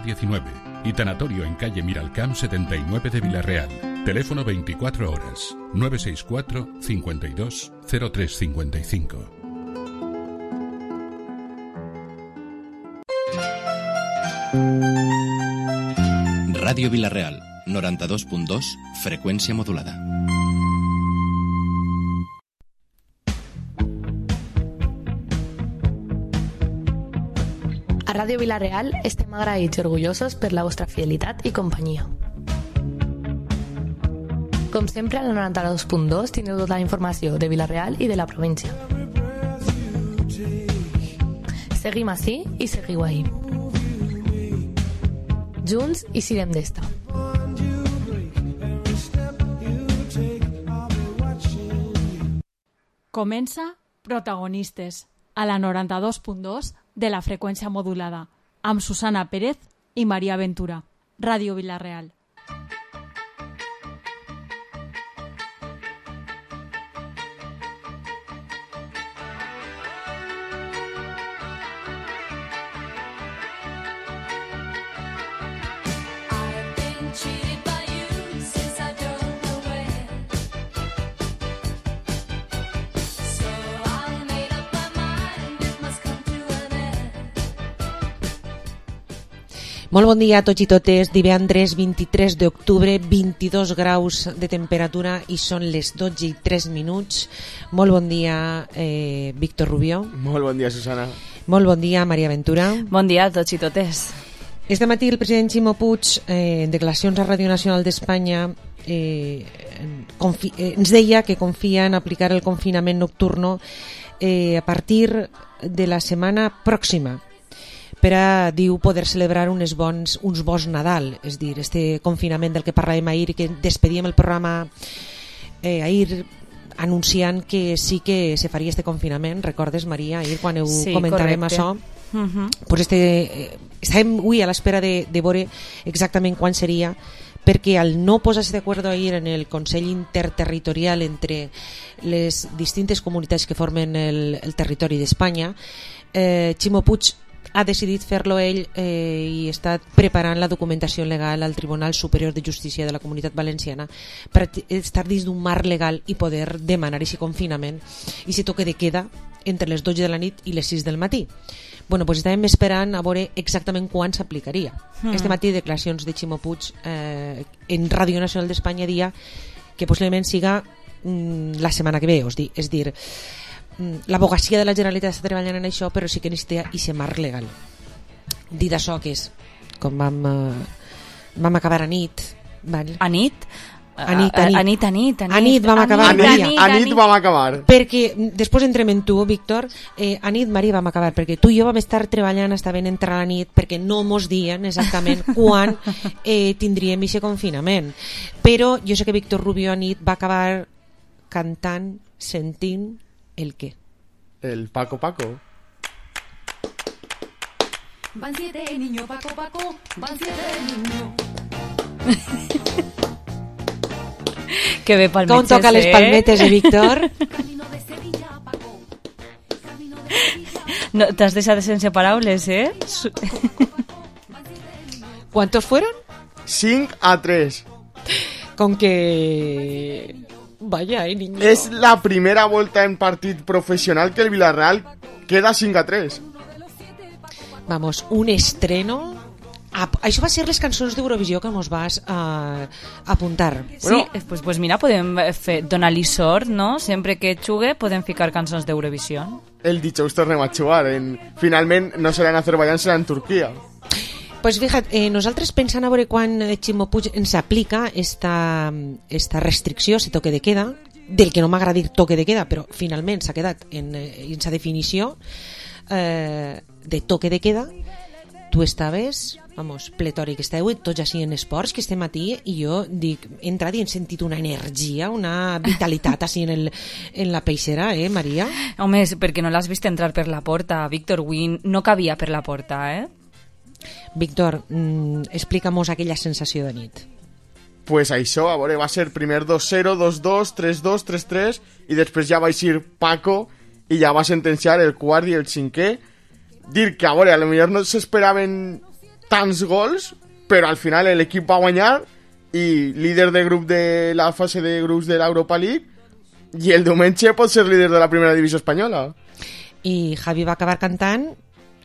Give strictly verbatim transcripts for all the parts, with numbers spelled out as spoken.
diecinueve y tanatorio en calle Miralcamp setenta y nueve de Villarreal. Teléfono veinticuatro horas, nueve seis cuatro, cincuenta y dos, cero tres cincuenta y cinco. Ràdio Vilareal, noranta-dos punt dos, freqüència modulada. A Ràdio Vilareal estem agraïts i orgullosos per la vostra fidelitat i companyia. Com sempre, al noranta-dos punt dos tindreu tota la informació de Vilareal i de la província. Seguim ací i seguiu ahí. Junts i sirem d'esta. Comença Protagonistes, a la noranta-dos punt dos de la freqüència modulada, amb Susana Pérez i Maria Ventura. Ràdio Vilareal. Molt bon dia a tots i totes. Divendres vint-i-tres d'octubre, vint-i-dos graus de temperatura i són les dotze i tres minuts. Molt bon dia, eh, Víctor Rubió. Molt bon dia, Susana. Molt bon dia, Maria Ventura. Bon dia a tots i totes. Este matí el president Ximo Puig, eh, en declaracions a Ràdio Nacional d'Espanya, eh, confi- eh, ens deia que confia en aplicar el confinament nocturno eh, a partir de la setmana pròxima, per a, diu, poder celebrar uns bons, uns bons Nadal, és dir, este confinament del que parlàvem ahir i que despedíem el programa eh, ahir anunciant que sí que se faria este confinament. Recordes, Maria, ahir quan ho sí, comentàvem correcte. això? Uh-huh. Pues este, eh, estàvem avui a l'espera de, de veure exactament quan seria, perquè al no posar-se d'acord ahir en el Consell Interterritorial entre les distintes comunitats que formen el, el territori d'Espanya, eh, Ximo Puig ha decidit fer-lo ell eh, i està preparant la documentació legal al Tribunal Superior de Justícia de la Comunitat Valenciana per estar dins d'un marc legal i poder demanar aquest confinament i si toque de queda entre les dotze de la nit i les sis del matí. Bueno, pues estàvem esperant a veure exactament quan s'aplicaria. Mm. Este matí declaracions de Ximo Puig eh, en Ràdio Nacional d'Espanya dia que possiblement siga mm, la setmana que ve, és dir, és dir l'advocacia de la Generalitat està treballant en això, però sí que necessita aquest marc legal. Dit això, que és com vam, eh, vam acabar a nit, val? A nit? A nit, a nit. A nit, a nit. A nit vam acabar, A Maria. nit, a nit vam acabar. Perquè després entrem en tu, Víctor, eh, a nit, Maria, vam acabar, perquè tu i jo vam estar treballant, estaven entrar a la nit, perquè no mos dien exactament quan eh, tindríem aquest confinament. Però jo sé que Víctor Rubio a nit va acabar cantant, sentint ¿el qué? El Paco Paco. Van siete niños, Paco Paco, van siete niños. Que bé palmetes, Com toca eh? les palmetes de Víctor? Camino de Sevilla, Paco. Camino de Sevilla. No, t'has deixat sense paraules, eh? Su- ¿Cuántos fueron? cinc a tres. Con que... Vaya, eh, niño. És la primera volta en partit professional que el Villarreal queda cinc a tres. Vamos, un estreno... Ah, això va ser les cançons d'Eurovisió que mos vas uh, apuntar. Sí, bueno, pues, pues mira, podem fer, donar-li sort, no? Sempre que xugue podem ficar cançons d'Eurovisió. El dijous tornem a jugar. En... Finalment no serà en Azerbaiyán, serà en Turquia. Pues fíjate, eh, nosaltres pensant a veure quan Ximo Puig ens aplica esta, esta restricció, si toque de queda, del que no m'agrada dir toque de queda, però finalment s'ha quedat en, en sa definició eh, de toque de queda. Tu estaves, vamos, pletòric, esteu tots així en esports, que este matí, i jo dic, he entrat i he sentit una energia, una vitalitat així en, el, en la peixera, eh, Maria? Home, perquè no l'has vist entrar per la porta, Víctor Wynn no cabia per la porta, eh? Víctor, mm, explica'm-nos aquella sensació de nit. Pues això, a veure, va ser primer dos zero, dos dos, tres dos, tres tres i després ja va eixir Paco i ja va sentenciar el quart i el cinquè. Dir que, a veure, a lo millor no s'esperaven tants gols, però al final l'equip va guanyar i líder de grup de la fase de grups de l'Europa League, i el diumenge pot ser líder de la primera divisió espanyola. I Javi va acabar cantant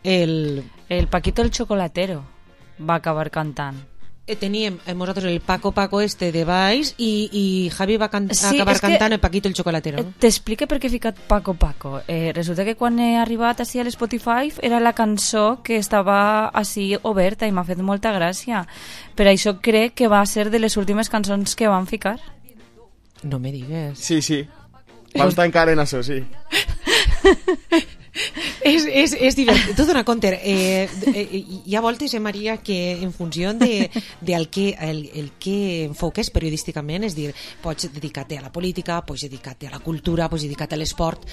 el... El Paquito el Chocolatero va acabar cantant. Eh, teníem eh, nosaltres el Paco Paco este de baix i, i Javi va can Sí, acabar és que- cantant el Paquito el Chocolatero. Eh, No? T'explique per què he ficat Paco Paco. Eh, resulta que quan he arribat així a l'Spotify era la cançó que estava així oberta i m'ha fet molta gràcia. Per això crec que va ser de les últimes cançons que van ficar. No me digues. Sí, sí. Vam estar encara en això, sí. És, és, és divertit. Tu dona compte, eh, eh, hi ha voltes, eh, Maria, que en funció de, de el, que, el, el que enfoques periodísticament, és dir, pots dedicar-te a la política, pots dedicar-te a la cultura, pots dedicar-te a l'esport.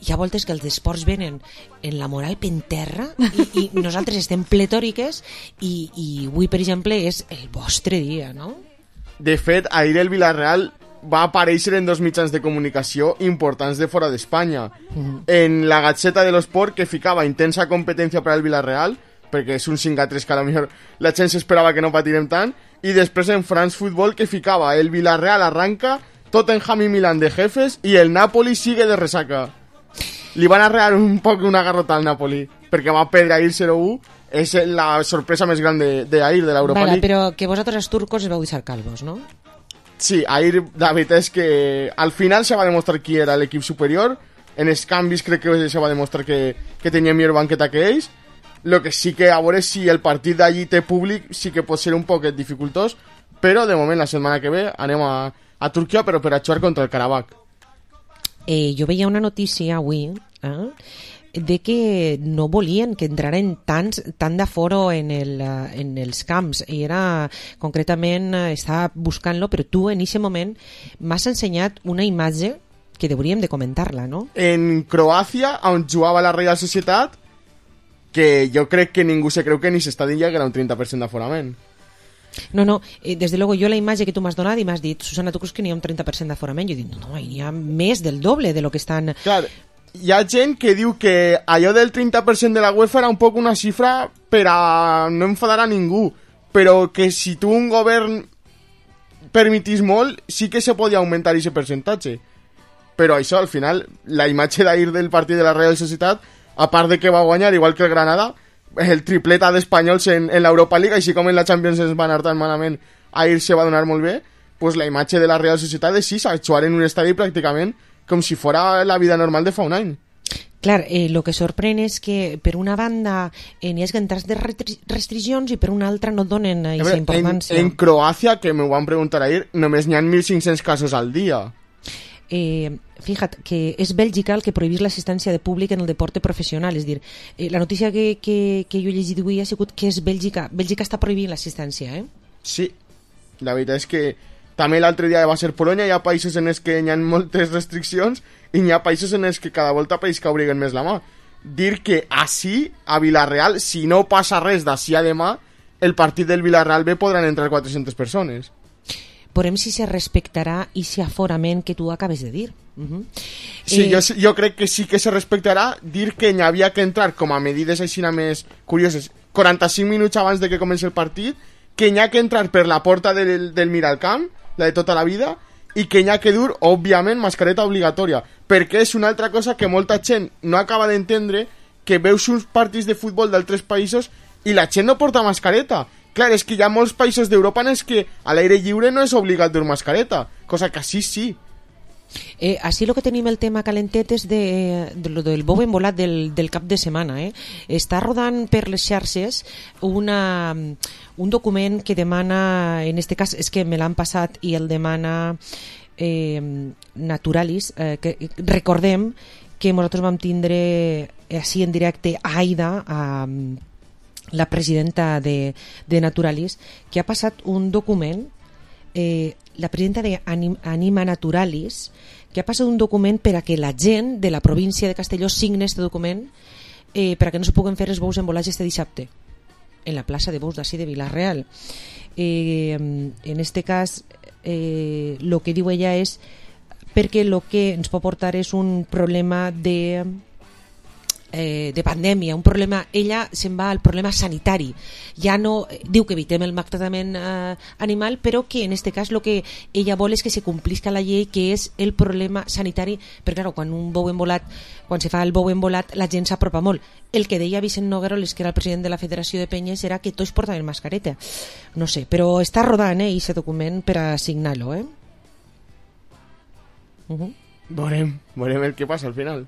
Hi ha voltes que els esports venen en la moral pen terra i, i nosaltres estem pletòriques i, i avui, per exemple, és el vostre dia, no? De fet, ahir el Villarreal va aparèixer en dos mitjans de comunicació importants de fora d'Espanya. Mm. En la Gazzetta de l'Esport, que ficava intensa competència per al Villarreal, perquè és un cinc a tres que a lo millor la gent s'esperava que no patirem tant, i després en France Football, que ficava el Villarreal arranca, Tottenham i Milan de jefes, i el Napoli sigue de resaca. Li van arrear un poc una garrota al Napoli, perquè va perdre ahir zero u, és la sorpresa més gran d'ahir, de, de l'Europa Vale, League. però que vosaltres els turcos es vau deixar calvos, no? Sí, ahir la veritat és que al final se va demostrar qui era l'equip superior. En els canvis crec que se va demostrar que, que tenia millor banqueta que ells. Lo que sí que a veure si el partit d'allí té públic sí que pot ser un poquet dificultós, però de moment la setmana que ve anem a, a Turquia, però per a jugar contra el Karabakh. Eh, jo veia una notícia avui eh, de que no volien que entraren tants, tant d'aforo en, el, eh, en els camps, i era concretament, eh, estava buscant-lo, però tu en aquest moment m'has ensenyat una imatge que hauríem de comentar-la, no? En Croàcia, on jugava la Real Societat, que jo crec que ningú se creu que ni s'està dient ja que era un trenta per cent d'aforament. No, no, eh, des de luego jo la imatge que tu m'has donat i m'has dit, Susana, tu creus que n'hi ha un trenta per cent d'aforament? Jo dic, no, no, n'hi ha més del doble de lo que estan... Clar, hi ha gent que diu que allò del trenta per cent de la UEFA era un poc una xifra per a no enfadar a ningú, però que si tu un govern permitís molt, sí que se podia augmentar aquest percentatge. Però això, al final, la imatge d'ahir del partit de la Real Societat, a part de que va guanyar, igual que el Granada, el tripleta d'espanyols en, en l'Europa League, així com en la Champions ens va anar tan malament, ahir se va donar molt bé, pues la imatge de la Real Societat és sí, actuar en un estadi pràcticament com si fora la vida normal de fa un any. Clar, eh, lo que sorprèn és que per una banda eh, n'hi ha entrats de restriccions i per una altra no donen aquesta importància. En, en Croàcia, que m'ho van preguntar ahir, només n'hi ha mil cinc-cents casos al dia. Eh, fíjate que és Bèlgica el que prohibís l'assistència de públic en el deporte professional, és dir, eh, la notícia que, que, que jo he llegit avui ha sigut que és Bèlgica, Bèlgica està prohibint l'assistència, eh? Sí, la veritat és que també l'altre dia va ser Polònia, hi ha països en els que hi ha moltes restriccions i hi ha països en els que cada volta país que obliguen més la mà. Dir que així, a Villarreal, si no passa res d'ací a demà, el partit del Villarreal B podran entrar quatre-centes persones. Veurem si se respectarà i si aforament que tu acabes de dir. Uh -huh. Sí, eh... jo, jo crec que sí que se respectarà. Dir que n'hi havia que entrar com a medides així més curioses quaranta-cinc minuts abans de que comenci el partit, que n'hi ha que entrar per la porta del, del Miralcamp, la de tota la vida, i que n'hi ha que dur, òbviament, mascareta obligatòria, perquè és una altra cosa que molta gent no acaba d'entendre, que veus uns partits de futbol d'altres països i la gent no porta mascareta. Clar, és que hi ha molts països d'Europa en els que a l'aire lliure no és obligat dur mascareta, cosa que així sí. Eh, així el que tenim el tema calentet és de, de lo del bou embolat del, del cap de setmana. Eh? Està rodant per les xarxes una, un document que demana, en este cas és que me l'han passat i el demana eh, Naturalis, eh, que recordem que nosaltres vam tindre així en directe a Aida, a la presidenta de, de Naturalis, que ha passat un document, eh, la presidenta de Anima Naturalis, que ha passat un document per a que la gent de la província de Castelló signe aquest document eh, per a que no se puguen fer els bous embolats este dissabte en la plaça de bous d'ací de Vila-real. Eh, en este cas, eh, lo que diu ella és perquè el que ens pot portar és un problema de eh, de pandèmia, un problema, ella se'n va al problema sanitari. Ja no diu que evitem el maltractament eh, animal, però que en este cas lo que ella vol és que se complisca la llei, que és el problema sanitari, perquè clar, quan un bou embolat, quan se fa el bou embolat, la gent s'apropa molt. El que deia Vicent Nogueroles, que era el president de la Federació de Penyes, era que tots portaven mascareta. No sé, però està rodant, eh, aquest document per a signar-lo, eh? Uh-huh. Veurem, veurem el que passa al final.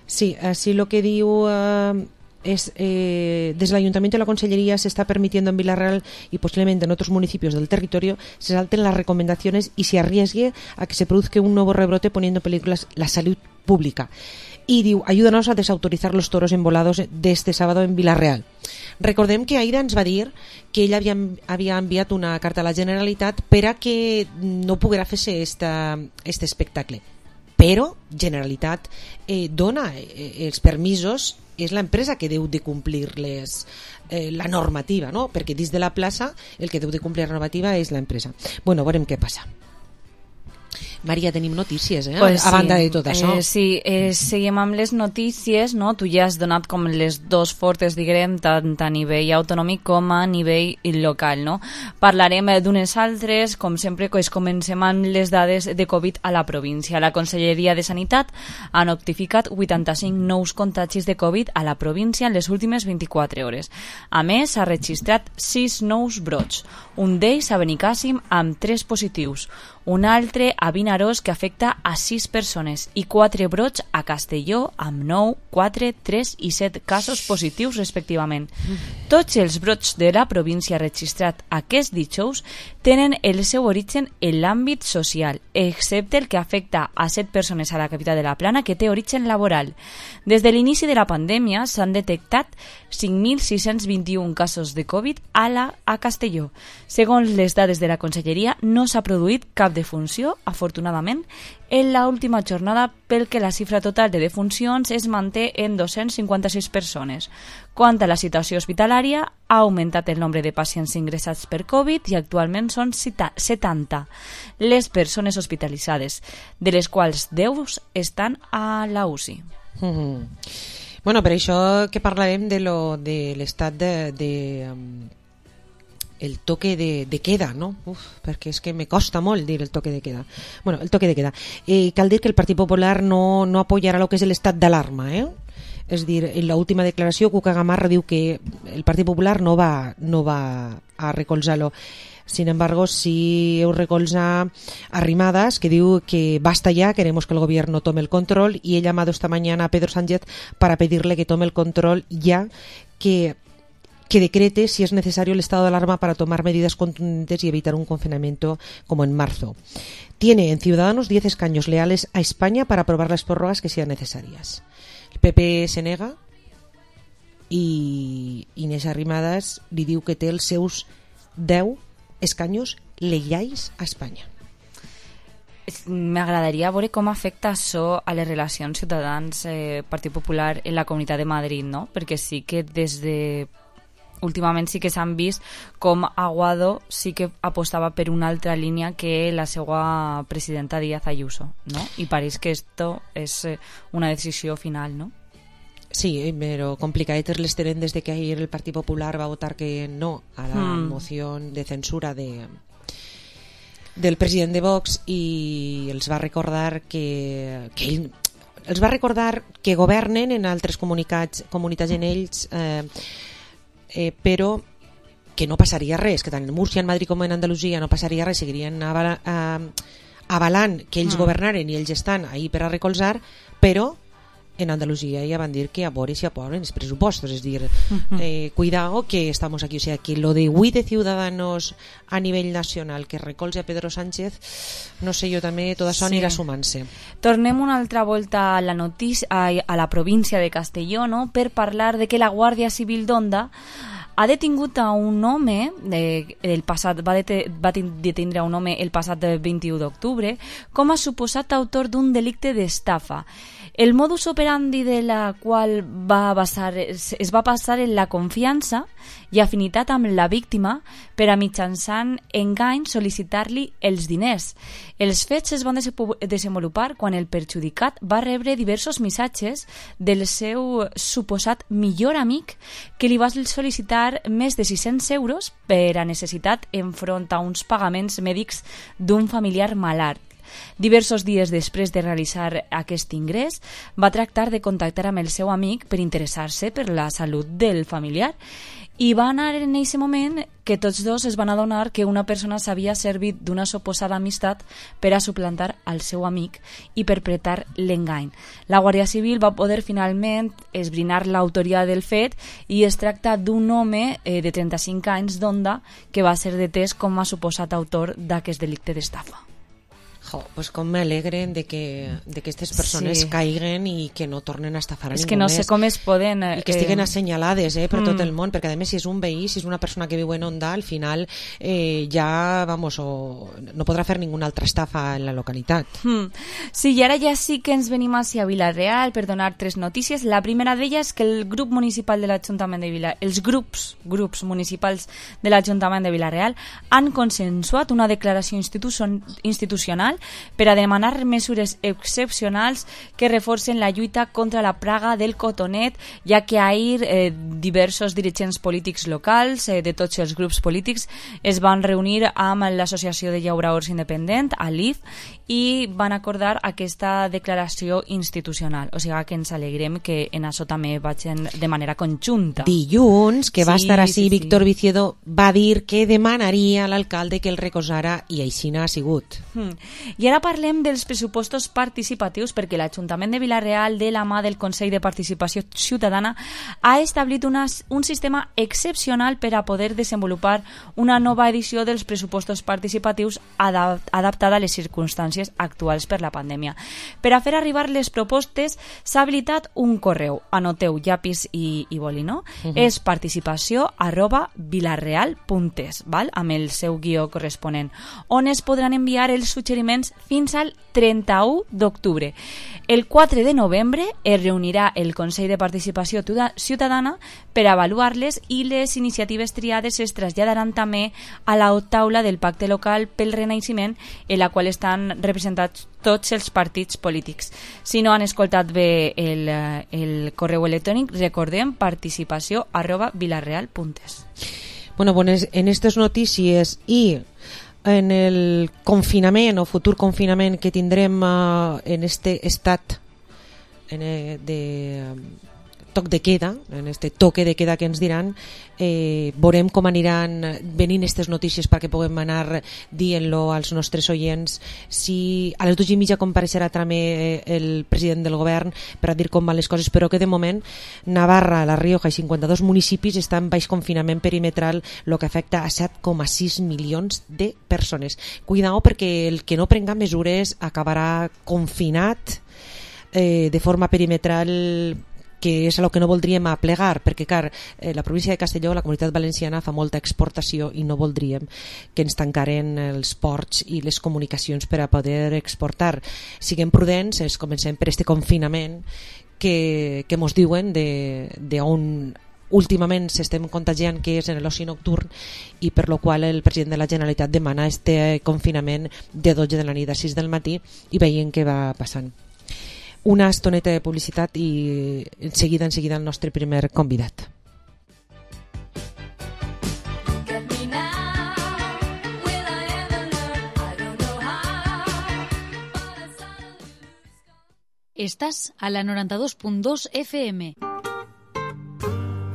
Sí, así lo que diu eh, es eh, desde el Ayuntamiento y la Consellería se está permitiendo en Villarreal y posiblemente en otros municipios del territorio se salten las recomendaciones y se arriesgue a que se produzca un nuevo rebrote poniendo en peligro la salud pública. Y diu, ayúdanos a desautorizar los toros embolados de este sábado en Villarreal. Recordem que Aida ens va dir que ella havia, havia enviat una carta a la Generalitat per a que no poguera fer-se este espectacle. Però Generalitat eh, dona eh, els permisos, és l'empresa que deu de complir les, eh, la normativa, no? Perquè dins de la plaça el que deu de complir la normativa és l'empresa. Bueno, veurem què passa. Maria, tenim notícies, eh? Pues a sí. banda de tot això. Eh, sí, eh, seguim amb les notícies, no? Tu ja has donat com les dos fortes, diguem, tant a nivell autonòmic com a nivell local, no? Parlarem d'unes altres, com sempre, que comencem amb les dades de Covid a la província. La Conselleria de Sanitat ha notificat vuitanta-cinc nous contagis de Covid a la província en les últimes vint-i-quatre hores. A més, s'ha registrat sis nous brots, un d'ells a Benicàssim amb tres positius, un altre a Vinaròs que afecta a sis persones i quatre brots a Castelló amb nou, quatre, tres i set casos positius respectivament. Tots els brots de la província registrat aquest dijous tenen el seu origen en l'àmbit social, excepte el que afecta a set persones a la capital de la Plana que té origen laboral. Des de l'inici de la pandèmia s'han detectat cinc mil sis-cents vint-i-un casos de Covid a, la, a Castelló. Segons les dades de la Conselleria, no s'ha produït cap defunció, afortunadament, en l'última jornada, pel que la xifra total de defuncions es manté en dos-cents cinquanta-sis persones. Quant a la situació hospitalària, ha augmentat el nombre de pacients ingressats per Covid i actualment són setanta les persones hospitalitzades, de les quals deu estan a la U C I. Mm-hmm. Bueno, per això que parlarem de, lo, de l'estat de... de um... el toque de, de queda, no? Uf, perquè és que me costa molt dir el toque de queda. Bueno, el toque de queda. Eh, cal dir que el Partit Popular no, no apoyarà el que és l'estat d'alarma, eh? És dir, en l'última declaració Cuca Gamarra diu que el Partit Popular no va, no va a recolzar-lo. Sin embargo, sí heu recolza Arrimadas, que diu que basta ya, queremos que el gobierno tome el control, y he llamado esta mañana a Pedro Sánchez para pedirle que tome el control ya, que que decrete si es necesario el estado de alarma para tomar medidas contundentes y evitar un confinamiento como en marzo. Tiene en Ciudadanos diez escaños leales a España para aprobar las prórrogas que sean necesarias. El P P se nega i Inés Arrimadas li diu que té els seus deu escaños lleials a Espanya. M'agradaria veure com afecta això a les relacions Ciutadans-Partit eh, Popular en la Comunitat de Madrid, no? Perquè sí que des de últimament sí que s'han vist com Aguado sí que apostava per una altra línia que la seva presidenta Díaz Ayuso, no? I pareix que esto és una decisió final, no? Sí, però complicadetes les tenen des de que ahir el Partit Popular va votar que no a la mm. moció de censura de, del president de Vox i els va recordar que, que ell els va recordar que governen en altres comunicats, comunitats en ells eh, Eh, però que no passaria res, que tant en Múrcia, en Madrid com en Andalusia no passaria res, seguirien avala, eh, avalant que ells mm. governaren i ells estan ahí per a recolzar, però en Andalusia ja van dir que a veure si aproven els pressupostos, és dir, mm-hmm. eh, cuidado que estamos aquí, o sea, que lo de huit de Ciudadanos a nivell nacional que recolze a Pedro Sánchez, no sé, jo també tot això sí. anirà sumant-se. Tornem una altra volta a la notícia, a, a la província de Castelló, no?, per parlar de que la Guàrdia Civil d'Onda ha detingut a un home, eh, el passat, va, dete, va detindre a un home el passat vint-i-u d'octubre com a suposat autor d'un delicte d'estafa. El modus operandi de la qual va basar, es va basar en la confiança i afinitat amb la víctima per a mitjançant engany sol·licitar-li els diners. Els fets es van desenvolupar quan el perjudicat va rebre diversos missatges del seu suposat millor amic que li va sol·licitar més de sis-cents euros per a necessitat enfront a uns pagaments mèdics d'un familiar malalt. Diversos dies després de realitzar aquest ingrés, va tractar de contactar amb el seu amic per interessar-se per la salut del familiar i va anar en aquest moment que tots dos es van adonar que una persona s'havia servit d'una suposada amistat per a suplantar al seu amic i perpetrar l'engany. La Guàrdia Civil va poder finalment esbrinar l'autoria del fet i es tracta d'un home eh, de trenta-cinc anys d'Onda que va ser detès com a suposat autor d'aquest delicte d'estafa. Jo, pues com m'alegren de que, de que aquestes persones Sí. caiguen i que no tornen a estafar a És ningú que no més. sé com es poden... I que estiguen eh, assenyalades eh, per mm. tot el món, perquè a més si és un veí, si és una persona que viu en Onda, al final eh, ja, vamos, o no podrà fer ninguna altra estafa en la localitat. Hmm. Sí, i ara ja sí que ens venim hacia Vila-real per donar tres notícies. La primera d'elles és que el grup municipal de l'Ajuntament de Vila... els grups, grups municipals de l'Ajuntament de Vila-real han consensuat una declaració institucion... institucional per a demanar mesures excepcionals que reforcen la lluita contra la praga del cotonet, ja que ahir eh, diversos dirigents polítics locals eh, de tots els grups polítics es van reunir amb l'Associació de Llauradors Independent, a l'I F, i van acordar aquesta declaració institucional. O sigui que ens alegrem que en això també vagin de manera conjunta. Dilluns, que va Sí, estar així, sí, sí. Víctor Viciedo va dir que demanaria a l'alcalde que el recolzara i així n'ha sigut. Hmm. I ara parlem dels pressupostos participatius, perquè l'Ajuntament de Vila-real, de la mà del Consell de Participació Ciutadana, ha establit una, un sistema excepcional per a poder desenvolupar una nova edició dels pressupostos participatius adap adaptada a les circumstàncies actuals per la pandèmia. Per a fer arribar les propostes s'ha habilitat un correu, anoteu llapis i, i boli, no? Uh -huh. És participació arroba vilareal punt es, val? Amb el seu guió corresponent, on es podran enviar els suggeriments fins al trenta-u d'octubre. El quatre de novembre es reunirà el Consell de Participació Ciutadana per avaluar-les i les iniciatives triades es traslladaran també a la taula del Pacte Local pel Renaixement, en la qual estan representats tots els partits polítics. Si no han escoltat bé el, el correu electrònic, recordem participació arroba vilareal punt es. Bueno, pues en estas noticias y en el confinament o futur confinament que tindrem uh, en este estat en, eh, de um, toc de queda, en este toque de queda que ens diran, eh, veurem com aniran venint aquestes notícies perquè puguem anar dient-lo als nostres oients. Si a les dues i mitja compareixerà també el president del govern per a dir com van les coses, però que de moment Navarra, La Rioja i cinquanta-dos municipis estan en baix confinament perimetral, el que afecta a set coma sis milions de persones. Cuidao, perquè el que no prenga mesures acabarà confinat eh, de forma perimetral, que és el que no voldríem aplegar, perquè clar, eh, la província de Castelló, la Comunitat Valenciana, fa molta exportació i no voldríem que ens tancaren els ports i les comunicacions per a poder exportar. Siguem prudents, es comencem per este confinament que, que mos diuen de, de on últimament s'estem contagiant, que és en l'oci nocturn, i per lo qual el president de la Generalitat demana este confinament de dotze de la nit a sis del matí, i veient què va passant. Una estoneta de publicitat i en seguida, en seguida el nostre primer convidat. Estás a la noranta-dos punt dos F M.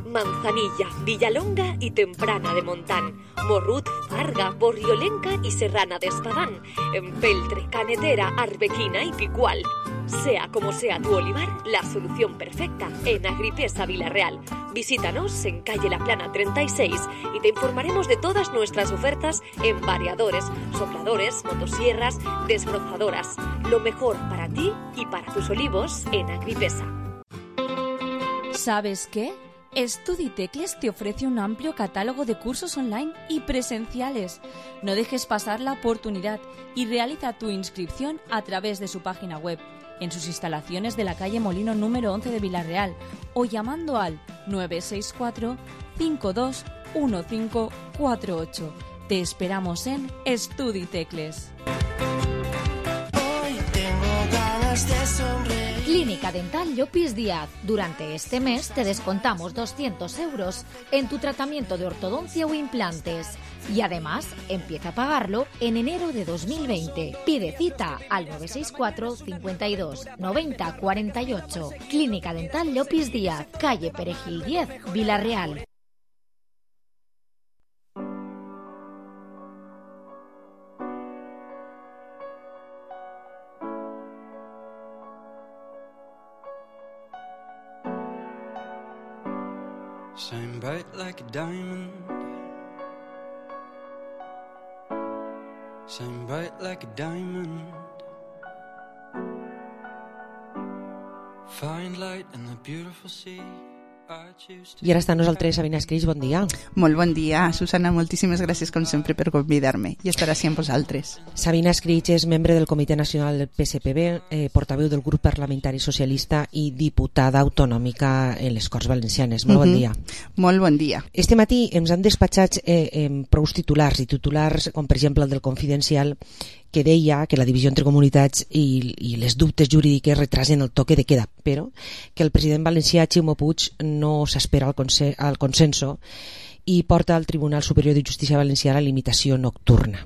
Manzanilla, Villalonga y Temprana de Montán, Morrut, Farga, Borriolenca y Serrana de Espadán, Empeltre, Canetera, Arbequina y Picual. Sea como sea tu olivar, la solución perfecta en Agripesa Vila-real. Visítanos en calle La Plana treinta y seis y te informaremos de todas nuestras ofertas en variadores, sopladores, motosierras, desbrozadoras. Lo mejor para ti y para tus olivos en Agripesa. ¿Sabes qué? Estuditecles te ofrece un amplio catálogo de cursos online y presenciales. No dejes pasar la oportunidad y realiza tu inscripción a través de su página web, en sus instalaciones de la calle Molino número once de Vila-real, o llamando al nueve seis cuatro, cinco dos uno cinco cuatro ocho. Te esperamos en Estudi Tecles. Clínica Dental Llopis Díaz. Durante este mes te descontamos doscientos euros en tu tratamiento de ortodoncia o implantes. Y además, empieza a pagarlo en enero de dos mil veinte. Pide cita al nueve seis cuatro, cincuenta y dos, noventa, cuarenta y ocho. Clínica Dental Llopis Díaz, calle Perejil diez, Vila-real. Shine bright like a diamond. Shine bright like a diamond. Find light in the beautiful sea. I ara està amb nosaltres Sabina Escris, bon dia. Molt bon dia, Susana, moltíssimes gràcies com sempre per convidar-me i estar així amb vosaltres. Sabina Escris és membre del Comitè Nacional del P S P B, eh, portaveu del grup parlamentari socialista i diputada autonòmica en les Corts Valencianes. Molt bon uh-huh. dia. Molt bon dia. Este matí ens han despatxat eh, eh, prou titulars i titulars com per exemple el del Confidencial, que deia que la divisió entre comunitats i, i les dubtes jurídiques retrasen el toque de queda, però que el president valencià Ximo Puig no s'espera al, conse al consenso i porta al Tribunal Superior de Justícia Valencià la limitació nocturna.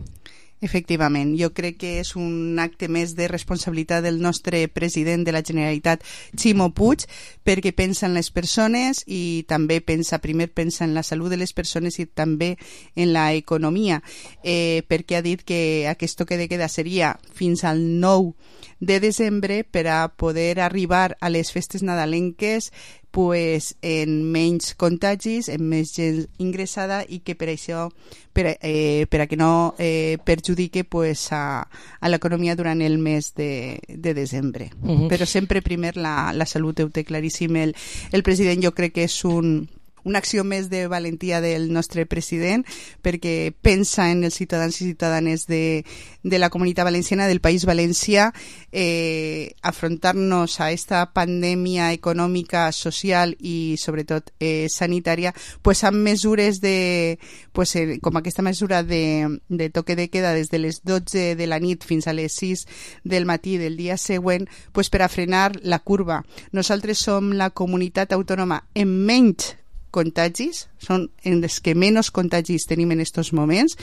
Efectivament, jo crec que és un acte més de responsabilitat del nostre president de la Generalitat, Ximo Puig, perquè pensa en les persones i també pensa, primer pensa en la salut de les persones i també en la economia, eh, perquè ha dit que aquest toque de queda seria fins al nou de desembre per a poder arribar a les festes nadalenques pues, en menys contagis, en més gent ingressada i que per això, per, eh, per a que no eh, perjudique pues, a, a l'economia durant el mes de, de desembre. Uh-huh. Però sempre primer la, la salut, ho té claríssim el, el president. Jo crec que és un una acció més de valentia del nostre president perquè pensa en els ciutadans i ciutadanes de, de la Comunitat Valenciana, del País Valencià, eh, afrontar-nos a esta pandèmia econòmica, social i sobretot eh, sanitària, pues amb mesures de, pues, eh, com aquesta mesura de, de toque de queda des de les dotze de la nit fins a les sis del matí del dia següent, pues per a frenar la curva. Nosaltres som la comunitat autònoma en menys contagis, són en les que menys contagis tenim en aquests moments.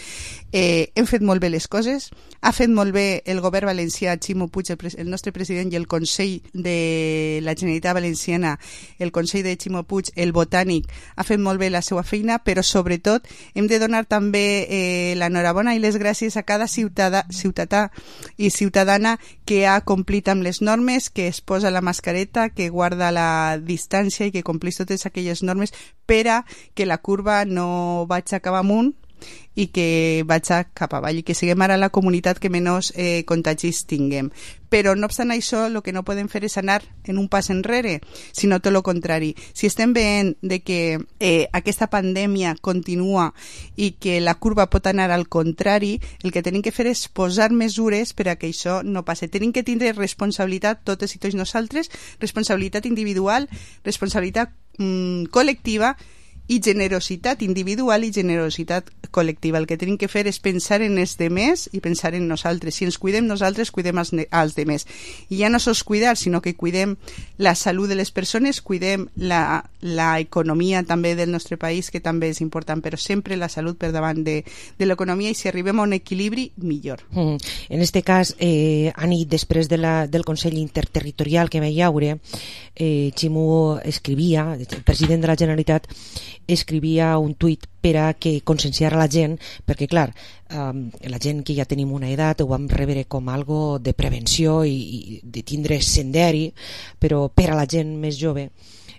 Eh, hem fet molt bé les coses, ha fet molt bé el govern valencià, Ximo Puig, el, el nostre president i el Consell de la Generalitat Valenciana, el Consell de Ximo Puig, el Botànic, ha fet molt bé la seva feina, però sobretot hem de donar també eh, l'enhorabona i les gràcies a cada ciutadà, ciutadà i ciutadana que ha complit amb les normes, que es posa la mascareta, que guarda la distància i que complís totes aquelles normes per a que la curva no vaig a cap amunt i que vaig a cap avall i que siguem ara la comunitat que menys eh, contagis tinguem. Però no obstant això, el que no podem fer és anar en un pas enrere, sinó tot el contrari. Si estem veient de que eh, aquesta pandèmia continua i que la curva pot anar al contrari, el que tenim que fer és posar mesures per a que això no passi. Tenim que tindre responsabilitat totes i tots nosaltres, responsabilitat individual, responsabilitat mm, col·lectiva i generositat individual i generositat col·lectiva. El que tenim que fer és pensar en els demés i pensar en nosaltres. Si ens cuidem nosaltres, cuidem als, als demés. I ja no sols cuidar, sinó que cuidem la salut de les persones, cuidem la, la economia també del nostre país, que també és important, però sempre la salut per davant de, de l'economia, i si arribem a un equilibri, millor. Mm. En este cas, eh, Anit, després de la, del Consell Interterritorial que hi haurà, eh, Ximo escrivia, el president de la Generalitat escrivia un tuit per a que conscienciara la gent, perquè clar, um, la gent que ja tenim una edat ho vam rebre com algo de prevenció i, i de tindre senderi, però per a la gent més jove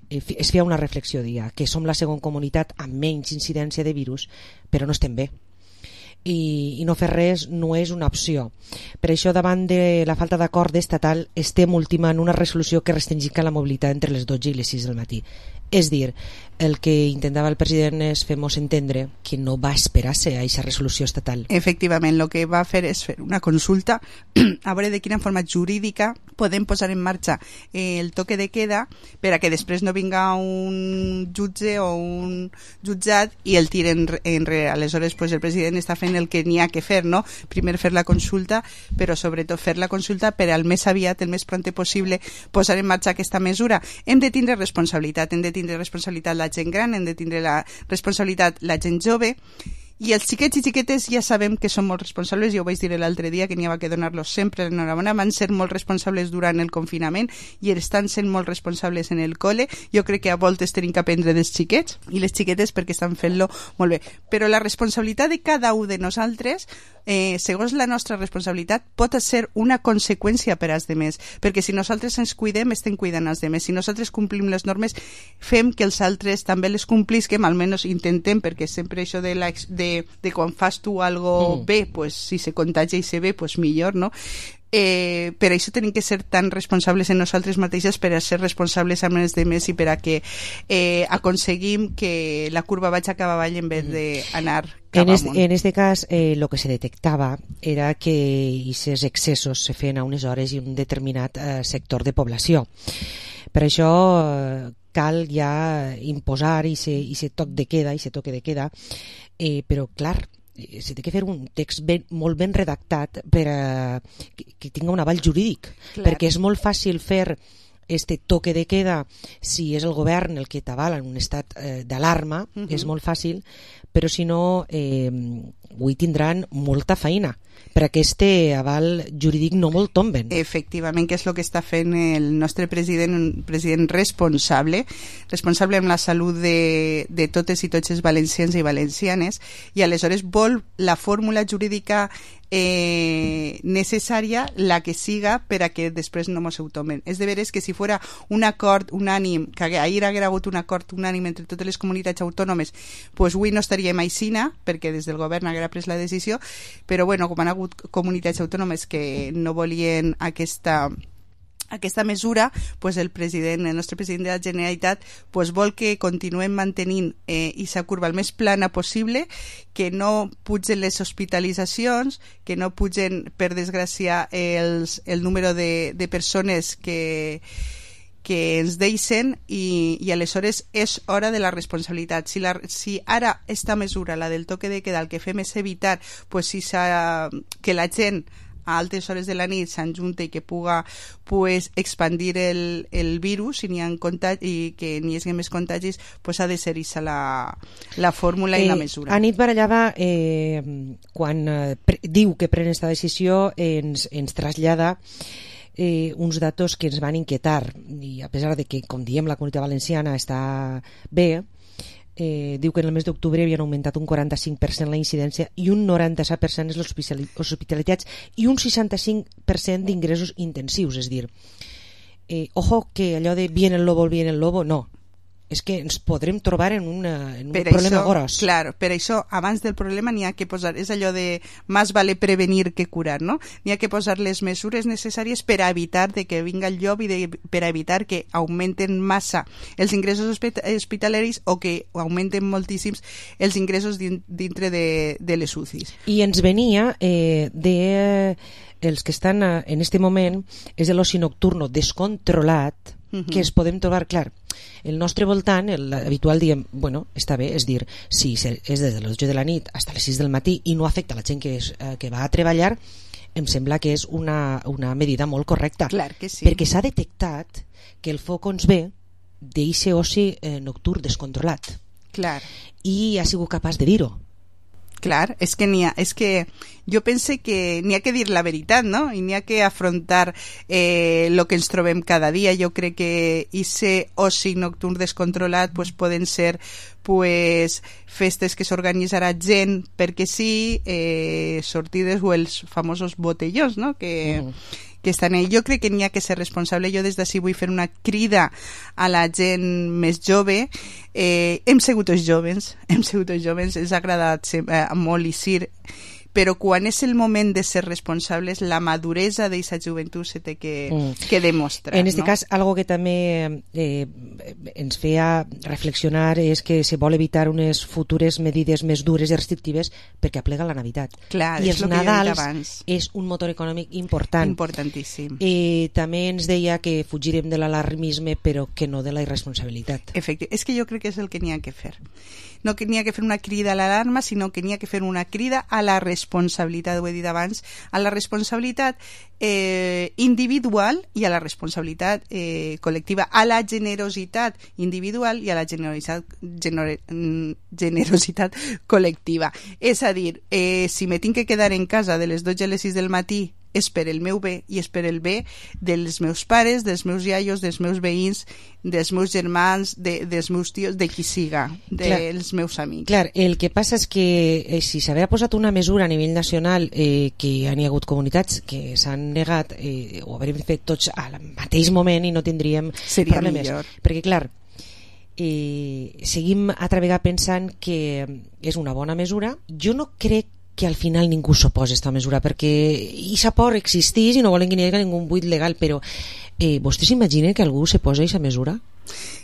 es feia una reflexió, dia, que som la segona comunitat amb menys incidència de virus, però no estem bé. I, i no fer res no és una opció. Per això, davant de la falta d'acord estatal, estem ultimant una resolució que restringica la mobilitat entre les dotze i les sis del matí. És dir, el que intentava el president és fer-nos entendre que no va esperar-se a aquesta resolució estatal. Efectivament, el que va fer és fer una consulta a veure de quina forma jurídica podem posar en marxa el toque de queda per a que després no vinga un jutge o un jutjat i el tiren enrere. Aleshores, pues, el president està fent el que n'hi ha que fer, no? Primer fer la consulta, però sobretot fer la consulta per al més aviat, el més pronte possible, posar en marxa aquesta mesura. Hem de tindre responsabilitat, hem de tindre responsabilitat la gent gran, hem de tindre la responsabilitat la gent jove, i els xiquets i xiquetes ja sabem que són molt responsables. Jo ho vaig dir l'altre dia que n'hi havia que donar-los sempre l'enhorabona. Van ser molt responsables durant el confinament i estan sent molt responsables en el col·le. Jo crec que a voltes tenim que aprendre dels xiquets i les xiquetes perquè estan fent-lo molt bé, però la responsabilitat de cada un de nosaltres, eh, segons la nostra responsabilitat, pot ser una conseqüència per als demés, perquè si nosaltres ens cuidem estem cuidant els demés. Si nosaltres complim les normes, fem que els altres també les complisquem, almenys intentem, perquè sempre això de la de De, de quan fas tu algo mm. bé, pues si se contagia i se ve, pues millor, no? Eh, per això tenim que ser tan responsables en nosaltres mateixes per a ser responsables amb els demés i per a que eh, aconseguim que la curva vagi cap avall en vez d'anar cap en este, amunt. En este cas, eh, lo que se detectava era que aquests excessos se feien a unes hores i un determinat eh, sector de població. Per això eh, cal ja imposar i se toc de queda, i se toque de queda, eh, però clar, se té que fer un text ben, molt ben redactat per a que, que tingui un aval jurídic, clar. Perquè és molt fàcil fer este toque de queda si és el govern el que t'avala en un estat eh, d'alarma, uh-huh. és molt fàcil, però si no eh, avui tindran molta feina per aquest aval jurídic no molt tomben. Efectivament, que és el que està fent el nostre president, un president responsable, responsable amb la salut de, de totes i tots els valencians i valencianes, i aleshores vol la fórmula jurídica eh, necessària, la que siga, per a que després no mos ho tomen. És de veres que si fora un acord unànim, que ahir haguera hagut un acord unànim entre totes les comunitats autònomes, pues avui no estaríem aixina, perquè des del govern haguera pres la decisió, però bueno, com han hagut comunitats autònomes que no volien aquesta aquesta mesura, pues el president, el nostre president de la Generalitat, pues vol que continuem mantenint eh, aquesta curva el més plana possible, que no pugen les hospitalitzacions, que no pugen, per desgràcia, els, el número de, de persones que que ens deixen i, i aleshores és hora de la responsabilitat. Si, la, si ara esta mesura, la del toque de queda, el que fem és evitar pues, si que la gent a altes hores de la nit s'enjunta i que puga pues, expandir el, el virus i, ha contagi, i que n'hi hagi més contagis, pues, ha de ser aquesta la, la fórmula eh, i la mesura. Anit Barallava, eh, quan eh, pre, diu que pren aquesta decisió, eh, ens, ens trasllada Eh, uns datos que ens van inquietar, i a pesar de que, com diem, la comunitat valenciana està bé, eh, diu que en el mes d'octubre havien augmentat un quaranta-cinc per cent la incidència i un noranta-set per cent les hospitalitats i un seixanta-cinc per cent d'ingressos intensius. És dir, eh, ojo que allò de viene el lobo, viene el lobo, no. És que ens podrem trobar en, una, en un per problema això, gros. Clar, per això, abans del problema n'hi ha que posar, és allò de més vale prevenir que curar, no? N'hi ha que posar les mesures necessàries per a evitar de que vinga el llop i de, per a evitar que augmenten massa els ingressos hospitalaris o que augmenten moltíssims els ingressos dintre de, de les U C Is. I ens venia eh, de eh, els que estan eh, en este moment és de l'oci nocturno descontrolat, uh-huh. que es podem trobar, clar, el nostre voltant, l'habitual diem, bueno, està bé, és dir, si és des de les dotze de la nit fins a les sis del matí i no afecta la gent que, és, eh, que va a treballar, em sembla que és una, una medida molt correcta. Clar que sí. Perquè s'ha detectat que el foc ens ve d'eixe oci eh, nocturn descontrolat. Clar. I ha sigut capaç de dir-ho. Clar, és que n'hi ha, és que jo pense que n'hi ha que dir la veritat, no? I n'hi ha que afrontar eh, lo que ens trobem cada dia. Jo crec que ese oci nocturn descontrolat pues, poden ser pues, festes que s'organitzarà gent perquè sí, eh, sortides o els famosos botellons, no? Que... Mm. que estan ahí. Jo crec que n'hi ha que ser responsable. Jo des d'ací vull fer una crida a la gent més jove. Eh, hem sigut els joves, hem sigut els joves, ens ha agradat eh, molt Isir, però quan és el moment de ser responsables, la maduresa d'aquesta joventut se té que, mm. que demostrar. En este no? cas, algo que també eh, ens feia reflexionar és que se vol evitar unes futures medides més dures i restrictives perquè aplega la Navidad. Clar, I és els el que Nadals abans. És un motor econòmic important. Importantíssim. I també ens deia que fugirem de l'alarmisme però que no de la irresponsabilitat. Efecte. És que jo crec que és el que n'hi ha que fer. No que n'hi ha que fer una crida a l'alarma, sinó que n'hi ha que fer una crida a la responsabilitat, ho he dit abans, a la responsabilitat eh, individual i a la responsabilitat eh, col·lectiva, a la generositat individual i a la generositat, gener, generositat col·lectiva. És a dir, eh, si me tinc que quedar en casa de les dotze a les sis del matí és per el meu bé i és per el bé dels meus pares, dels meus iaios, dels meus veïns, dels meus germans, de, dels meus tios, de qui siga, dels clar, meus amics. Clar, el que passa és que eh, si s'havia posat una mesura a nivell nacional eh, que hi ha hagut comunitats que s'han negat, eh, ho hauríem fet tots al mateix moment i no tindríem Seria problemes. Millor. Perquè clar, eh, seguim altra vegada pensant que és una bona mesura. Jo no crec que al final ningú s'oposa a aquesta mesura perquè aquesta por existeix i no volen que n'hi hagi ningú buit legal, però eh, vostè s'imagina que algú se posa a aquesta mesura?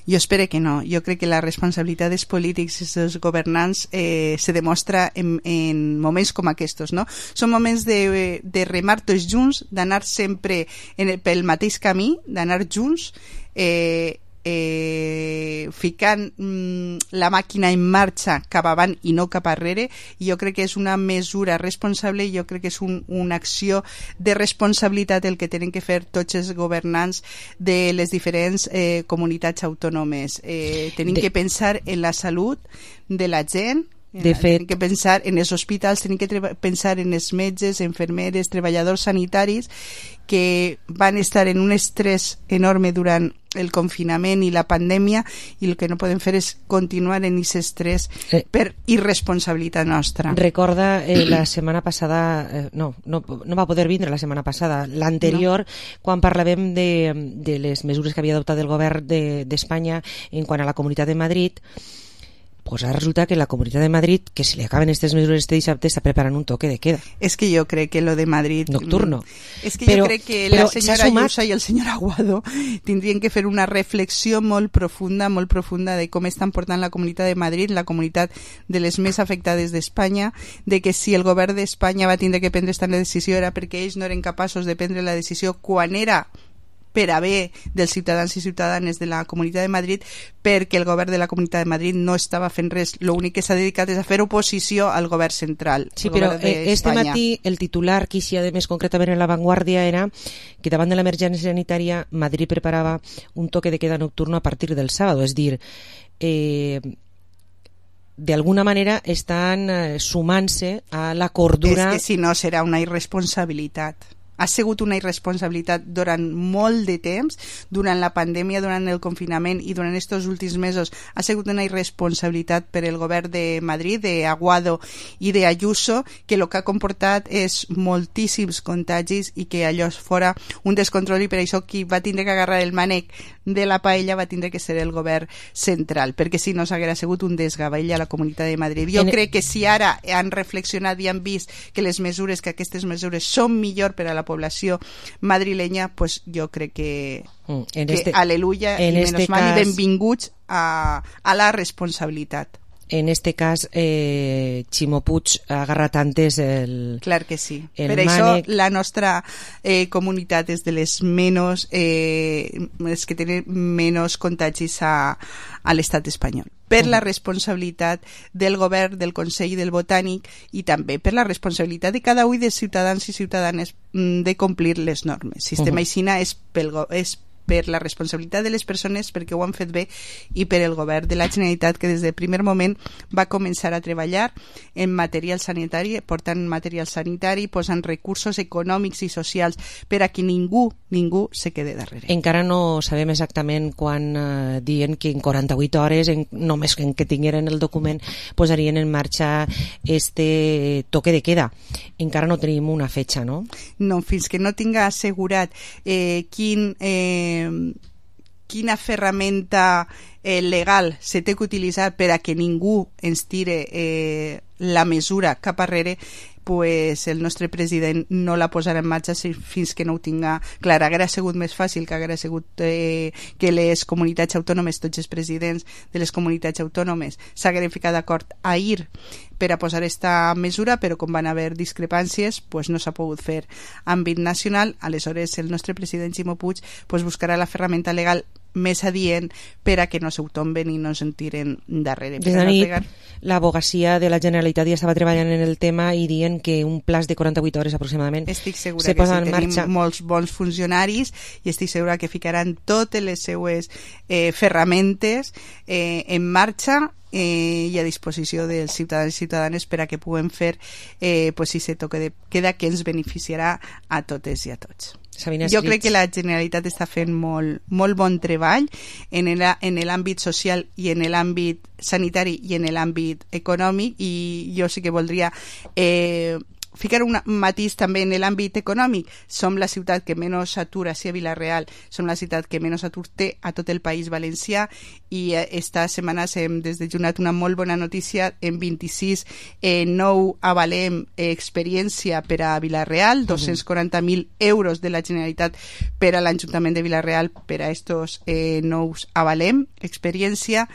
Jo espero que no. Jo crec que la responsabilitat dels polítics i dels governants eh, se demostra en, en moments com aquests, no? Són moments de, de remar tots junts, d'anar sempre en el, pel mateix camí, d'anar junts, eh, eh, ficant mm, la màquina en marxa cap avant i no cap arrere, i jo crec que és una mesura responsable i jo crec que és un, una acció de responsabilitat el que tenen que fer tots els governants de les diferents eh, comunitats autònomes. Eh, tenim de... que pensar en la salut de la gent. De fet, tenim que pensar en els hospitals, tenim que pensar en els metges, infermeres, treballadors sanitaris que van estar en un estrès enorme durant el confinament i la pandèmia, i el que no podem fer és continuar en aquest estrès eh, per irresponsabilitat nostra. Recorda eh, la setmana passada, eh, no, no, no va poder vindre la setmana passada, l'anterior, no. Quan parlàvem de, de les mesures que havia adoptat el govern d'Espanya de, en quant a la Comunitat de Madrid. Pues ara resulta que la Comunitat de Madrid, que si li acaben aquestes mesures este dissabte, està preparant un toque de queda. És que jo crec que lo de Madrid... Nocturno. És que però, jo crec que la senyora Ayuso i el senyor Aguado tindrien que fer una reflexió molt profunda, molt profunda de com estan portant la Comunitat de Madrid, la comunitat de les més afectades d'Espanya, de que si el govern d'Espanya va tindre que prendre esta decisió era perquè ells no eren capaços de prendre la decisió quan era per a bé dels ciutadans i ciutadanes de la Comunitat de Madrid, perquè el govern de la Comunitat de Madrid no estava fent res. L'únic que s'ha dedicat és a fer oposició al govern central. Sí, però este matí el titular que hi ha de més concretament en La Vanguardia era que davant de l'emergència sanitària Madrid preparava un toque de queda nocturno a partir del sábado, és dir, eh, de alguna manera estan eh, sumant-se a la cordura... És que si no serà una irresponsabilitat. Ha sigut una irresponsabilitat durant molt de temps, durant la pandèmia, durant el confinament i durant aquests últims mesos. Ha sigut una irresponsabilitat per el govern de Madrid, de Aguado i de Ayuso, que el que ha comportat és moltíssims contagis i que allò fora un descontrol, i per això qui va tindre que agarrar el mànec de la paella va tindre que ser el govern central, perquè si no s'haguera sigut un desgavell a la Comunitat de Madrid. Jo en... crec que si ara han reflexionat i han vist que les mesures, que aquestes mesures són millor per a la població madrilenya, pues jo crec que, mm, que este, aleluya i menos este mal cas... i benvinguts a, a la responsabilitat. En este cas, eh, Ximo Puig agarra tantes el... Clar que sí. Per mànec... això la nostra eh, comunitat és de les menys, eh, les que tenen menys contagis a, a l'estat espanyol. Per la responsabilitat del govern, del Consell del Botànic, i també per la responsabilitat de cada un dels ciutadans i ciutadanes de complir les normes. Sistema uh-huh. Aixina és pel és per la responsabilitat de les persones, perquè ho han fet bé, i per el govern de la Generalitat, que des del primer moment va començar a treballar en material sanitari, portant material sanitari, posant recursos econòmics i socials per a que ningú, ningú se quede darrere. Encara no sabem exactament quan eh, diuen que en quaranta-vuit hores, en, només en que tingueren el document, posarien en marxa este toque de queda. Encara no tenim una fetxa, no? No, fins que no tinga assegurat eh, quin... Eh, quina ferramenta eh, legal se té que utilitzar per a que ningú ens tire eh, la mesura cap arrere, pues el nostre president no la posarà en marxa fins que no ho tinga clar. Hauria sigut més fàcil que hauria sigut eh, que les comunitats autònomes, tots els presidents de les comunitats autònomes s'hagueren ficat d'acord ahir per a posar aquesta mesura, però com van haver discrepàncies pues no s'ha pogut fer a àmbit nacional. Aleshores el nostre president Ximo Puig pues buscarà la ferramenta legal més adient per a que no s'ho tomben i no se'n tiren darrere. Des de nit, l'abogacia de la Generalitat ja estava treballant en el tema i dient que un plaç de quaranta-vuit hores aproximadament estic segura se que posa sí, en tenim marxa. molts bons funcionaris i estic segura que ficaran totes les seues eh, ferramentes eh, en marxa eh, i a disposició dels ciutadans i ciutadanes per a que puguem fer eh, pues, si se toque de queda que ens beneficiarà a totes i a tots. Sabina Jo crec que la Generalitat està fent molt, molt bon treball en l'àmbit social i en l'àmbit sanitari i en l'àmbit econòmic, i jo sí que voldria eh, ficar un matís també en l'àmbit econòmic. Som la ciutat que menys atur, així a Vila-real, som la ciutat que menys atur té a tot el País Valencià, i esta setmana hem desdejunat una molt bona notícia. En vint-i-sis eh, nou avalem eh, experiència per a Vila-real, dos-cents quaranta mil euros de la Generalitat per a l'Ajuntament de Vila-real per a estos eh, nous avalem experiència.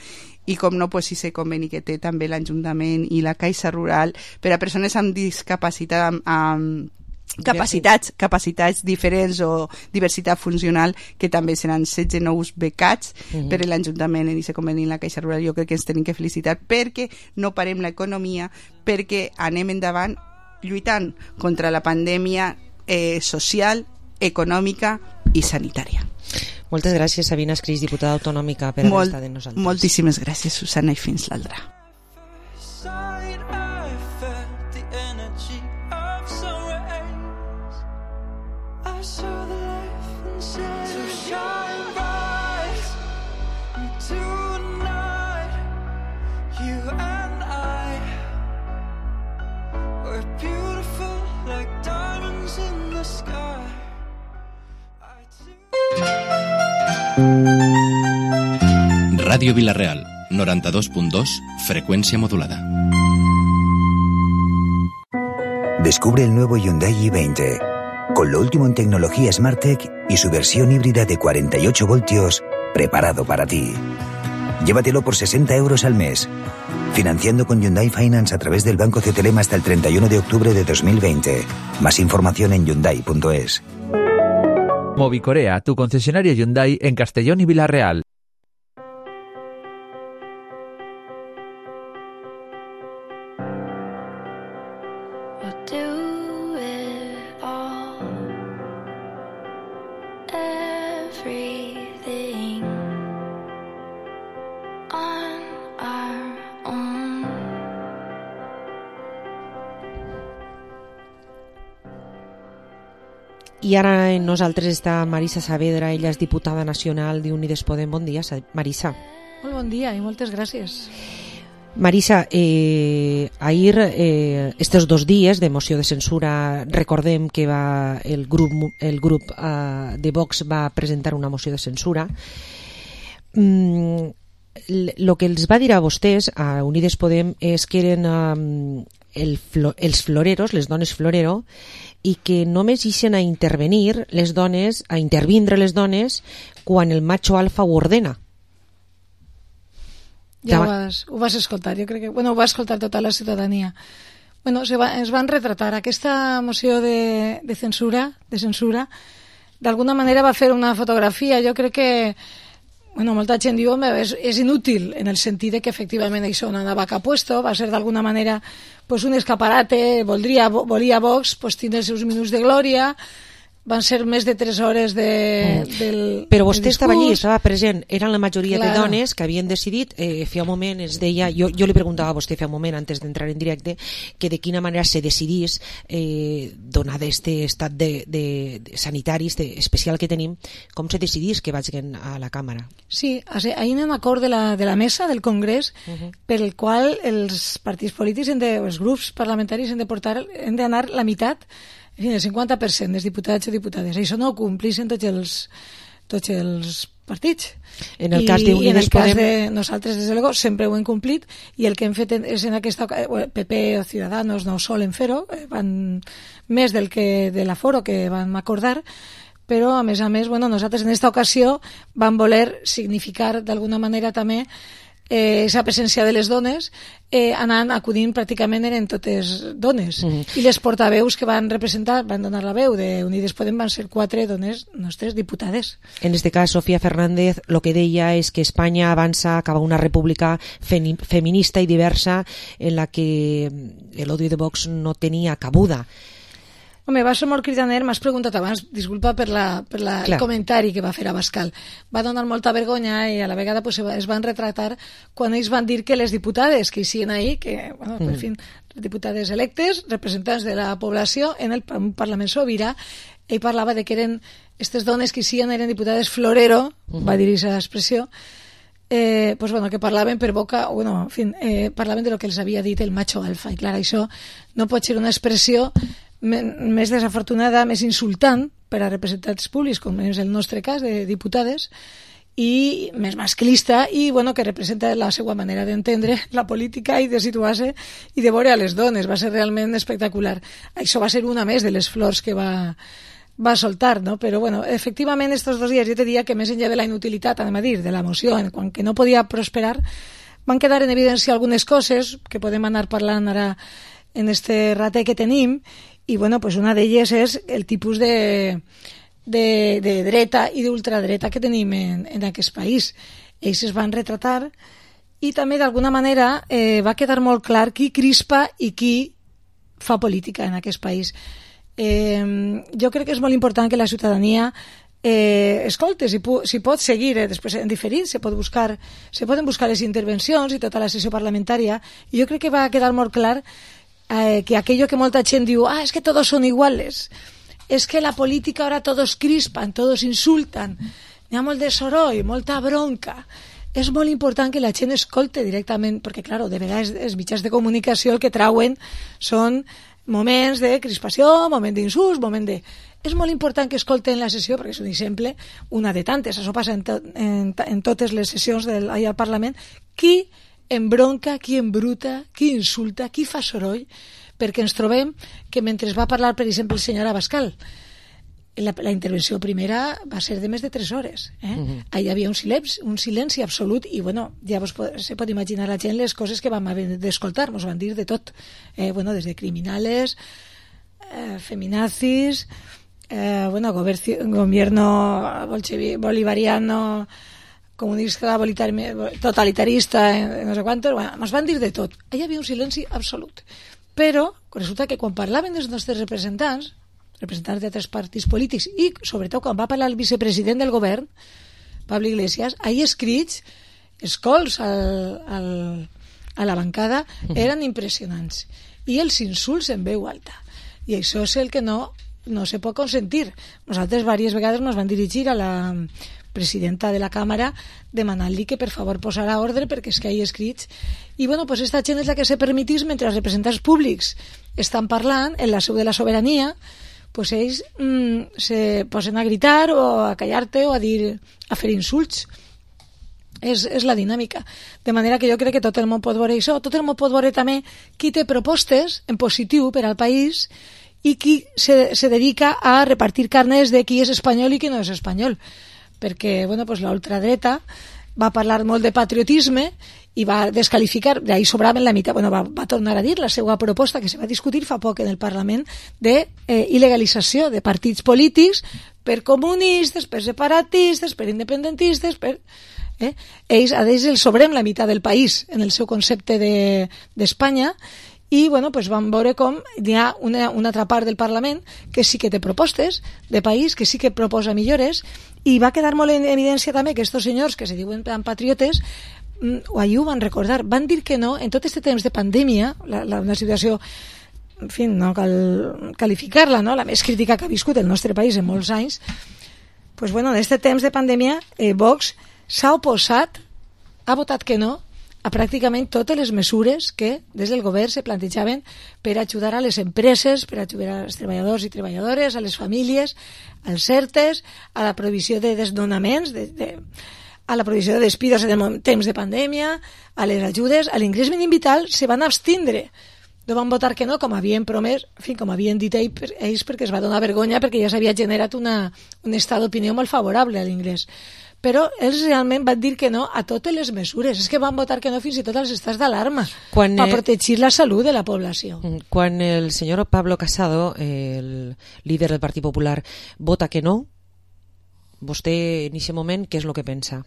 I com no, pues, si se conveni que té també l'Ajuntament i la Caixa Rural per a persones amb discapacitat, amb, amb capacitats, capacitats diferents o diversitat funcional, que també seran setze nous becats uh-huh. per a l'Ajuntament i se conveni en la Caixa Rural. Jo crec que ens tenim que felicitar perquè no parem l'economia, perquè anem endavant lluitant contra la pandèmia eh, social, econòmica i sanitària. Moltes gràcies, Sabina Escris, diputada autonòmica, per haver Molt, estat amb nosaltres. Moltíssimes gràcies, Susana, i fins l'altra. Radio Vila-real, noranta dos punto dos, frecuencia modulada. Descubre el nuevo Hyundai i veinte, con lo último en tecnología SmartTech y su versión híbrida de cuarenta y ocho voltios, preparado para ti. Llévatelo por sesenta euros al mes, financiando con Hyundai Finance a través del Banco C T L M hasta el treinta y uno de octubre de dos mil veinte. Más información en hyundai punto es. Movicorea, tu concesionario Hyundai en Castellón y Vila-real. I ara en nosaltres està Marisa Saavedra, ella és diputada nacional d'Unides Podem. Bon dia, Marisa. Molt bon dia i moltes gràcies. Marisa, eh, ahir, eh, estos dos dies de moció de censura, recordem que va el grup, el grup eh, de Vox va presentar una moció de censura. Mm, lo que els va dir a vostès, a Unides Podem, és que eren um, el flo, els floreros, les dones florero, i que només ixen a intervenir les dones, a intervindre les dones quan el macho alfa ho ordena. Ja ho vas, ho vas escoltar, jo crec que... Bueno, ho va escoltar tota la ciutadania. Bueno, se va, es van retratar. Aquesta moció de, de censura, de censura, d'alguna manera va fer una fotografia. Jo crec que... Bueno, molta gent diu, home, és, és inútil, en el sentit de que efectivament això no anava cap puesto, va ser d'alguna manera pues, un escaparate, voldria, volia Vox pues, tindre els seus minuts de glòria, van ser més de tres hores de, mm. del Però vostè estava allí, estava present, eren la majoria claro. de dones que havien decidit, eh, feia un moment es deia, jo, jo li preguntava a vostè feia un moment antes d'entrar en directe, que de quina manera se decidís eh, donat este estat de, de, de sanitari de, especial que tenim, com se decidís que vagin a la càmera. Sí, hi ha un acord de la, de la mesa del Congrés uh-huh. per el qual els partits polítics, de, els grups parlamentaris han de portar, han d'anar la meitat, en fi, el cinquanta per cent dels diputats i diputades. Això no ho complixen tots els, tots els partits. En el I, cas d'Unides i en el cas Podem... de nosaltres, des de luego, sempre ho hem complit, i el que hem fet és en aquesta... P P o Ciudadanos no solen fer-ho, van més del que de l'aforo que vam acordar, però a més a més, bueno, nosaltres en aquesta ocasió vam voler significar d'alguna manera també eh, esa presència de les dones, eh, anant, acudint pràcticament eren totes dones. Mm-hmm. I les portaveus que van representar, van donar la veu de Unides Podem, van ser quatre dones nostres diputades. En este cas, Sofía Fernández lo que deia és que Espanya avança cap a una república femi- feminista i diversa en la que el odio de Vox no tenia cabuda. Home, va ser molt cridaner, m'has preguntat abans, disculpa per, la, per la, el comentari que va fer Abascal. Va donar molta vergonya i a la vegada pues, es van retratar quan ells van dir que les diputades que hi siguin ahí, que, bueno, mm. per fi, diputades electes, representants de la població en el Parlament Sobirà, ell parlava de que eren, aquestes dones que hi siguin eren diputades florero, mm. va dir aquesta expressió, eh, pues, bueno, que parlaven per boca, bueno, en fin, eh, parlaven de lo que els havia dit el macho alfa, i clar, això no pot ser una expressió més desafortunada, més insultant per a representants públics, com és el nostre cas de diputades, i més masclista, i bueno, que representa la seva manera d'entendre la política i de situar-se i de veure a les dones. Va ser realment espectacular. Això va ser una més de les flors que va, va soltar, no? Però bueno, efectivament, estos dos dies jo te diria que més enllà de la inutilitat, anem a dir, de la moció, en quan que no podia prosperar, van quedar en evidència algunes coses que podem anar parlant ara en este ratet que tenim. I bueno, pues una d'elles és el tipus de, de, de dreta i d'ultradreta que tenim en, en aquest país. Ells es van retratar i també d'alguna manera eh, va quedar molt clar qui crispa i qui fa política en aquest país. Eh, jo crec que és molt important que la ciutadania eh, escolte, si, pu si pot seguir eh, després en diferit, se, pot buscar, se poden buscar les intervencions i tota la sessió parlamentària, i jo crec que va quedar molt clar Eh, que aquello que molta gent diu, ah, es que todos son iguales, es que la política ahora todos crispan, todos insultan, hi ha molt de soroll, molta bronca. És molt important que la gent escolte directament, perquè, clar, de vegades els mitjans de comunicació el que trauen són moments de crispació, moment d'insults, moment de... És molt important que escolten la sessió, perquè és un exemple, una de tantes, això passa en, to en, en totes les sessions del, allà al Parlament, qui embronca, qui embruta, qui insulta, qui fa soroll, perquè ens trobem que mentre va parlar, per exemple, el senyor Abascal, la, la intervenció primera va ser de més de tres hores. Eh? Uh-huh. Ahí hi havia un silenci, un silenci absolut i, bueno, ja vos pot, se pot imaginar la gent les coses que vam haver d'escoltar, ens van dir de tot. Eh, bueno, des de criminales, eh, feminazis, eh, bueno, gobierno bolivariano, comunista, totalitarista, no sé quantos, bueno, ens van dir de tot. Allà hi havia un silenci absolut. Però resulta que quan parlaven dels nostres representants, representants d'altres partits polítics, i sobretot quan va parlar el vicepresident del govern, Pablo Iglesias, ahí escrits, escolts al, al, a la bancada, eren impressionants. I els insults en veu alta. I això és el que no, no se pot consentir. Nosaltres diverses vegades ens van dirigir a la presidenta de la Càmera demanant-li que per favor posarà ordre perquè és que hi ha escrits. I bueno, pues esta gent és la que se permetís mentre els representants públics estan parlant en la seu de la sobirania, pues ells mm, se posen a gritar o a callar-te o a dir, a fer insults. És, és la dinàmica. De manera que jo crec que tot el món pot veure això. Tot el món pot veure també qui té propostes en positiu per al país i qui se, se dedica a repartir carnes de qui és espanyol i qui no és espanyol. Perquè, bueno, pues la ultradreta va parlar molt de patriotisme i va descalificar, d'ahí sobraven la meitat, bueno, va, va tornar a dir la seva proposta que se va discutir fa poc en el Parlament de eh, il·legalització de partits polítics per comunistes, per separatistes, per independentistes, per... Eh? Ells, a ells els sobrem la meitat del país en el seu concepte d'Espanya de, i bueno, pues vam veure com hi ha una, una altra part del Parlament que sí que té propostes de país, que sí que proposa millores, i va quedar molt en evidència també que estos senyors que se diuen patriotes o ahir ho van recordar, van dir que no en tot aquest temps de pandèmia, la, la, una situació, en fi, no cal qualificar-la, no? La més crítica que ha viscut el nostre país en molts anys, pues bueno, en aquest temps de pandèmia eh, Vox s'ha oposat, ha votat que no a pràcticament totes les mesures que des del govern se plantejaven per ajudar a les empreses, per ajudar als treballadors i treballadores, a les famílies, als ERTEs, a la provisió de desnonaments, de, de, a la provisió de despidos en temps de pandèmia, a les ajudes, a l'ingrés mínim vital, se van abstindre. No van votar que no, com havien promès, en fi, com havien dit ells, perquè es va donar vergonya, perquè ja s'havia generat una, un estat d'opinió molt favorable a l'ingrés. Però ells realment van dir que no a totes les mesures. És que van votar que no fins i tot als estats d'alarma per eh, protegir la salut de la població. Quan el senyor Pablo Casado, el líder del Partit Popular, vota que no, vostè en aquest moment què és el que pensa?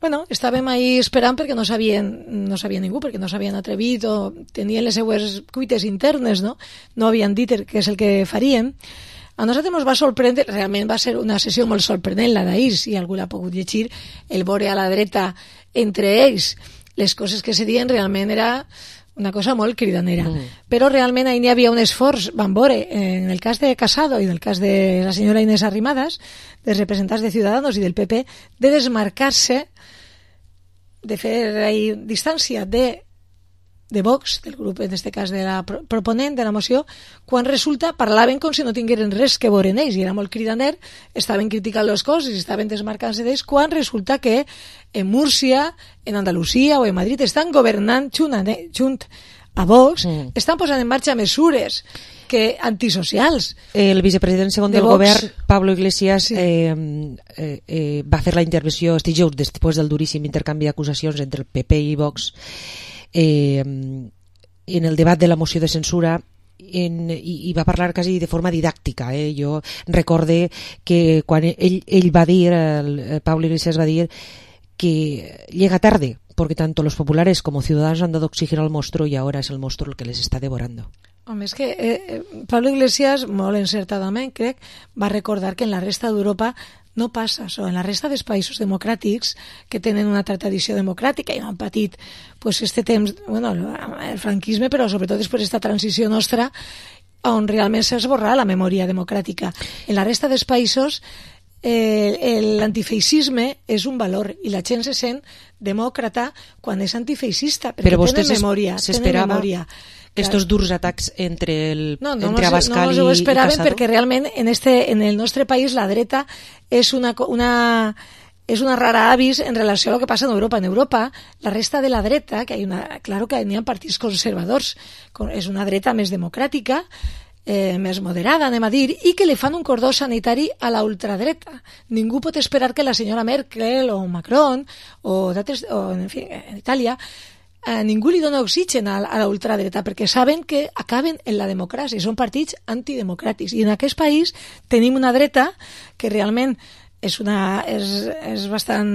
Bueno, estàvem ahí esperant perquè no sabien, no sabia ningú, perquè no s'havien atrevit o tenien les seues cuites internes, no? No havien dit què és el que farien. A nosaltres ens va sorprendre, realment va ser una sessió molt sorprenent la d'ahir, si algú l'ha pogut llegir, el veure a la dreta entre ells. Les coses que se diuen realment era una cosa molt cridanera. Mm. Però realment ahir n'hi havia un esforç, van veure, en el cas de Casado i en el cas de la senyora Inés Arrimadas, dels representants de Ciudadanos i del P P, de desmarcar-se, de fer ahí distància de, de Vox, del grup, en aquest cas de la proponent de la moció, quan resulta parlaven com si no tingueren res que veure en ells, i era molt cridaner, estaven criticant les coses, estaven desmarcant-se d'ells, quan resulta que en Múrcia, en Andalusia o en Madrid estan governant junt a, junt a Vox, mm. estan posant en marxa mesures que antisocials. El vicepresident segon del govern, Pablo Iglesias, sí. eh, eh, eh, va fer la intervenció este dijous després del duríssim intercanvi d'acusacions entre el P P i Vox eh, en el debat de la moció de censura en, i, i va parlar quasi de forma didàctica. Eh? Jo recorde que quan ell, ell va dir, el, el Pablo Iglesias va dir que llega tarde, porque tanto los populares como ciudadanos han dado oxígeno al monstruo y ahora es el monstruo el que les está devorando. Home, és que eh, Pablo Iglesias, molt encertadament, crec, va recordar que en la resta d'Europa no passa això. En la resta dels països democràtics que tenen una tradició democràtica i han patit pues, este temps, bueno, el franquisme, però sobretot després d'esta transició nostra, on realment s'ha esborrat la memòria democràtica. En la resta dels països eh, l'antifeixisme és un valor i la gent se sent demòcrata quan és antifeixista, perquè però tenen memòria, tenen memòria. Estos durs atacs entre el no, no entre Abascal no, no ho esperaven i Casado? Perquè realment en, este, en el nostre país la dreta és una, una, és una rara avis en relació a lo que passa en Europa. En Europa, la resta de la dreta, que hay una, claro que n'hi ha partits conservadors, és una dreta més democràtica, eh, més moderada, anem a dir, i que li fan un cordó sanitari a la ultradreta. Ningú pot esperar que la senyora Merkel o Macron o, o en fi, en Itàlia a ningú li dona oxigen a, a la ultradreta perquè saben que acaben en la democràcia i són partits antidemocràtics, i en aquest país tenim una dreta que realment és, una, és, és bastant,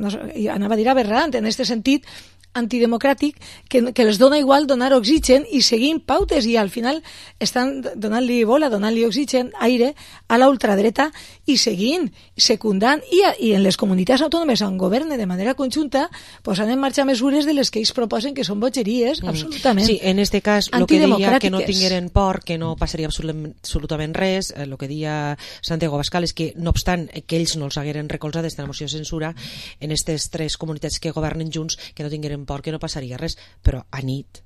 no sé, anava a dir aberrant en aquest sentit, antidemocràtic, que, que els dona igual donar oxigen i seguint pautes, i al final estan donant-li bola, donant-li oxigen, aire a la ultradreta i seguint, secundant, i, i en les comunitats autònomes on governen de manera conjunta posant en marxa mesures de les que ells proposen que són bogeries, mm. absolutament. Sí, en este cas, el que deia que no tingueren por, que no passaria absolutament, absolutament res, el que deia Santiago Abascal és que, no obstant que ells no els hagueren recolzat aquesta moció de censura, en aquestes tres comunitats que governen junts, que no tingueren por, que no passaria res, però a nit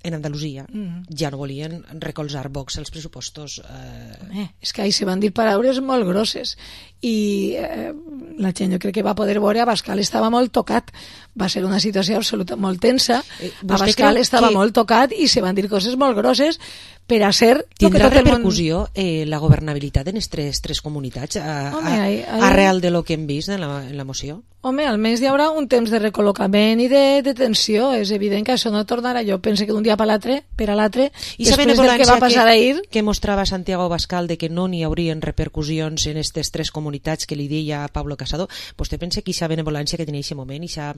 en Andalusia mm. ja no volien recolzar Vox els pressupostos. Eh... Eh, és que ahí se van dir paraules molt grosses i eh, la gent jo crec que va poder veure Abascal estava molt tocat, va ser una situació absoluta molt tensa, eh, Abascal estava que... molt tocat i se van dir coses molt grosses per a ser... Tindrà que repercussió món... eh, la governabilitat en aquestes tres comunitats a, Home, a, ai, ai... arrel de lo que hem vist en la, en la moció? Home, almenys hi haurà un temps de recol·locament i de detenció. És evident que això no tornarà. Jo penso que d'un dia per l'altre, per a l'altre, després del que va passar que, ahir... que mostrava Santiago Abascal de que no n'hi haurien repercussions en aquestes tres comunitats que li deia Pablo Casado, vostè pensa que aquesta benevolència que tenia en aquest moment, aquesta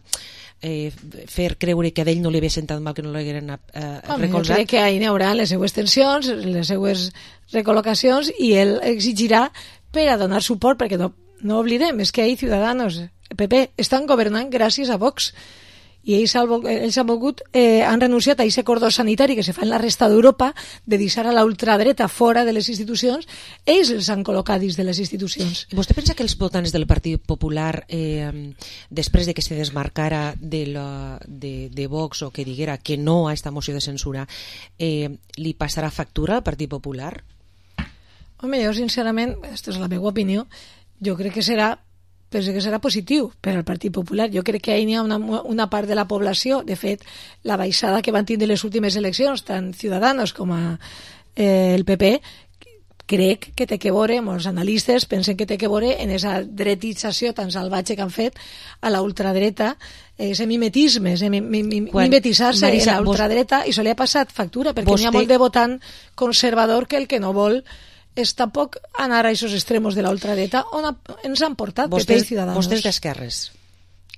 eh, fer creure que a ell no li havia sentat mal que no l'hagueren eh, recolzat? Jo crec que ahir n'hi haurà les seues tensions, les seues recol·locacions, i ell exigirà per a donar suport, perquè no, no oblidem, és que ahir Ciudadanos, P P, estan governant gràcies a Vox, i ells, ells han volgut, eh, han renunciat a aquest cordó sanitari que se fa en la resta d'Europa de deixar a la ultradreta fora de les institucions. Ells els han col·locat dins de les institucions. I vostè pensa que els votants del Partit Popular, eh, després de que se desmarcara de, la, de, de Vox o que diguera que no a esta moció de censura, eh, li passarà factura al Partit Popular? Home, jo sincerament, aquesta és la meva opinió, jo crec que serà penso que serà positiu per al Partit Popular. Jo crec que hi ha una, una part de la població, de fet, la baixada que van tindre les últimes eleccions, tant Ciudadanos com a, eh, el P P, crec que té que veure, molts analistes pensen que té que veure en esa dretització tan salvatge que han fet a la ultradreta, ese mimetisme, ese mimetitzar-se en la ultradreta, i això li ha passat factura, perquè n'hi ha molt de votant conservador que el que no vol és tampoc anar a aquests extremos de la ultradreta on ens han portat P P i Ciudadanos. Vostè és d'esquerres?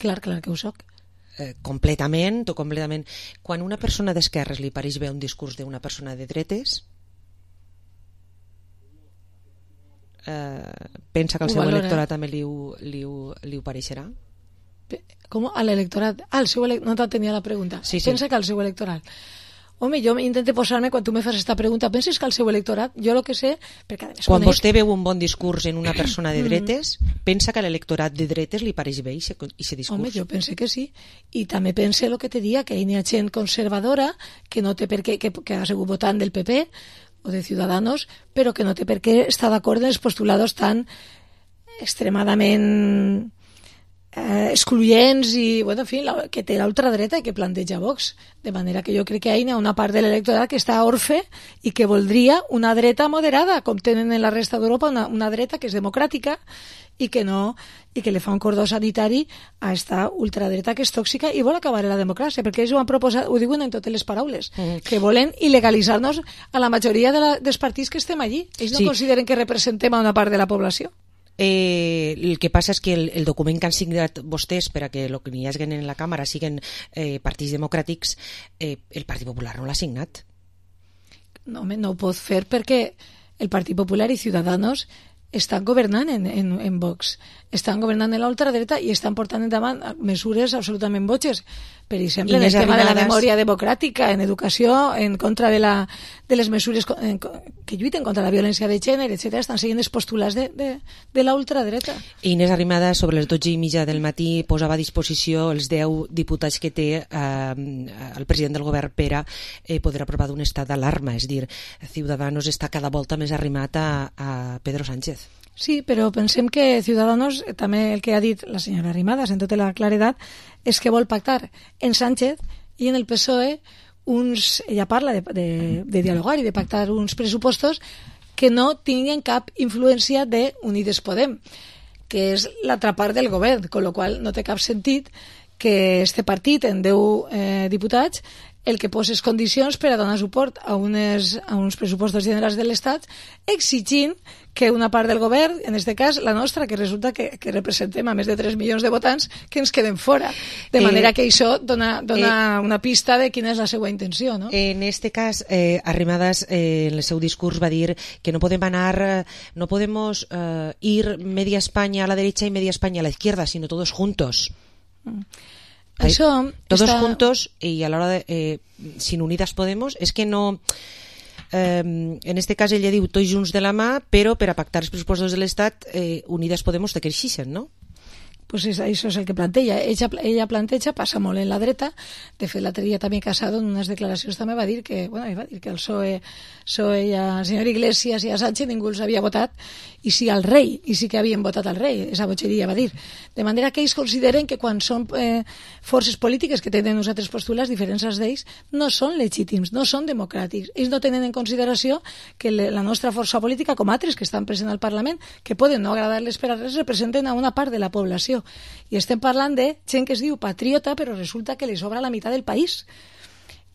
Clar, clar que ho soc. Eh, completament, o completament. Quan una persona d'esquerres li pareix bé un discurs d'una persona de dretes, eh, pensa que al seu electorat també li ho, li ho, li ho pareixerà? Com? A l'electorat? Ah, el seu electorat, no t'entenia la pregunta. Sí, sí. Pensa que al seu electorat... Home, jo intento posar-me, quan tu me fas aquesta pregunta, penses que al seu electorat, jo el que sé... Perquè, quan conec... vostè veu un bon discurs en una persona de dretes, pensa que a l'electorat de dretes li pareix bé i se discurs? Home, jo pense que sí. I també pense el que te dia, que hi ha gent conservadora que no té per què, que, que ha sigut votant del P P o de Ciudadanos, però que no té per què estar d'acord en els postulados tan extremadament... Eh, excluyents i, bueno, en fi, la, que té l'ultradreta i que planteja Vox, de manera que jo crec que hi ha una part de l'electorat que està orfe i que voldria una dreta moderada, com tenen en la resta d'Europa, una, una dreta que és democràtica i que no i que li fa un cordó sanitari a esta ultradreta que és tòxica i vol acabar la democràcia, perquè ells ho han proposat, ho diuen en totes les paraules, mm. que volen il·legalitzar-nos a la majoria de la, dels partits que estem allí. Ells no sí. consideren que representem a una part de la població. Eh, el que passa és que el, el document que han signat vostès per a que el que hi hagi en la càmera siguin eh, partits democràtics, eh, el Partit Popular no l'ha signat. No, home, no ho pot fer perquè el Partit Popular i Ciudadanos estan governant en, en, en Vox, estan governant en l'ultradreta i estan portant endavant mesures absolutament botxes. Per exemple, en el tema de la memòria democràtica, en educació, en contra de, la, de les mesures en, que lluiten contra la violència de gènere, etcètera, estan seguint els postulats de, de, de la ultradreta. Inés Arrimadas, sobre les dotze i mitja del matí, posava a disposició els deu diputats que té eh, el president del govern per a eh, poder aprovar d'un estat d'alarma. És dir, Ciudadanos està cada volta més arrimat a, a Pedro Sánchez. Sí, però pensem que Ciudadanos, també el que ha dit la senyora Arrimadas en tota la claredat, és que vol pactar en Sánchez i en el P S O E uns, ella parla de, de, de dialogar i de pactar uns pressupostos que no tinguin cap influència de Unides Podem, que és l'altra part del govern, con lo qual no té cap sentit que este partit en deu eh, diputats el que poses condicions per a donar suport a, unes, a uns pressupostos generals de l'Estat, exigint que una part del govern, en aquest cas la nostra, que resulta que, que representem a més de tres milions de votants, que ens queden fora. De manera eh, que això dona, dona eh, una pista de quina és la seva intenció, no? En este cas, eh, Arrimadas, eh, en el seu discurs va dir que no podem anar, no podemos eh, ir media España a la derecha y media España a la izquierda, sino todos juntos. Mm. Això todos està... juntos y a la hora de eh, sin Unidas Podemos és que no eh, en este cas ella diu tots junts de la mà, però per a pactar els pressupostos de l'Estat eh, Unidas Podemos te creixixen, no? Pues és, això és el que planteja. Ella, ella planteja, passa molt en la dreta. De fet, l'altre dia també Casado en unes declaracions també va dir que, bueno, va dir que el P S O E, P S O E i el senyor Iglesias i a Sánchez ningú els havia votat, i sí al rei, i sí que havien votat al rei, esa botxeria va dir. De manera que ells consideren que quan són eh, forces polítiques que tenen uns altres postulats diferents als d'ells, no són legítims, no són democràtics. Ells no tenen en consideració que la nostra força política, com altres que estan presents al Parlament, que poden no agradar-les per a res, representen a una part de la població. I estem parlant de gent que es diu patriota, però resulta que li sobra la meitat del país.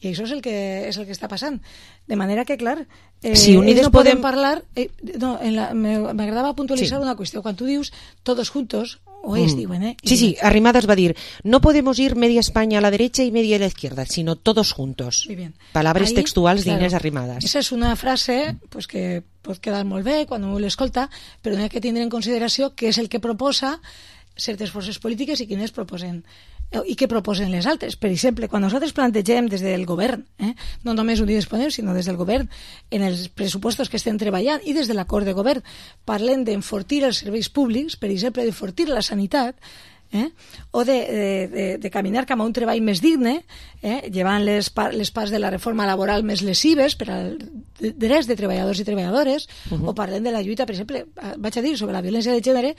I això és el que, és el que està passant. De manera que, clar, eh, si Unides no podem podem parlar... Eh, no, m'agradava puntualitzar sí. una qüestió. Quan tu dius todos juntos, o ells mm. diuen, eh? Sí, sí, Arrimadas va dir, no podemos ir media España a la derecha y media a la izquierda, sino todos juntos. Muy bien. Palabras Ahí, textuals claro, d'Inés Arrimadas. Esa és una frase pues, que pot quedar molt bé quan un l'escolta, però no hi ha que tindre en consideració que és el que proposa certes forces polítiques i quines proposen i què proposen les altres. Per exemple, quan nosaltres plantegem des del govern, eh, no només Unides Podem, sinó des del govern, en els pressupostos que estem treballant i des de l'acord de govern, parlem d'enfortir els serveis públics, per exemple, d'enfortir la sanitat, eh, o de, de, de, de caminar cap a un treball més digne, eh, llevant les, par les parts de la reforma laboral més lesives per als drets de treballadors i treballadores, uh-huh. o parlem de la lluita, per exemple, vaig a dir, sobre la violència de gènere.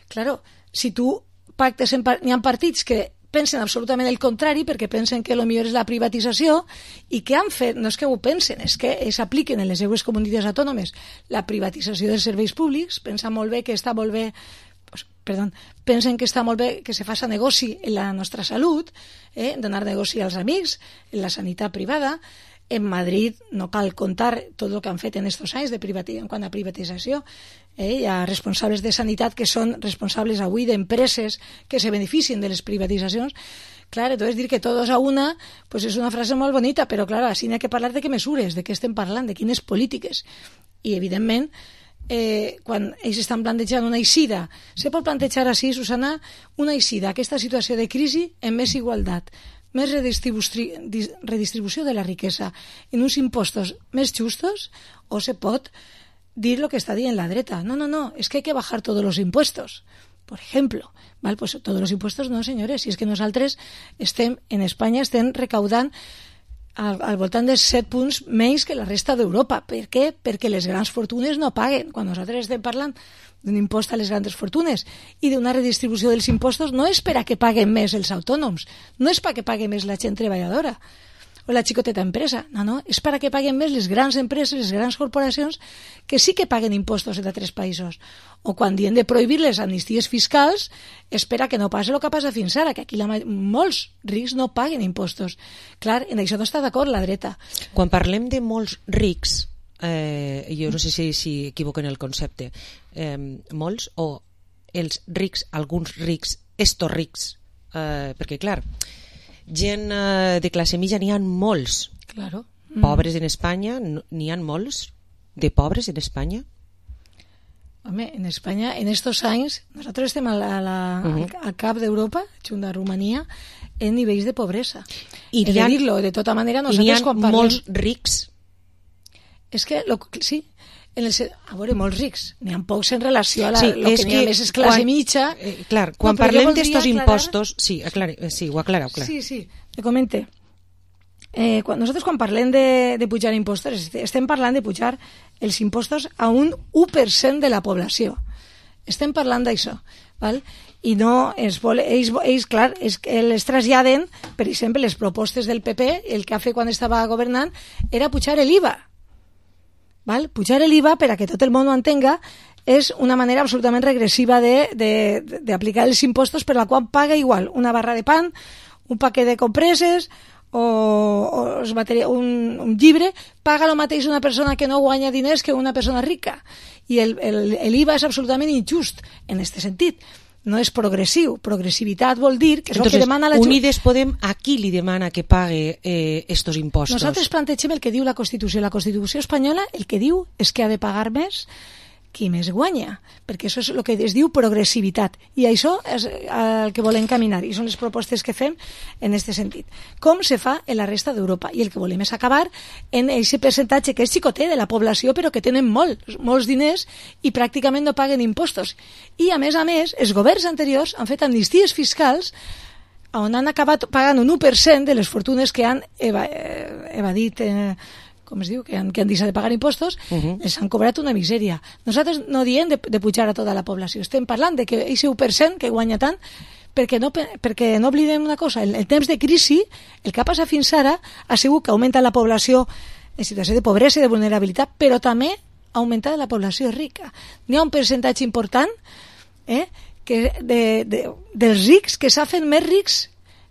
Claro, si tu pactes, en par n'hi ha partits que pensen absolutament el contrari perquè pensen que el millor és la privatització i que han fet, no és que ho pensen, és que s'apliquen en les seues comunitats autònomes la privatització dels serveis públics, pensen molt bé que està molt bé, pues, perdó, pensen que està molt bé que se faça negoci en la nostra salut, eh, donar negoci als amics, en la sanitat privada. En Madrid no cal contar tot el que han fet en estos anys de privati en quant a privatització. Eh? Hi ha responsables de sanitat que són responsables avui d'empreses que se beneficien de les privatitzacions. Clar, entonces dir que todos a una pues és una frase molt bonita, però clar, així n'hi ha que parlar de què mesures, de què estem parlant, de quines polítiques. I evidentment, eh, quan ells estan plantejant una eixida, se pot plantejar així, Susana, una eixida, aquesta situació de crisi en més igualtat, més redistribució de la riquesa, en uns impostos més justos, o se pot dir lo que està dient la dreta. No, no, no, es que hay que bajar todos los impuestos. Por ejemplo, ¿vale? Pues todos los impuestos no, señores, si es que nosaltres estem, en Espanya estem recaudant al, al voltant de set punts menys que la resta d'Europa. Per què? Perquè les grans fortunes no paguen. Quan nosaltres estem parlant d'un impost a les grans fortunes i d'una redistribució dels impostos, no és per a que paguen més els autònoms, no és per a que paguen més la gent treballadora o la xicoteta empresa, no, no, és per a que paguen més les grans empreses, les grans corporacions, que sí que paguen impostos en altres països. O quan diem de prohibir les amnisties fiscals, és per a que no passi el que passa fins ara, que aquí la, molts rics no paguen impostos. Clar, en això no està d'acord la dreta. Quan parlem de molts rics, eh, jo no sé si, si equivoquen el concepte, eh, molts o els rics, alguns rics, estos rics, eh, perquè clar, gent eh, de classe mitja n'hi ha molts. Claro. Mm. Pobres en Espanya, n'hi ha molts de pobres en Espanya. Home, en Espanya, en estos anys, nosaltres estem a la, a la, uh-huh. al, al cap d'Europa, junt a Romania, en nivells de pobresa. I He de dir-lo, de tota manera, nosaltres quan parlem... molts rics. És que, lo, sí, en el, a veure, molts rics, n'hi ha pocs en relació a la, sí, lo que n'hi ha més és classe quan, mitja. Eh, clar, quan no, parlem d'estos impostos... Sí, aclare, sí, ho aclareu, clar. Sí, sí, te comente. Eh, quan, nosaltres quan parlem de, de pujar impostos, estem parlant de pujar els impostos a un u per cent de la població. Estem parlant d'això, val? I no, es vol, ells, ells, clar, es, els traslladen, per exemple, les propostes del P P, el que ha fet quan estava governant, era pujar l'I V A. Val? Pujar l'I V A, per a que tot el món ho entenga, és una manera absolutament regressiva d'aplicar els impostos, per la qual paga igual una barra de pan, un paquet de compreses o, o un, un llibre, paga el mateix una persona que no guanya diners que una persona rica. I l'I V A és absolutament injust en aquest sentit. No és progressiu. Progressivitat vol dir que és Entonces, el que demana la... Unides Podem a qui li demana que pague eh, estos impostos? Nosaltres plantegem el que diu la Constitució. La Constitució espanyola el que diu és que ha de pagar més qui més guanya, perquè això és el que es diu progressivitat, i això és el que volem caminar, i són les propostes que fem en aquest sentit. Com se fa en la resta d'Europa, i el que volem és acabar en aquest percentatge que és xicotet de la població, però que tenen molt, molts diners i pràcticament no paguen impostos. I a més a més, els governs anteriors han fet amnisties fiscals on han acabat pagant un u per cent de les fortunes que han eva evadit eh, com es diu, que han, que han deixat de pagar impostos, uh-huh. els han cobrat una misèria. Nosaltres no diem de, de pujar a tota la població, estem parlant de que aquest u per cent que guanya tant, perquè no, perquè no oblidem una cosa, en el, el temps de crisi, el que ha passat fins ara ha sigut que augmenta la població en situació de pobresa i de vulnerabilitat, però també ha augmentat la població rica. N'hi ha un percentatge important eh, que de, de, dels rics que s'ha fet més rics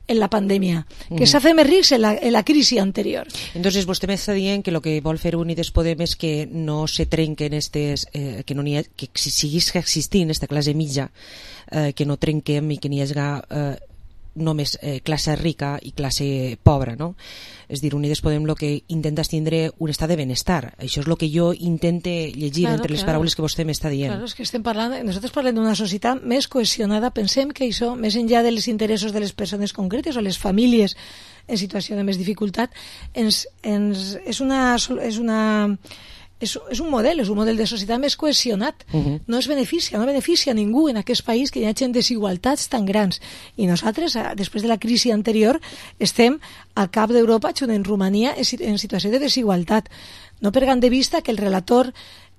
en la pandèmia, que uh-huh. s'ha fet més rics en la, en la crisi anterior. Entonces, vostè m'està dient que el que vol fer Unides Podem és que no se trenquen estes, eh, que no n'hi ha, que siguis existint esta classe mitja, eh, que no trenquem i que n'hi hagi eh, només eh, classe rica i classe pobra, no? És dir, Unides Podem el que intenta és tindre un estat de benestar. Això és el que jo intente llegir claro, entre les claro. paraules que vostè m'està dient. Claro, és que estem parlant, nosaltres parlem d'una societat més cohesionada, pensem que això, més enllà dels interessos de les persones concretes o les famílies en situació de més dificultat, ens, ens, és una... És una És, és un model, és un model de societat més cohesionat. Uh-huh. No es beneficia, no beneficia a ningú en aquest país que hi hagi desigualtats tan grans. I nosaltres, després de la crisi anterior, estem al cap d'Europa, junt en Romania, en situació de desigualtat. No perdem de vista que el relator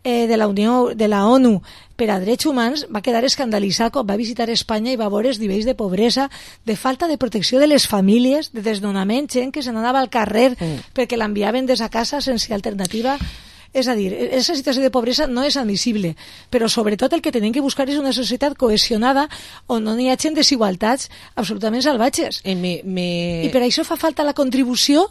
eh, de la Unió, de la ONU per a Drets Humans va quedar escandalitzat quan va visitar Espanya i va veure els nivells de pobresa, de falta de protecció de les famílies, de desnonament, gent que se n'anava al carrer uh-huh. perquè l'enviaven des a casa sense alternativa. És a dir, aquesta situació de pobresa no és admissible, però sobretot el que tenim que buscar és una societat cohesionada on no hi hagi desigualtats absolutament salvatges. Eh, me, me... I per això fa falta la contribució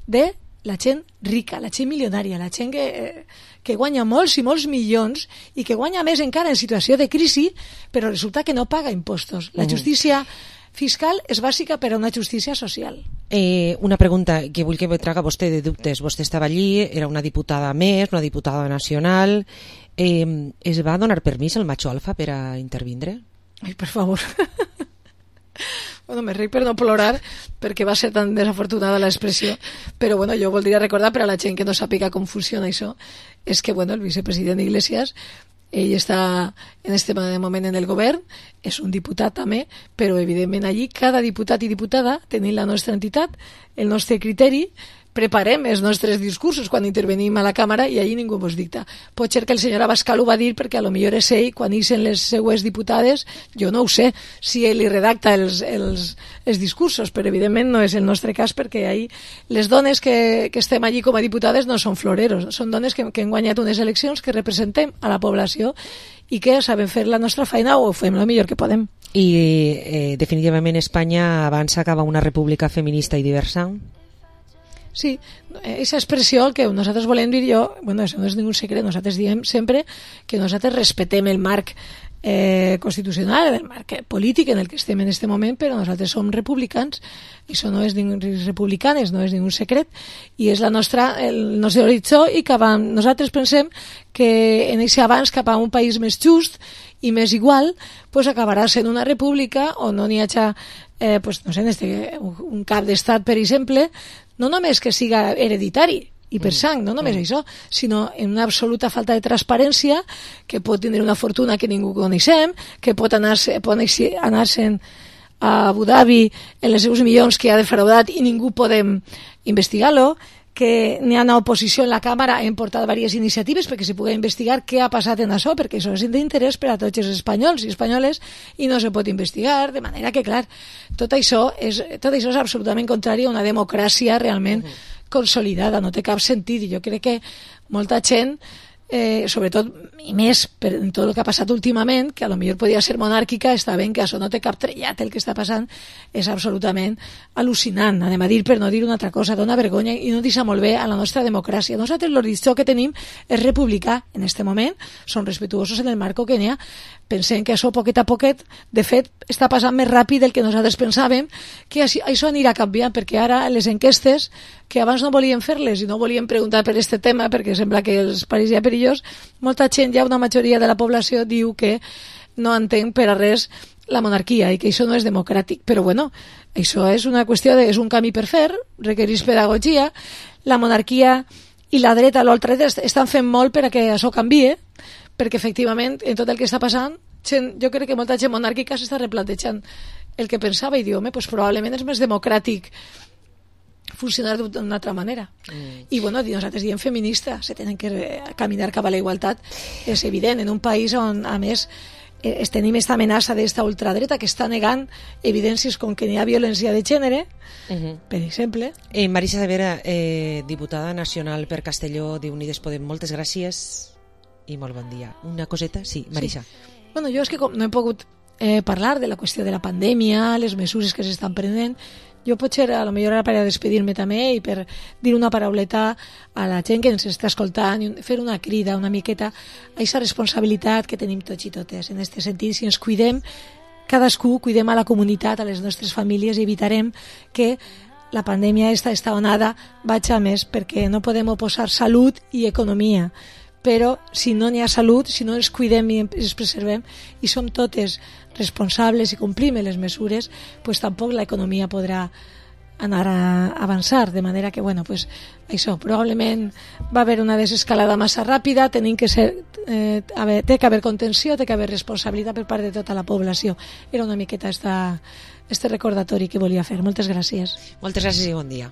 de la gent rica, la gent milionària, la gent que, que guanya molts i molts milions i que guanya més encara en situació de crisi, però resulta que no paga impostos. La justícia fiscal és bàsica per a una justícia social. Eh, una pregunta que vull que me traga vostè de dubtes. Vostè estava allí, era una diputada més, una diputada nacional. Eh, es va donar permís al macho alfa per a intervindre? Ai, per favor. Bueno, me ric per no plorar perquè va ser tan desafortunada l'expressió, però bueno, jo voldria recordar per a la gent que no sàpiga com funciona això, és que bueno, el vicepresident Iglesias, ell està en este moment en el govern, és un diputat també, però evidentment allí cada diputat i diputada tenim la nostra entitat, el nostre criteri, preparem els nostres discursos quan intervenim a la càmera i allí ningú ens dicta. Pot ser que el senyor Abascal ho va dir perquè a lo millor és ell, quan ixen les seues diputades, jo no ho sé si ell li redacta els, els, els discursos, però evidentment no és el nostre cas perquè ahí les dones que, que estem allí com a diputades no són floreros, són dones que, que han guanyat unes eleccions, que representem a la població i que sabem fer la nostra feina o fem el millor que podem. I eh, definitivament Espanya avança cap a una república feminista i diversa? Sí, aquesta expressió que nosaltres volem dir jo, bueno, això no és ningú secret, nosaltres diem sempre que nosaltres respetem el marc eh, constitucional, el marc polític en el que estem en aquest moment, però nosaltres som republicans, això no és ningú, republicanes, no és ningú secret, i és la nostra, el nostre horitzó, i cap a, nosaltres pensem que en aquest avanç cap a un país més just i més igual, pues acabarà sent una república on no n'hi hagi eh, pues, no sé, este, un cap d'estat, per exemple, no només que siga hereditari i per sang, no només mm. això, sinó en una absoluta falta de transparència, que pot tenir una fortuna que ningú coneixem, que pot anar-se anar a Abu Dhabi en els seus milions que ha defraudat i ningú podem investigar-lo, que n'hi ha una oposició en la Càmera, hem portat diverses iniciatives perquè se pugui investigar què ha passat en això, perquè això és d'interès per a tots els espanyols i espanyoles i no se pot investigar, de manera que, clar, tot això és, tot això és absolutament contrari a una democràcia realment uh-huh. consolidada, no té cap sentit, i jo crec que molta gent, eh, sobretot i més per tot el que ha passat últimament, que a lo millor podia ser monàrquica, està ben que això no té cap trellat, el que està passant és absolutament al·lucinant, anem a dir per no dir una altra cosa, dona vergonya i no deixa molt bé a la nostra democràcia. Nosaltres l'horitzó que tenim és republicà en aquest moment, som respetuosos en el marco que n'hi ha, pensem que això poquet a poquet, de fet, està passant més ràpid del que nosaltres pensàvem, que això anirà canviant, perquè ara les enquestes, que abans no volien fer-les i no volien preguntar per aquest tema, perquè sembla que els pareixia perillós, molta gent, ja una majoria de la població, diu que no entén per a res la monarquia i que això no és democràtic. Però bueno, això és una qüestió de, és un camí per fer, requereix pedagogia, la monarquia i la dreta, l'ultradreta estan fent molt per a que això canvie, perquè efectivament en tot el que està passant gent, jo crec que molta gent monàrquica s'està replantejant el que pensava i diu, home, pues probablement és més democràtic funcionar d'una altra manera. Mm. I bueno, nosaltres diem feminista, se tenen que caminar cap a la igualtat, és evident, en un país on a més eh, tenim aquesta amenaça d'esta ultradreta que està negant evidències com que n'hi ha violència de gènere, uh-huh. per exemple. Eh, Marisa Severa, eh, diputada nacional per Castelló d'Unides Podem, moltes gràcies i molt bon dia. Una coseta? Sí, Marisa. Sí. Bueno, jo és que com no he pogut eh, parlar de la qüestió de la pandèmia, les mesures que s'estan prenent, jo potser a lo millor era per a despedir-me també i per dir una parauleta a la gent que ens està escoltant i fer una crida una miqueta a aquesta responsabilitat que tenim tots i totes. En aquest sentit, si ens cuidem, cadascú cuidem a la comunitat, a les nostres famílies, i evitarem que la pandèmia, esta, esta onada, vagi a més, perquè no podem oposar salut i economia. Però si no n'hi ha salut, si no ens cuidem i ens preservem i som totes responsables i complim les mesures, pues tampoc l'economia podrà anar a avançar, de manera que, bueno, pues això, probablement va haver una desescalada massa ràpida, tenim que ser, eh, haver, té que haver contenció, té que haver responsabilitat per part de tota la població. Era una miqueta esta, este recordatori que volia fer. Moltes gràcies. Moltes gràcies i bon dia.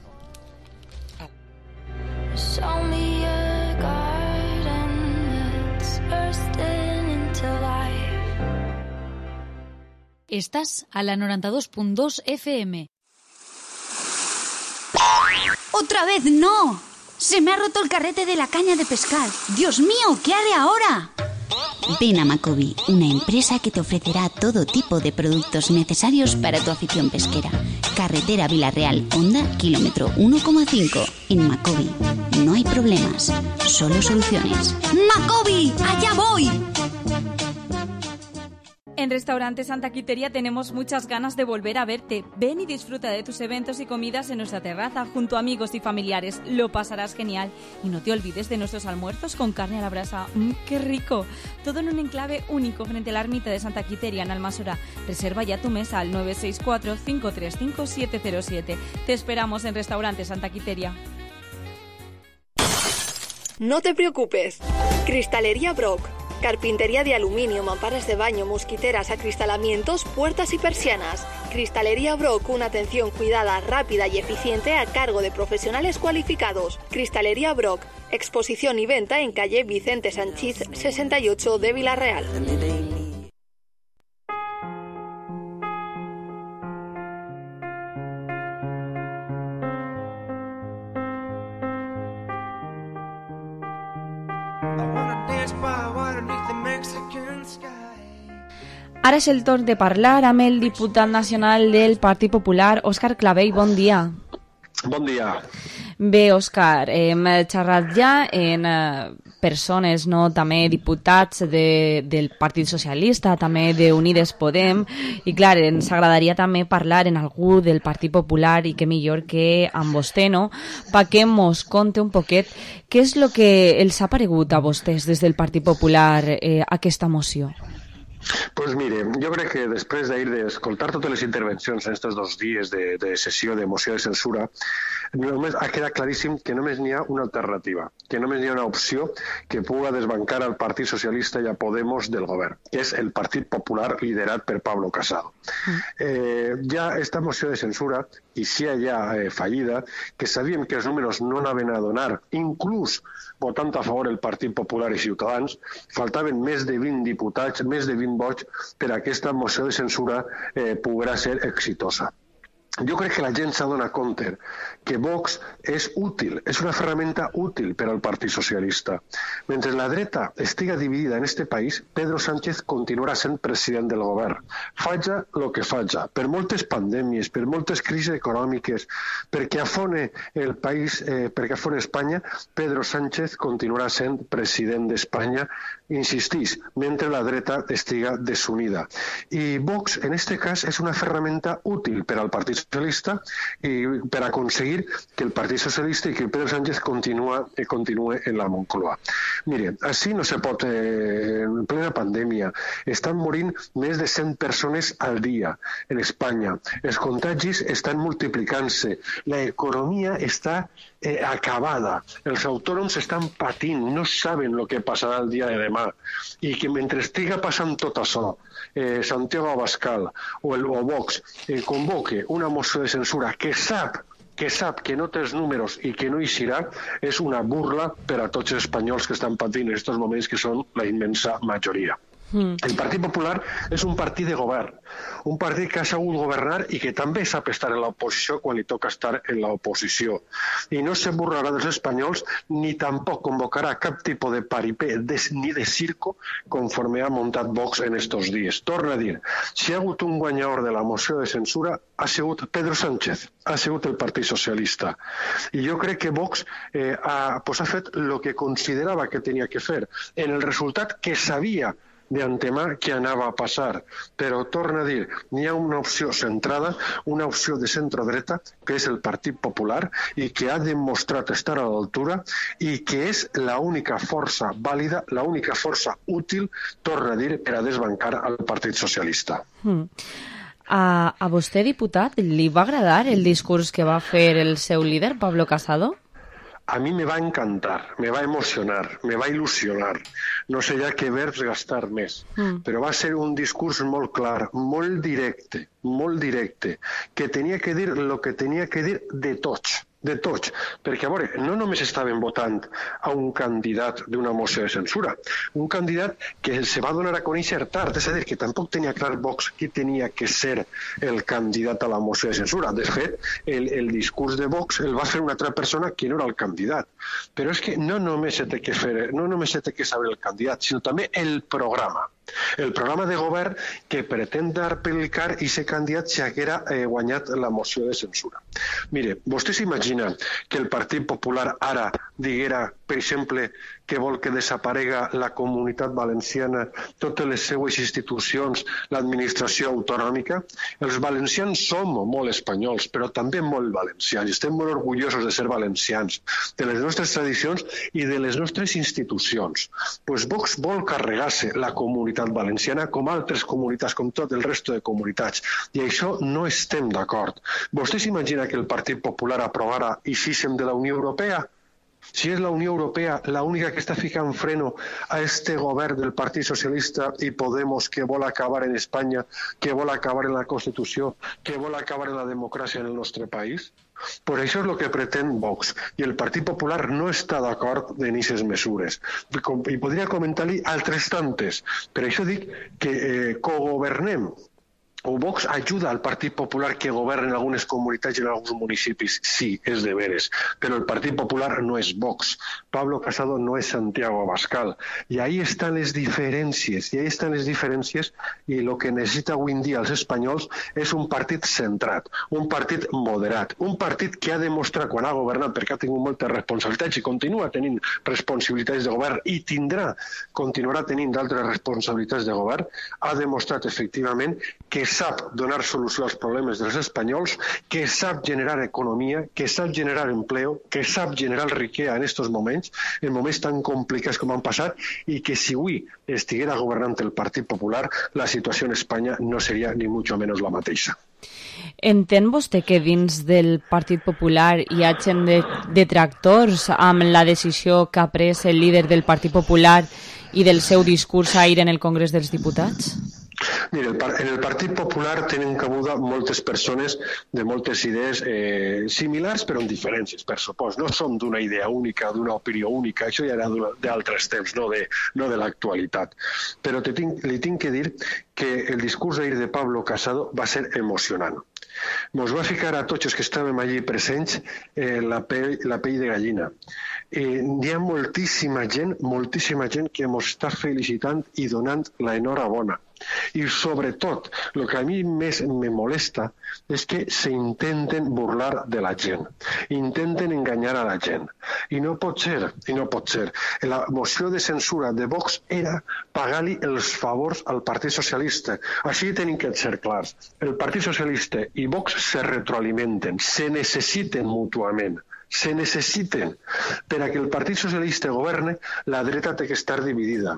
Show me a garden that's bursting into life. Estás a la noventa y dos punto dos F M. ¡Otra vez no! ¡Se me ha roto el carrete de la caña de pescar! ¡Dios mío! ¿Qué haré ahora? Ven a Macobi, una empresa que te ofrecerá todo tipo de productos necesarios para tu afición pesquera. Carretera Vilarreal, Honda, kilómetro uno coma cinco. En Macobi no hay problemas, solo soluciones. ¡Macobi! ¡Allá voy! En Restaurante Santa Quiteria tenemos muchas ganas de volver a verte. Ven y disfruta de tus eventos y comidas en nuestra terraza junto a amigos y familiares. Lo pasarás genial. Y no te olvides de nuestros almuerzos con carne a la brasa. ¡Mmm, qué rico! Todo en un enclave único frente a la ermita de Santa Quiteria en Almasora. Reserva ya tu mesa al nueve seis cuatro, cinco tres cinco, siete cero siete. Te esperamos en Restaurante Santa Quiteria. No te preocupes. Cristalería Brock. Carpintería de aluminio, mamparas de baño, mosquiteras, acristalamientos, puertas y persianas. Cristalería Brock, una atención cuidada, rápida y eficiente a cargo de profesionales cualificados. Cristalería Brock, exposición y venta en calle Vicente Sanchís sesenta y ocho de Vilarreal. Ara és el torn de parlar amb el diputat nacional del Partit Popular, Òscar Clavell. Bon dia. Bon dia. Bé, Òscar, hem xerrat ja en eh, persones, no, també diputats de, del Partit Socialista, també d'Unides Podem, i clar, ens agradaria també parlar en algú del Partit Popular, i que millor que amb vostè, no?, perquè mos conte un poquet què és el que els ha paregut a vostès des del Partit Popular eh, aquesta moció. Pues mire, jo crec que després d'ahir d'escoltar totes les intervencions en aquests dos dies de, de sessió de moció de censura, només ha quedat claríssim que només n'hi ha una alternativa, que només n'hi ha una opció que puga desbancar al Partit Socialista i a Podemos del govern, que és el Partit Popular liderat per Pablo Casado. Mm. Eh, ja esta moció de censura, i si hi ha eh, fallida, que sabíem que els números no anaven a donar, inclús votant a favor el Partit Popular i Ciutadans, faltaven més de vint diputats, més de vint vots per a aquesta moció de censura eh, poguera ser exitosa. Jo crec que la gent s'ha donat compte que Vox és útil, és una ferramenta útil per al Partit Socialista. Mentre la dreta estiga dividida en este país, Pedro Sánchez continuarà sent president del govern. Faja el que faja, per moltes pandèmies, per moltes crisis econòmiques, perquè afone el país, eh, perquè afone Espanya, Pedro Sánchez continuarà sent president d'Espanya, insistís, mentre la dreta estiga desunida. I Vox, en este cas, és una ferramenta útil per al Partit Socialista i per aconseguir que el Partit Socialista i que Pedro Sánchez continua, eh, continue en la Moncloa. Mire, així no se pot, eh, en plena pandèmia, estan morint més de cent persones al dia en Espanya. Els contagis estan multiplicant-se, l'economia està eh, acabada, els autònoms estan patint, no saben el que passarà el dia de demà, i que mentre estiga passant tot això, eh, Santiago Abascal o, el, o Vox eh, convoque una moció de censura que sap que sap que no té els números i que no hi serà, és una burla per a tots els espanyols que estan patint en aquests moments, que són la immensa majoria. Mm. El Partit Popular és un partit de govern, un partit que ha sabut governar i que també sap estar en l'oposició quan li toca estar en l'oposició. I no se burlarà dels espanyols ni tampoc convocarà cap tipus de paripé de, ni de circo conforme ha muntat Vox en estos dies. Torna a dir, si ha hagut un guanyador de la moció de censura ha sigut Pedro Sánchez, ha sigut el Partit Socialista. I jo crec que Vox eh, ha, pues ha fet el que considerava que tenia que fer. En el resultat que sabia d'antemà què anava a passar. Però, torna a dir, n'hi ha una opció centrada, una opció de centrodreta, que és el Partit Popular, i que ha demostrat estar a l'altura i que és l'única força vàlida, l'única força útil, torna a dir, per a desbancar al Partit Socialista. Mm. A, a vostè, diputat, li va agradar el discurs que va fer el seu líder, Pablo Casado? A mi me va encantar, me va emocionar, me va il·lusionar. No sé ja què verbs gastar més, mm. però va ser un discurs molt clar, molt directe, molt directe, que tenia que dir el que tenia que dir de tots, de tots, perquè, a veure, no només estaven votant a un candidat d'una moció de censura, un candidat que se va donar a conèixer tard, és a dir, que tampoc tenia clar Vox qui tenia que ser el candidat a la moció de censura. De fet, el, el discurs de Vox el va fer una altra persona que no era el candidat. Però és que no només se té que fer, no només se té que saber el candidat, sinó també el programa. El programa de govern que pretén aplicar i ser candidat si haguera eh, guanyat la moció de censura. Mire, vostè s'imagina que el Partit Popular ara diguera, per exemple, que vol que desaparega la Comunitat Valenciana, totes les seues institucions, l'administració autonòmica? Els valencians som molt espanyols, però també molt valencians. Estem molt orgullosos de ser valencians, de les nostres tradicions i de les nostres institucions. Pues Vox vol carregar-se la Comunitat Valenciana com altres comunitats, com tot el resto de comunitats. I això no estem d'acord. Vostè s'imagina que el Partit Popular aprovara i físsim de la Unió Europea? Si és la Unió Europea l'única que està ficant freno a este govern del Partit Socialista i Podemos que vol acabar en Espanya, que vol acabar en la Constitució, que vol acabar en la democràcia en el nostre país? Per això és el que pretén Vox. I el Partit Popular no està d'acord en aquestes mesures. I podria comentar-li altres tantes. Per això dic que eh, cogovernem. O Vox ajuda al Partit Popular que governa en algunes comunitats i en alguns municipis. Sí, és de veres. Però el Partit Popular no és Vox. Pablo Casado no és Santiago Abascal. I ahí estan les diferències. I ahí estan les diferències i el que necessita avui en dia els espanyols és un partit centrat, un partit moderat, un partit que ha demostrat quan ha governat, perquè ha tingut moltes responsabilitats i continua tenint responsabilitats de govern i tindrà, continuarà tenint d'altres responsabilitats de govern, ha demostrat efectivament que sap donar solució als problemes dels espanyols, que sap generar economia, que sap generar empleo, que sap generar riquesa en estos moments, en moments tan complicats com han passat, i que si avui estiguera governant el Partit Popular, la situació en Espanya no seria ni mucho menos la mateixa. Entén vostè que dins del Partit Popular hi ha gent de detractors amb la decisió que ha pres el líder del Partit Popular i del seu discurs ahir en el Congrés dels Diputats? Mira, en el Partit Popular tenen cabuda moltes persones de moltes idees eh, similars però amb diferències, per supòs. No som d'una idea única, d'una opinió única, això ja era d'altres temps, no de, no de l'actualitat. Però te tinc, li tinc que dir que el discurs ahir de Pablo Casado va ser emocionant. Mos va ficar a tots els que estàvem allí presents eh, la, pell, la pell de gallina. Eh, hi ha moltíssima gent, moltíssima gent que mos està felicitant i donant l'enhorabona. I sobretot, el que a mi més me molesta és que s'intenten burlar de la gent, intenten enganyar a la gent. I no pot ser, i no pot ser. La moció de censura de Vox era pagar-li els favors al Partit Socialista. Així tenim que ser clars. El Partit Socialista i Vox se retroalimenten, se necessiten mútuament. Se necessiten. Per a que el Partit Socialista governe, la dreta té que estar dividida.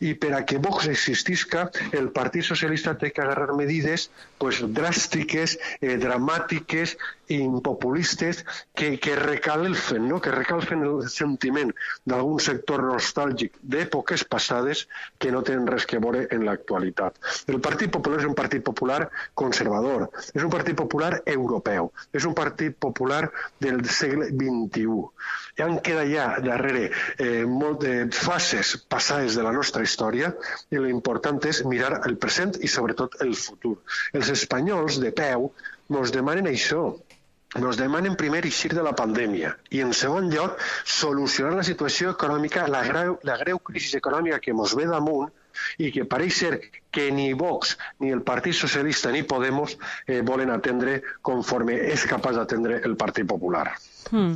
I per a que Vox existisca, el Partit Socialista té que agarrar medides pues, dràstiques, eh, dramàtiques i impopulistes que, que recalfen, no? que recalfen el sentiment d'algun sector nostàlgic d'èpoques passades que no tenen res que veure en l'actualitat. El Partit Popular és un partit popular conservador, és un partit popular europeu, és un partit popular del segle vint-i-u. Ja en queda ja darrere eh, molt de fases passades de la nostra història i l'important és mirar el present i sobretot el futur. Els espanyols de peu ens demanen això. Ens demanen primer eixir de la pandèmia i, en segon lloc, solucionar la situació econòmica, la greu, la greu crisi econòmica que ens ve damunt, i que pareix ser que ni Vox, ni el Partit Socialista, ni Podemos eh, volen atendre conforme és capaç d'atendre el Partit Popular. Hmm.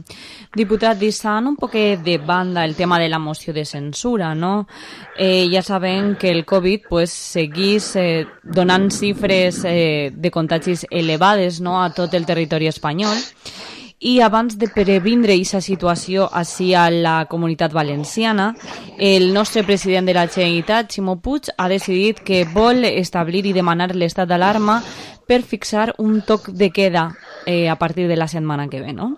Diputat, deixant un poc de banda el tema de la moció de censura, no? Eh, ja sabem que el Covid pues, seguís eh, donant xifres eh, de contagis elevades, no?, a tot el territori espanyol. I abans de previndre aquesta situació així a la Comunitat Valenciana, el nostre president de la Generalitat, Ximo Puig, ha decidit que vol establir i demanar l'estat d'alarma per fixar un toc de queda eh, a partir de la setmana que ve, no?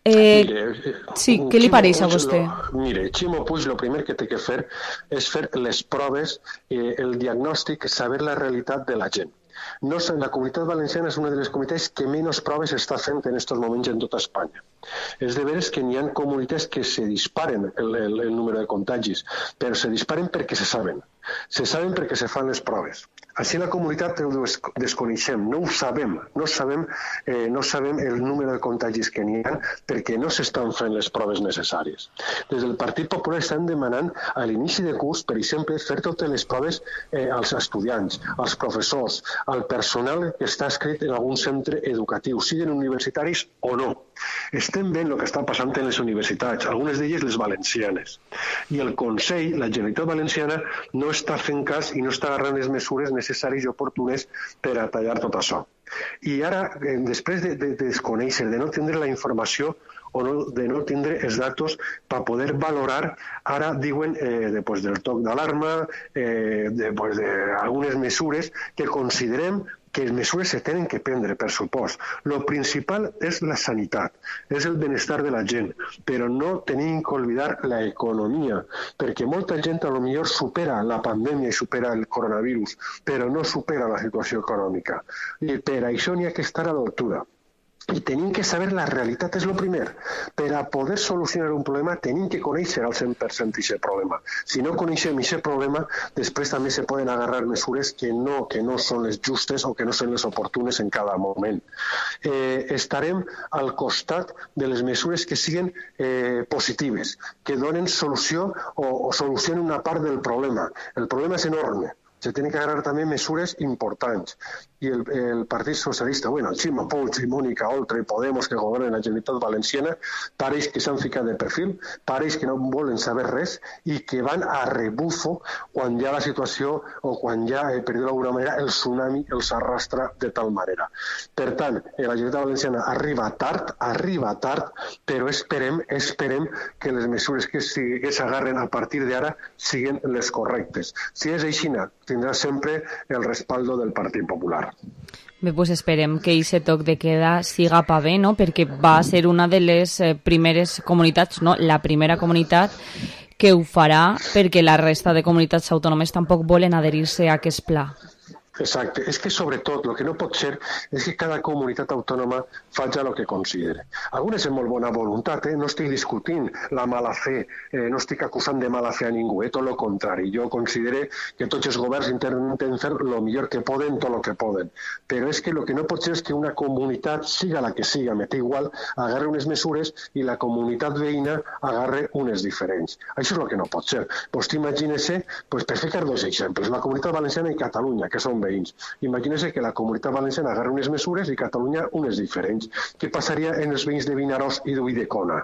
Eh, mire, sí, què li pareix a vostè? Lo, mire, Ximo Puig el primer que té que fer és fer les proves, eh, el diagnòstic, saber la realitat de la gent. No, la Comunitat Valenciana és una de les comunitats que menys proves està fent en aquests moments en tota Espanya. És de veres que n'hi ha comunitats que se disparen el, el, el número de contagis, però se disparen perquè se saben. Se saben perquè se fan les proves. Així la comunitat ho desconeixem, no ho sabem, no sabem, eh, no sabem el número de contagis que n'hi ha perquè no s'estan fent les proves necessàries. Des del Partit Popular estan demanant a l'inici de curs, per exemple, fer totes les proves eh, als estudiants, als professors, al personal que està escrit en algun centre educatiu, siguin universitaris o no. Estem veient el que està passant en les universitats, algunes d'elles les valencianes. I el Consell, la Generalitat Valenciana, no està fent cas i no està agarrant les mesures necessàries i oportunes per a tallar tot això. I ara, després de, de, de desconèixer, de no tindre la informació o no, de no tindre els datos per poder valorar, ara diuen eh, després del toc d'alarma, eh, després d'algunes mesures que considerem que les mesures se tenen que prendre, per supost. Lo principal és la sanitat, és el benestar de la gent, però no tenim que oblidar la economia, perquè molta gent a lo millor supera la pandèmia i supera el coronavirus, però no supera la situació econòmica. I per això n'hi ha que estar a l'altura. I tenim que saber la realitat, és el primer. Per a poder solucionar un problema tenim que conèixer al cent per cent aquest problema. Si no coneixem aquest problema, després també se poden agarrar mesures que no, que no són les justes o que no són les oportunes en cada moment. Eh, estarem al costat de les mesures que siguin eh, positives, que donen solució o, o solucionen una part del problema. El problema és enorme. Se tenen que agarrar també mesures importants. I el, el Partit Socialista, bueno, el Ximo Puig i Mònica Oltra i Podemos, que governen la Generalitat Valenciana, pareix que s'han ficat de perfil, pareix que no volen saber res i que van a rebufo quan ja la situació o quan ja, eh, per dir-ho d'alguna manera, el tsunami els arrastra de tal manera. Per tant, la Generalitat Valenciana arriba tard, arriba tard, però esperem, esperem que les mesures que s'agarren a partir d'ara siguin les correctes. Si és així, tindrà sempre el respaldo del Partit Popular. Bé, pues esperem que aquest toc de queda siga pa bé, no? Perquè va ser una de les eh, primeres comunitats, no? La primera comunitat que ho farà, perquè la resta de comunitats autònomes tampoc volen adherir-se a aquest pla. Exacte. És que, sobretot, el que no pot ser és que cada comunitat autònoma faci el que considere. Algunes amb molt bona voluntat, eh? No estic discutint la mala fe, eh, no estic acusant de mala fe a ningú, eh? Tot el contrari. Jo considero que tots els governs intenten fer el millor que poden, tot el que poden. Però és que el que no pot ser és que una comunitat, siga la que siga, me té igual, agarre unes mesures i la comunitat veïna agarre unes diferents. Això és el que no pot ser. Pues t'imagines-se, pues, per ficar dos exemples, la Comunitat Valenciana i Catalunya, que són veïns. Imagínese que la Comunitat Valenciana agarra unes mesures i Catalunya unes diferents. Què passaria en els veïns de Vinaròs i d'Ulldecona?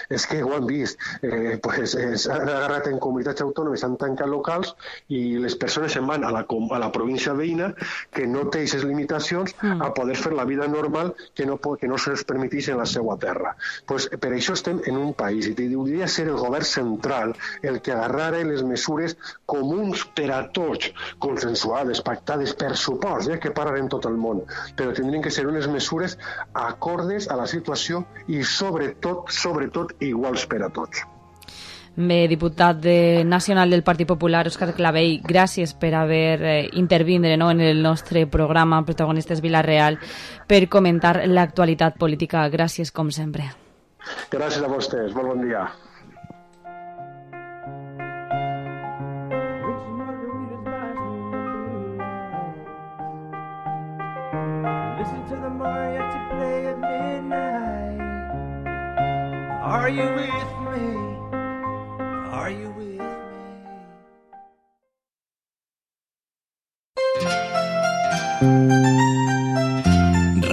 És que ho han vist. Eh, pues, s'han agarrat en comunitats autònomes, s'han tancat locals i les persones se'n van a la, a la província veïna que no té aquestes limitacions mm. a poder fer la vida normal que no, que no se'ls permetís en la seva terra. Pues, per això estem en un país i hauria ser el govern central el que agarrara les mesures comuns per a tots, consensuades, pactades, per supost, eh, que parlen tot el món, però tindrien que ser unes mesures acordes a la situació i sobretot, sobretot, iguals per a tots. Bé, diputat de nacional del Partit Popular, Òscar Clavell, gràcies per haver eh, intervindre, no, en el nostre programa Protagonistes Vila-real per comentar l'actualitat política. Gràcies, com sempre. Gràcies a vostès. Molt bon dia. Are you with me? Are you with me?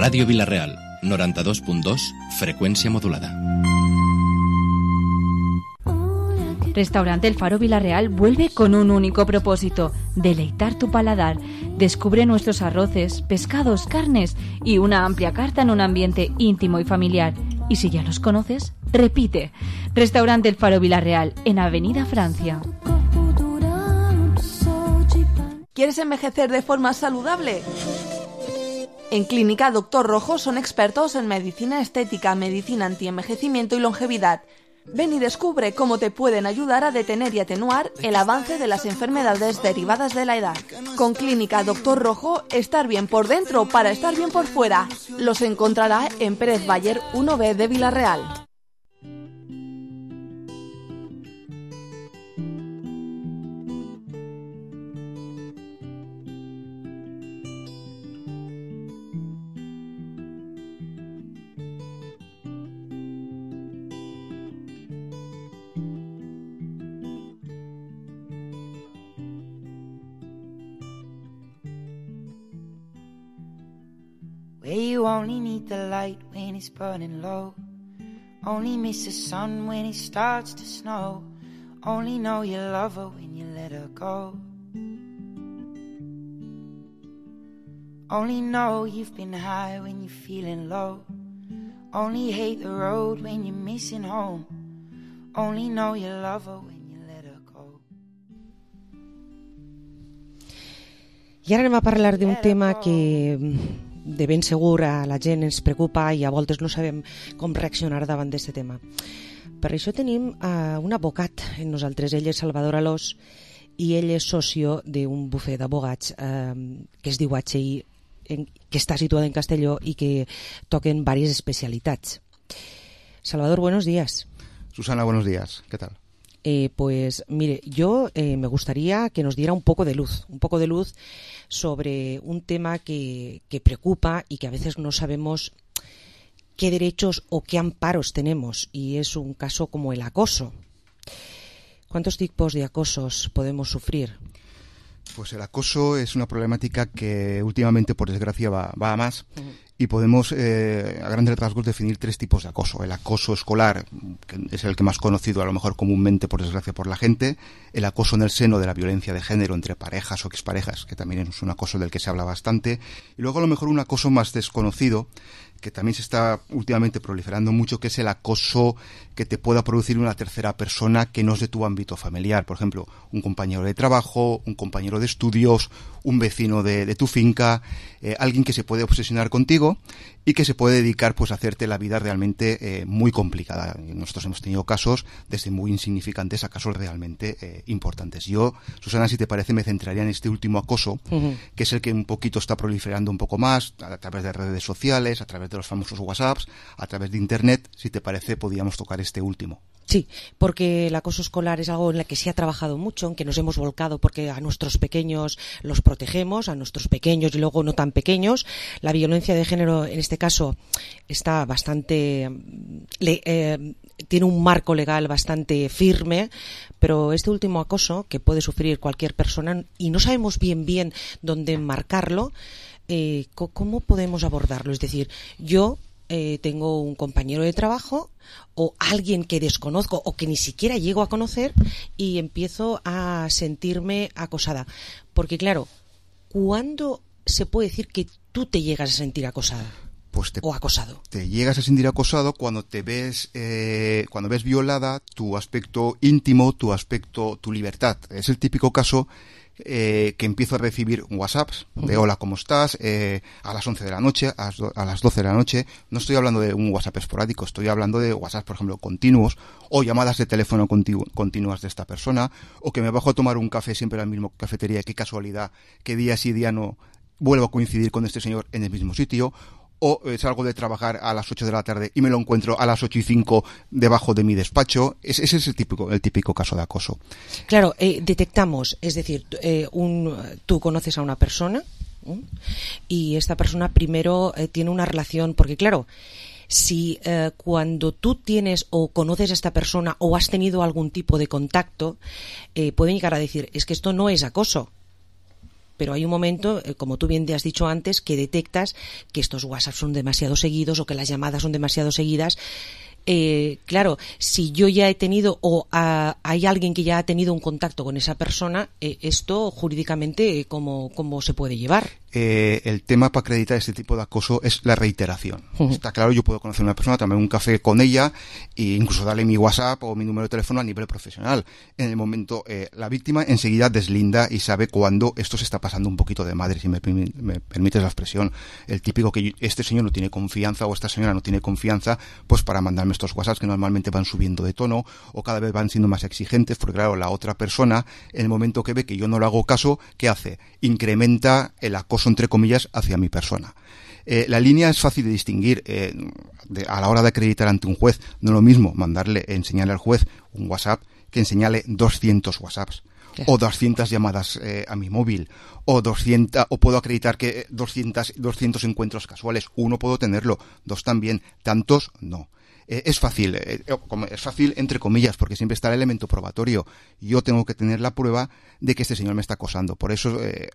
Radio Vilareal, noranta-dos punt dos, frecuencia modulada. Restaurante El Faro Vilareal vuelve con un único propósito: deleitar tu paladar. Descubre nuestros arroces, pescados, carnes y una amplia carta en un ambiente íntimo y familiar. Y si ya los conoces, repite. Restaurante El Faro Vilareal, en Avenida Francia. ¿Quieres envejecer de forma saludable? En Clínica Doctor Rojo son expertos en medicina estética, medicina antienvejecimiento y longevidad. Ven y descubre cómo te pueden ayudar a detener y atenuar el avance de las enfermedades derivadas de la edad. Con Clínica Doctor Rojo, estar bien por dentro para estar bien por fuera. Los encontrará en Pérez Bayer uno B de Vilareal. Where you only need the light when it's burning low, only miss the sun when it starts to snow, only know you love her when you let her go, only know you've been high when you're feeling low, only hate the road when you're missing home, only know you love her when you let her go. I ara anem a parlar d'un tema que de ben segur a la gent ens preocupa i a voltes no sabem com reaccionar davant d'aquest tema. Per això tenim uh, un advocat en nosaltres. Ell és Salvador Alós i ell és socio d'un bufet d'abogats uh, que es diu H I, en, que està situat en Castelló i que toquen diverses especialitats. Salvador, buenos días. Susana, buenos días. ¿Qué tal? Eh, pues mire, yo eh, me gustaría que nos diera un poco de luz, un poco de luz sobre un tema que, que preocupa y que a veces no sabemos qué derechos o qué amparos tenemos, y es un caso como el acoso. ¿Cuántos tipos de acosos podemos sufrir? Pues el acoso es una problemática que últimamente, por desgracia, va, va a más. Uh-huh. Y podemos, eh, a grandes rasgos, definir tres tipos de acoso. El acoso escolar, que es el que más conocido a lo mejor comúnmente, por desgracia, por la gente. El acoso en el seno de la violencia de género entre parejas o exparejas, que también es un acoso del que se habla bastante. Y luego a lo mejor un acoso más desconocido, que también se está últimamente proliferando mucho, que es el acoso que te pueda producir una tercera persona que no es de tu ámbito familiar. Por ejemplo, un compañero de trabajo, un compañero de estudios, un vecino de, de tu finca, eh, alguien que se puede obsesionar contigo y que se puede dedicar pues a hacerte la vida realmente eh, muy complicada. Nosotros hemos tenido casos desde muy insignificantes a casos realmente eh, importantes. Yo, Susana, si te parece, me centraría en este último acoso, uh-huh. que es el que un poquito está proliferando un poco más a través de redes sociales, a través de los famosos WhatsApps, a través de Internet. Si te parece, podríamos tocar este último. Sí, porque el acoso escolar es algo en el que se ha trabajado mucho, en que nos hemos volcado porque a nuestros pequeños los protegemos, a nuestros pequeños y luego no tan pequeños. La violencia de género, en este caso, está bastante... Le, eh, tiene un marco legal bastante firme, pero este último acoso que puede sufrir cualquier persona y no sabemos bien bien dónde enmarcarlo, eh, ¿cómo podemos abordarlo? Es decir, yo... Eh, tengo un compañero de trabajo o alguien que desconozco o que ni siquiera llego a conocer y empiezo a sentirme acosada. Porque claro, ¿cuándo se puede decir que tú te llegas a sentir acosada? Pues te, o acosado. Te llegas a sentir acosado cuando te ves, eh, cuando ves violada tu aspecto íntimo, tu aspecto, tu libertad. Es el típico caso Eh, que empiezo a recibir WhatsApps de hola, ¿cómo estás? Eh, a las once de la noche, a las, do- a las doce de la noche. No estoy hablando de un WhatsApp esporádico, estoy hablando de WhatsApp, por ejemplo, continuos, o llamadas de teléfono continu- continuas de esta persona, o que me bajo a tomar un café siempre en la misma cafetería, qué casualidad, que día sí día no vuelvo a coincidir con este señor en el mismo sitio. O eh, salgo de trabajar a las ocho de la tarde y me lo encuentro a las ocho y cinco debajo de mi despacho. Es, ese es el típico, el típico caso de acoso. Claro, eh, detectamos, es decir, eh, un, tú conoces a una persona ¿eh? y esta persona primero eh, tiene una relación, porque claro, si eh, cuando tú tienes o conoces a esta persona o has tenido algún tipo de contacto, eh, pueden llegar a decir, es que esto no es acoso. pero hay un momento, eh, como tú bien te has dicho antes, que detectas que estos WhatsApp son demasiado seguidos o que las llamadas son demasiado seguidas. Eh, claro, si yo ya he tenido o a, hay alguien que ya ha tenido un contacto con esa persona, eh, esto jurídicamente, eh, ¿cómo, cómo se puede llevar? Eh, el tema para acreditar este tipo de acoso es la reiteración. Uh-huh. Está claro, yo puedo conocer a una persona, tomar un café con ella e incluso darle mi WhatsApp o mi número de teléfono a nivel profesional. En el momento, eh, la víctima enseguida deslinda y sabe cuándo esto se está pasando un poquito de madre, si me, me permites la expresión. El típico que este señor no tiene confianza o esta señora no tiene confianza, pues para mandarme estos WhatsApps que normalmente van subiendo de tono o cada vez van siendo más exigentes, porque claro, la otra persona, en el momento que ve que yo no le hago caso, ¿qué hace? Incrementa el acoso entre comillas hacia mi persona. Eh, la línea es fácil de distinguir eh, de, a la hora de acreditar ante un juez. No es lo mismo mandarle, enseñarle al juez un WhatsApp que enseñarle doscientos WhatsApps. Claro. O doscientas llamadas eh, a mi móvil, o doscientas, o puedo acreditar que doscientos, doscientos encuentros casuales. Uno puedo tenerlo, dos también, tantos no. Eh, es fácil, eh, es fácil entre comillas, porque siempre está el elemento probatorio. Yo tengo que tener la prueba de que este señor me está acosando. Por eso, eh,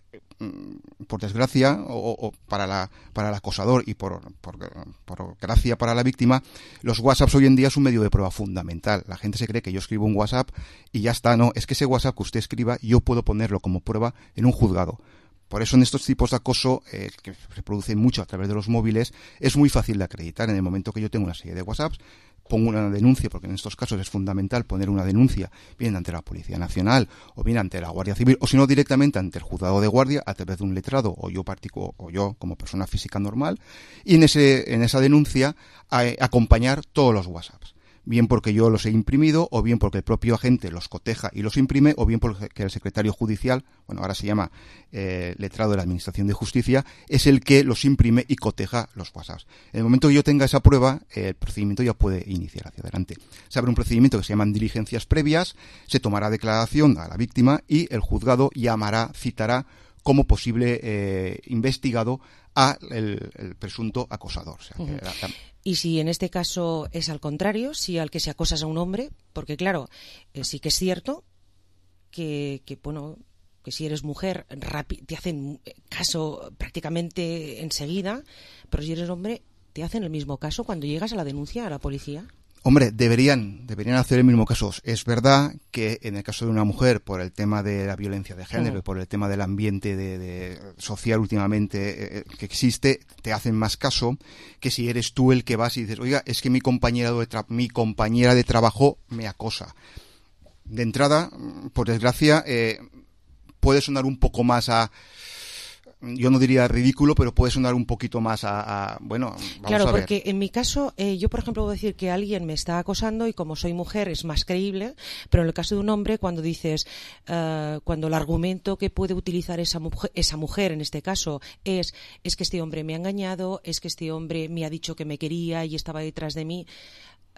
por desgracia, o, o para la para el acosador y por, por, por gracia para la víctima, los WhatsApps hoy en día es un medio de prueba fundamental. La gente se cree que yo escribo un WhatsApp y ya está. No, es que ese WhatsApp que usted escriba yo puedo ponerlo como prueba en un juzgado. Por eso en estos tipos de acoso, eh, que se producen mucho a través de los móviles, es muy fácil de acreditar. En el momento que yo tengo una serie de WhatsApps, pongo una denuncia, porque en estos casos es fundamental poner una denuncia, bien ante la Policía Nacional, o bien ante la Guardia Civil, o si no directamente ante el juzgado de guardia, a través de un letrado, o yo particular, o yo como persona física normal, y en ese, en esa denuncia a, acompañar todos los WhatsApps. Bien porque yo los he imprimido, o bien porque el propio agente los coteja y los imprime, o bien porque el secretario judicial, bueno, ahora se llama eh, letrado de la Administración de Justicia, es el que los imprime y coteja los WhatsApps. En el momento que yo tenga esa prueba, eh, el procedimiento ya puede iniciar hacia adelante. Se abre un procedimiento que se llaman diligencias previas, se tomará declaración a la víctima y el juzgado llamará, citará como posible eh, investigado a el, el presunto acosador. O sea, que la, la, Y si en este caso es al contrario, si al que se acosa es a un hombre, porque claro, eh, sí que es cierto que, que bueno, que si eres mujer rapi- te hacen caso prácticamente enseguida, pero si eres hombre te hacen el mismo caso cuando llegas a la denuncia a la policía. Hombre, deberían, deberían hacer el mismo caso. Es verdad que en el caso de una mujer, por el tema de la violencia de género, uh-huh. por el tema del ambiente de, de social últimamente eh, que existe, te hacen más caso que si eres tú el que vas y dices, oiga, es que mi compañera de, tra- mi compañera de trabajo me acosa. De entrada, por desgracia, eh, puede sonar un poco más a... Yo no diría ridículo, pero puede sonar un poquito más a, a bueno, vamos claro, a ver. Porque en mi caso, eh, yo por ejemplo puedo decir que alguien me está acosando y como soy mujer es más creíble, pero en el caso de un hombre, cuando dices, uh, cuando el argumento que puede utilizar esa mujer, esa mujer en este caso es, es que este hombre me ha engañado, es que este hombre me ha dicho que me quería y estaba detrás de mí.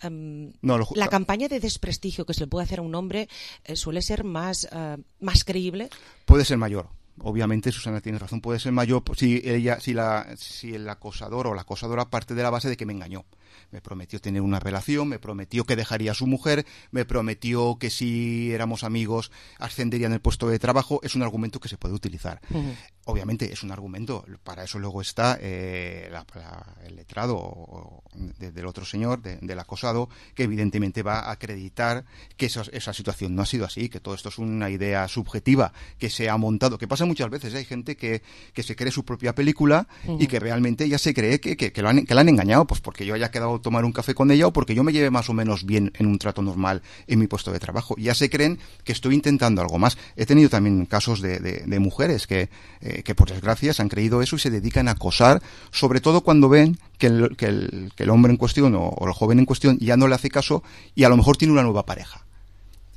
Um, no, lo, la campaña de desprestigio que se le puede hacer a un hombre eh, suele ser más, uh, más creíble. Puede ser mayor. Obviamente, Susana tiene razón, puede ser mayor si ella, si la, si el acosador o la acosadora parte de la base de que me engañó. Me prometió tener una relación, me prometió que dejaría a su mujer, me prometió que si éramos amigos ascendería en el puesto de trabajo. Es un argumento que se puede utilizar. Uh-huh. Obviamente es un argumento, para eso luego está eh, la, la, el letrado o, de, del otro señor, de, del acosado, que evidentemente va a acreditar que esa, esa situación no ha sido así, que todo esto es una idea subjetiva que se ha montado, que pasa muchas veces. ¿eh? Hay gente que, que se cree su propia película uh-huh. y que realmente ya se cree que, que, que, lo han, que la han engañado, pues porque yo haya quedado a tomar un café con ella o porque yo me lleve más o menos bien en un trato normal en mi puesto de trabajo. Ya se creen que estoy intentando algo más. He tenido también casos de, de, de mujeres que, eh, que por desgracia se han creído eso y se dedican a acosar, sobre todo cuando ven que el, que el, que el hombre en cuestión o, o el joven en cuestión ya no le hace caso y a lo mejor tiene una nueva pareja.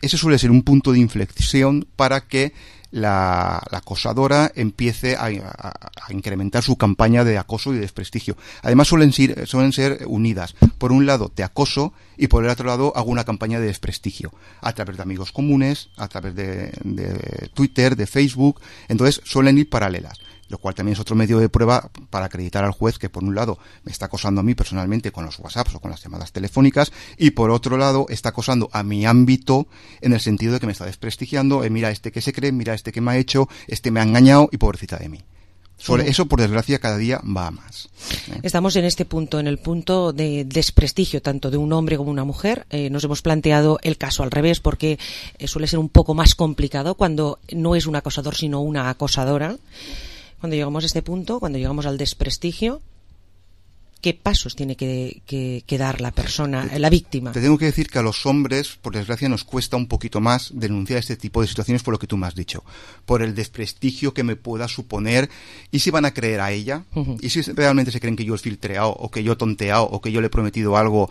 Ese suele ser un punto de inflexión para que la, la acosadora empiece a, a, a incrementar su campaña de acoso y de desprestigio. Además suelen ser, suelen ser unidas. Por un lado te acoso y por el otro lado hago una campaña de desprestigio a través de amigos comunes, a través de, de Twitter, de Facebook. Entonces suelen ir paralelas. lo cual también es otro medio de prueba para acreditar al juez que, por un lado, me está acosando a mí personalmente con los WhatsApps o con las llamadas telefónicas, y por otro lado, está acosando a mi ámbito en el sentido de que me está desprestigiando, eh, mira este que se cree, mira este que me ha hecho, este me ha engañado y pobrecita de mí. Sobre uh-huh. eso, por desgracia, cada día va a más. ¿eh? Estamos en este punto, en el punto de desprestigio tanto de un hombre como una mujer. Eh, nos hemos planteado el caso al revés porque eh, suele ser un poco más complicado cuando no es un acosador sino una acosadora. Cuando llegamos a este punto, cuando llegamos al desprestigio, ¿qué pasos tiene que, que, que dar la persona, la víctima? Te tengo que decir que a los hombres, por desgracia, nos cuesta un poquito más denunciar este tipo de situaciones por lo que tú me has dicho, por el desprestigio que me pueda suponer, y si van a creer a ella, uh-huh. y si realmente se creen que yo he filtreado, o que yo he tonteado, o que yo le he prometido algo,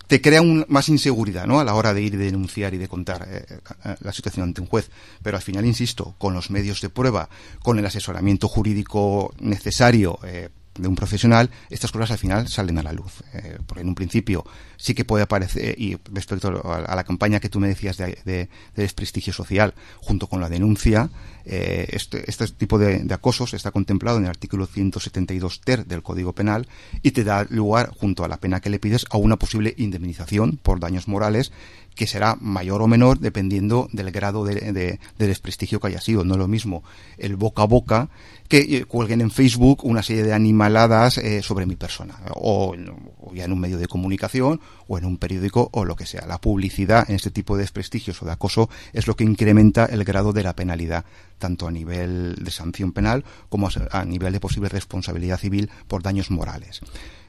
te crea un, más inseguridad, ¿no?, a la hora de ir y denunciar y de contar eh, la situación ante un juez. Pero al final, insisto, con los medios de prueba, con el asesoramiento jurídico necesario, eh, de un profesional, estas cosas al final salen a la luz. Eh, porque en un principio sí que puede aparecer, y respecto a, a la campaña que tú me decías de, de, de desprestigio social, junto con la denuncia, eh, este, este tipo de, de acosos está contemplado en el artículo ciento setenta y dos ter del Código Penal y te da lugar, junto a la pena que le pides, a una posible indemnización por daños morales que será mayor o menor dependiendo del grado de, de, de desprestigio que haya sido. No es lo mismo el boca a boca que eh, cuelguen en Facebook una serie de animaladas eh, sobre mi persona, o, o ya en un medio de comunicación o en un periódico o lo que sea. La publicidad en este tipo de desprestigios o de acoso es lo que incrementa el grado de la penalidad, tanto a nivel de sanción penal como a nivel de posible responsabilidad civil por daños morales.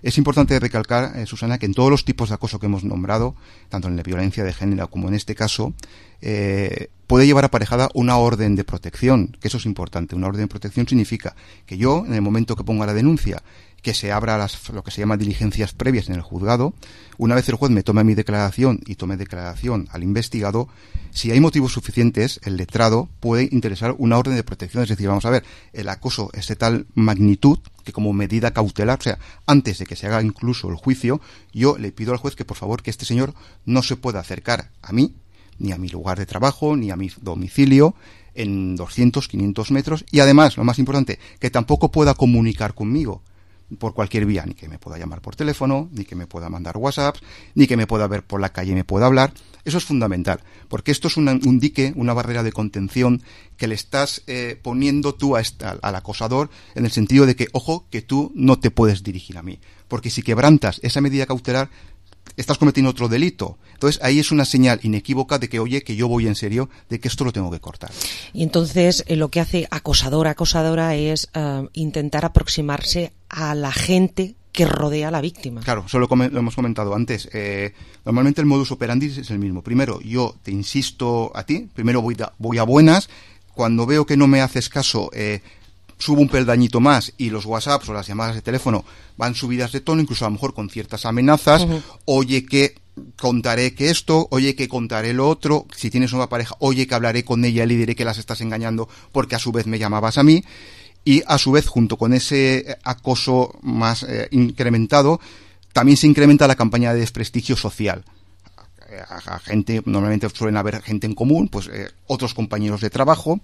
Es importante recalcar, eh, Susana, que en todos los tipos de acoso que hemos nombrado, tanto en la violencia de género como en este caso, eh, puede llevar aparejada una orden de protección, que eso es importante. Una orden de protección significa que yo, en el momento que ponga la denuncia, que se abra las, lo que se llama diligencias previas en el juzgado, una vez el juez me tome mi declaración y tome declaración al investigado, si hay motivos suficientes, el letrado puede interesar una orden de protección. Es decir, vamos a ver, el acoso es de tal magnitud que como medida cautelar, o sea, antes de que se haga incluso el juicio, yo le pido al juez que por favor que este señor no se pueda acercar a mí, ni a mi lugar de trabajo, ni a mi domicilio, en doscientos, quinientos metros, y además, lo más importante, que tampoco pueda comunicar conmigo por cualquier vía, ni que me pueda llamar por teléfono, ni que me pueda mandar WhatsApp, ni que me pueda ver por la calle y me pueda hablar. Eso es fundamental, porque esto es una, un dique, una barrera de contención que le estás eh, poniendo tú a esta, al acosador, en el sentido de que, ojo, que tú no te puedes dirigir a mí, porque si quebrantas esa medida cautelar, estás cometiendo otro delito. Entonces ahí es una señal inequívoca de que, oye, que yo voy en serio, de que esto lo tengo que cortar. Y entonces eh, lo que hace acosador, acosadora es uh, intentar aproximarse a la gente que rodea a la víctima. Claro, eso lo, lo hemos comentado antes. Eh, normalmente el modus operandi es el mismo. Primero, yo te insisto a ti, primero voy, da, voy a buenas, cuando veo que no me haces caso, eh, subo un peldañito más y los WhatsApps o las llamadas de teléfono van subidas de tono, incluso a lo mejor con ciertas amenazas. Uh-huh. Oye, que contaré que esto, oye, que contaré lo otro, si tienes una pareja, oye, que hablaré con ella y le diré que las estás engañando porque a su vez me llamabas a mí. Y a su vez, junto con ese acoso más eh, incrementado, también se incrementa la campaña de desprestigio social. A, a gente, normalmente suelen haber gente en común, pues eh, otros compañeros de trabajo,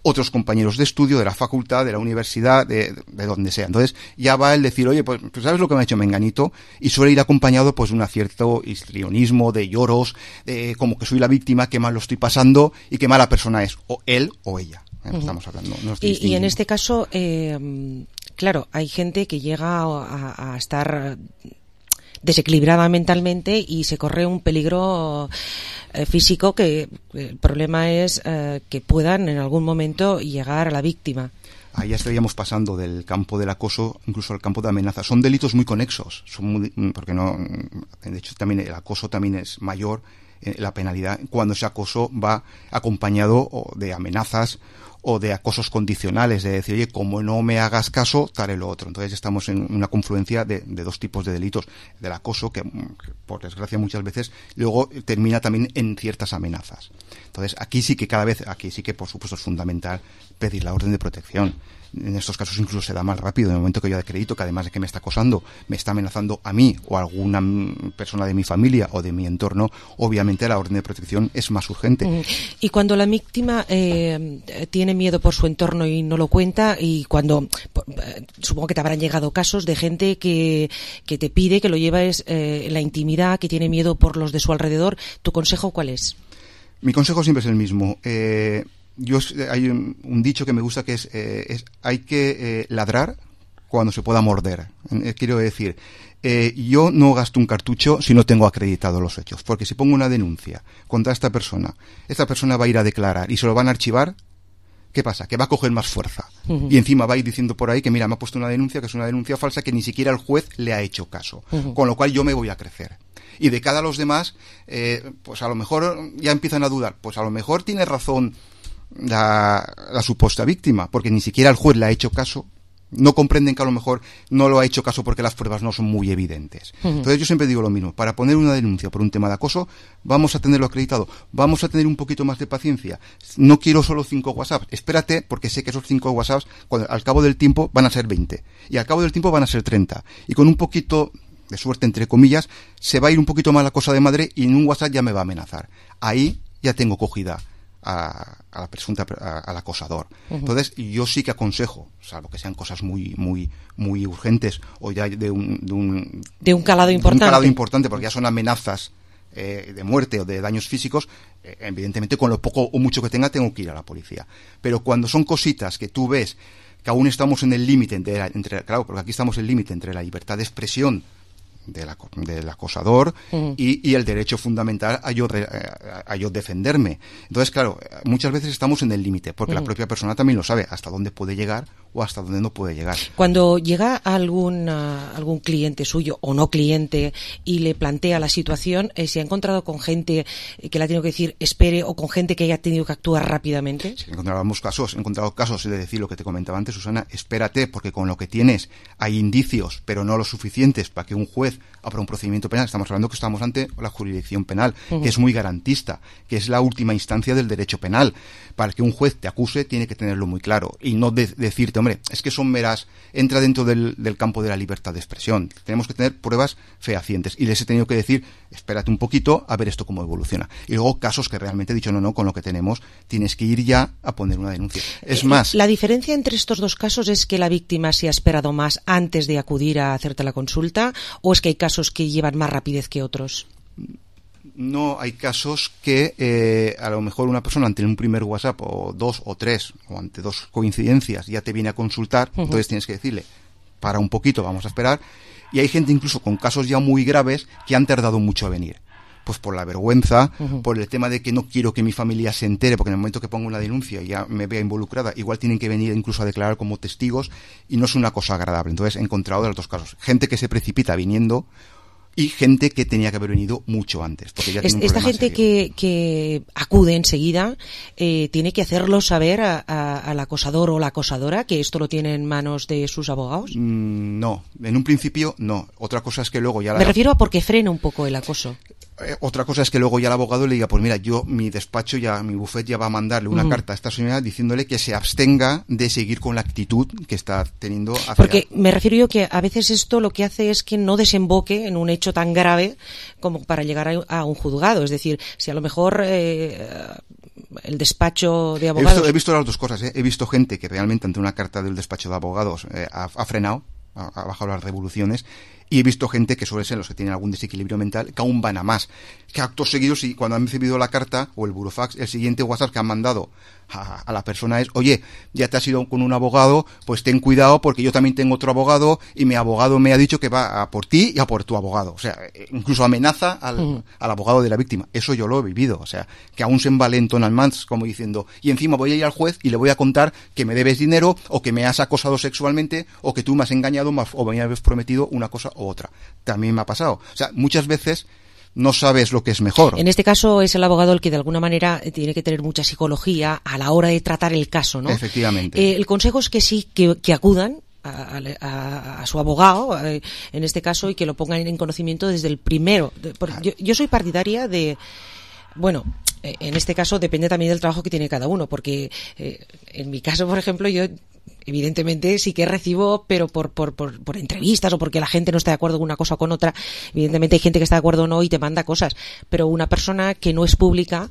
otros compañeros de estudio, de la facultad, de la universidad, de, de donde sea. Entonces ya va el decir, oye, pues, pues ¿sabes lo que me ha hecho menganito? Y suele ir acompañado pues de un cierto histrionismo, de lloros, de como que soy la víctima, qué mal lo estoy pasando y qué mala persona es, o él o ella. Uh-huh. Estamos hablando. No y, y en este caso, eh, claro, hay gente que llega a, a estar desequilibrada mentalmente y se corre un peligro eh, físico que el problema es eh, que puedan en algún momento llegar a la víctima. Ahí ya estaríamos pasando del campo del acoso incluso al campo de amenaza. Son delitos muy conexos, son muy, porque no, de hecho también el acoso también es mayor, eh, la penalidad cuando ese acoso va acompañado de amenazas o de acosos condicionales, de decir, oye, como no me hagas caso, te haré lo otro. Entonces estamos en una confluencia de, de dos tipos de delitos. Del acoso, que, que por desgracia muchas veces luego termina también en ciertas amenazas. Entonces aquí sí que cada vez, aquí sí que por supuesto es fundamental pedir la orden de protección. En estos casos incluso se da más rápido. En el momento que yo acredito que además de que me está acosando, me está amenazando a mí o a alguna persona de mi familia o de mi entorno, obviamente la orden de protección es más urgente. Y cuando la víctima eh, tiene tiene miedo por su entorno y no lo cuenta, y cuando eh, supongo que te habrán llegado casos de gente que, que te pide que lo lleves eh, en la intimidad, que tiene miedo por los de su alrededor. ¿Tu consejo cuál es? Mi consejo siempre es el mismo. Eh, yo hay un, un dicho que me gusta que es, eh, es hay que eh, ladrar cuando se pueda morder. Eh, quiero decir, eh, yo no gasto un cartucho si no tengo acreditados los hechos, porque si pongo una denuncia contra esta persona, esta persona va a ir a declarar y se lo van a archivar. ¿Qué pasa? Que va a coger más fuerza. Uh-huh. Y encima va a ir diciendo por ahí que, mira, me ha puesto una denuncia que es una denuncia falsa que ni siquiera el juez le ha hecho caso. Uh-huh. Con lo cual yo me voy a crecer. Y de cara a los demás, eh, pues a lo mejor ya empiezan a dudar. Pues a lo mejor tiene razón la, la supuesta víctima, porque ni siquiera el juez le ha hecho caso. No comprenden que a lo mejor no lo ha hecho caso porque las pruebas no son muy evidentes. Uh-huh. Entonces yo siempre digo lo mismo, para poner una denuncia por un tema de acoso, vamos a tenerlo acreditado, vamos a tener un poquito más de paciencia. No quiero solo cinco WhatsApps, espérate, porque sé que esos cinco WhatsApps, cuando, al cabo del tiempo, van a ser veinte. Y al cabo del tiempo van a ser treinta. Y con un poquito de suerte, entre comillas, se va a ir un poquito más la cosa de madre y en un WhatsApp ya me va a amenazar. Ahí ya tengo cogida a, a la presunta a, al acosador. Uh-huh. Entonces yo sí que aconsejo, salvo que sean cosas muy muy muy urgentes o ya de un de un, de un calado importante, de un calado importante porque ya son amenazas eh, de muerte o de daños físicos, eh, evidentemente con lo poco o mucho que tenga tengo que ir a la policía. Pero cuando son cositas que tú ves que aún estamos en el límite entre, entre claro, porque aquí estamos en el límite entre la libertad de expresión del, del acosador uh-huh. y, y el derecho fundamental a yo, a, a yo defenderme. Entonces, claro, muchas veces estamos en el límite, porque uh-huh. la propia persona también lo sabe, hasta dónde puede llegar o hasta dónde no puede llegar. Cuando llega algún, uh, algún cliente suyo o no cliente y le plantea la situación, eh, ¿se ha encontrado con gente que le ha tenido que decir espere o con gente que haya tenido que actuar rápidamente? Sí, he encontrado casos, he encontrado casos de decir lo que te comentaba antes, Susana, espérate, porque con lo que tienes hay indicios, pero no lo suficientes para que un juez abra un procedimiento penal. Estamos hablando que estamos ante la jurisdicción penal, uh-huh. que es muy garantista, que es la última instancia del derecho penal. Para que un juez te acuse tiene que tenerlo muy claro y no de- decirte, hombre, es que son meras, entra dentro del, del campo de la libertad de expresión. Tenemos que tener pruebas fehacientes y les he tenido que decir, espérate un poquito a ver esto cómo evoluciona. Y luego casos que realmente he dicho, no, no, con lo que tenemos tienes que ir ya a poner una denuncia. Es más, la diferencia entre estos dos casos es que la víctima se ha esperado más antes de acudir a hacerte la consulta, o es que hay casos que llevan más rapidez que otros. No, hay casos que eh, a lo mejor una persona ante un primer WhatsApp o dos o tres o ante dos coincidencias ya te viene a consultar, uh-huh. entonces tienes que decirle para un poquito, vamos a esperar. Y hay gente incluso con casos ya muy graves que han tardado mucho a venir. Pues por la vergüenza, uh-huh. por el tema de que no quiero que mi familia se entere, porque en el momento que pongo una denuncia y ya me vea involucrada, igual tienen que venir incluso a declarar como testigos y no es una cosa agradable. Entonces he encontrado de los dos casos. Gente que se precipita viniendo y gente que tenía que haber venido mucho antes. Porque ya es, tiene un esta gente que, que acude enseguida eh, tiene que hacerlo saber a, a, al acosador o la acosadora que esto lo tiene en manos de sus abogados. Mm, no, en un principio no. Otra cosa es que luego ya... Me la... refiero a porque frena un poco el acoso. Eh, otra cosa es que luego ya el abogado le diga, pues mira, yo, mi despacho ya, mi bufet ya va a mandarle una uh-huh. carta a esta señora diciéndole que se abstenga de seguir con la actitud que está teniendo hacia... Porque me refiero yo que a veces esto lo que hace es que no desemboque en un hecho tan grave como para llegar a, a un juzgado. Es decir, si a lo mejor eh, el despacho de abogados... He visto, he visto las dos cosas, ¿eh? He visto gente que realmente ante una carta del despacho de abogados eh, ha, ha frenado, ha, ha bajado las revoluciones. Y he visto gente que suele ser los que tienen algún desequilibrio mental, que aún van a más. Que actos seguidos, y cuando han recibido la carta o el burofax, el siguiente WhatsApp que han mandado a, a la persona es, oye, ya te has ido con un abogado, pues ten cuidado porque yo también tengo otro abogado y mi abogado me ha dicho que va a por ti y a por tu abogado. O sea, incluso amenaza al, uh-huh. al abogado de la víctima. Eso yo lo he vivido. O sea, que aún se envalentonan más, como diciendo, y encima voy a ir al juez y le voy a contar que me debes dinero o que me has acosado sexualmente o que tú me has engañado o me has prometido una cosa u otra. También me ha pasado. O sea, muchas veces no sabes lo que es mejor. En este caso es el abogado el que de alguna manera tiene que tener mucha psicología a la hora de tratar el caso, ¿no? Efectivamente. Eh, el consejo es que sí, que, que acudan a, a, a su abogado, eh, en este caso, y que lo pongan en conocimiento desde el primero. Yo, yo soy partidaria de... Bueno, en este caso depende también del trabajo que tiene cada uno, porque eh, en mi caso, por ejemplo, yo evidentemente sí que recibo, pero por, por, por, por entrevistas o porque la gente no está de acuerdo con una cosa o con otra. Evidentemente hay gente que está de acuerdo o no y te manda cosas, pero una persona que no es pública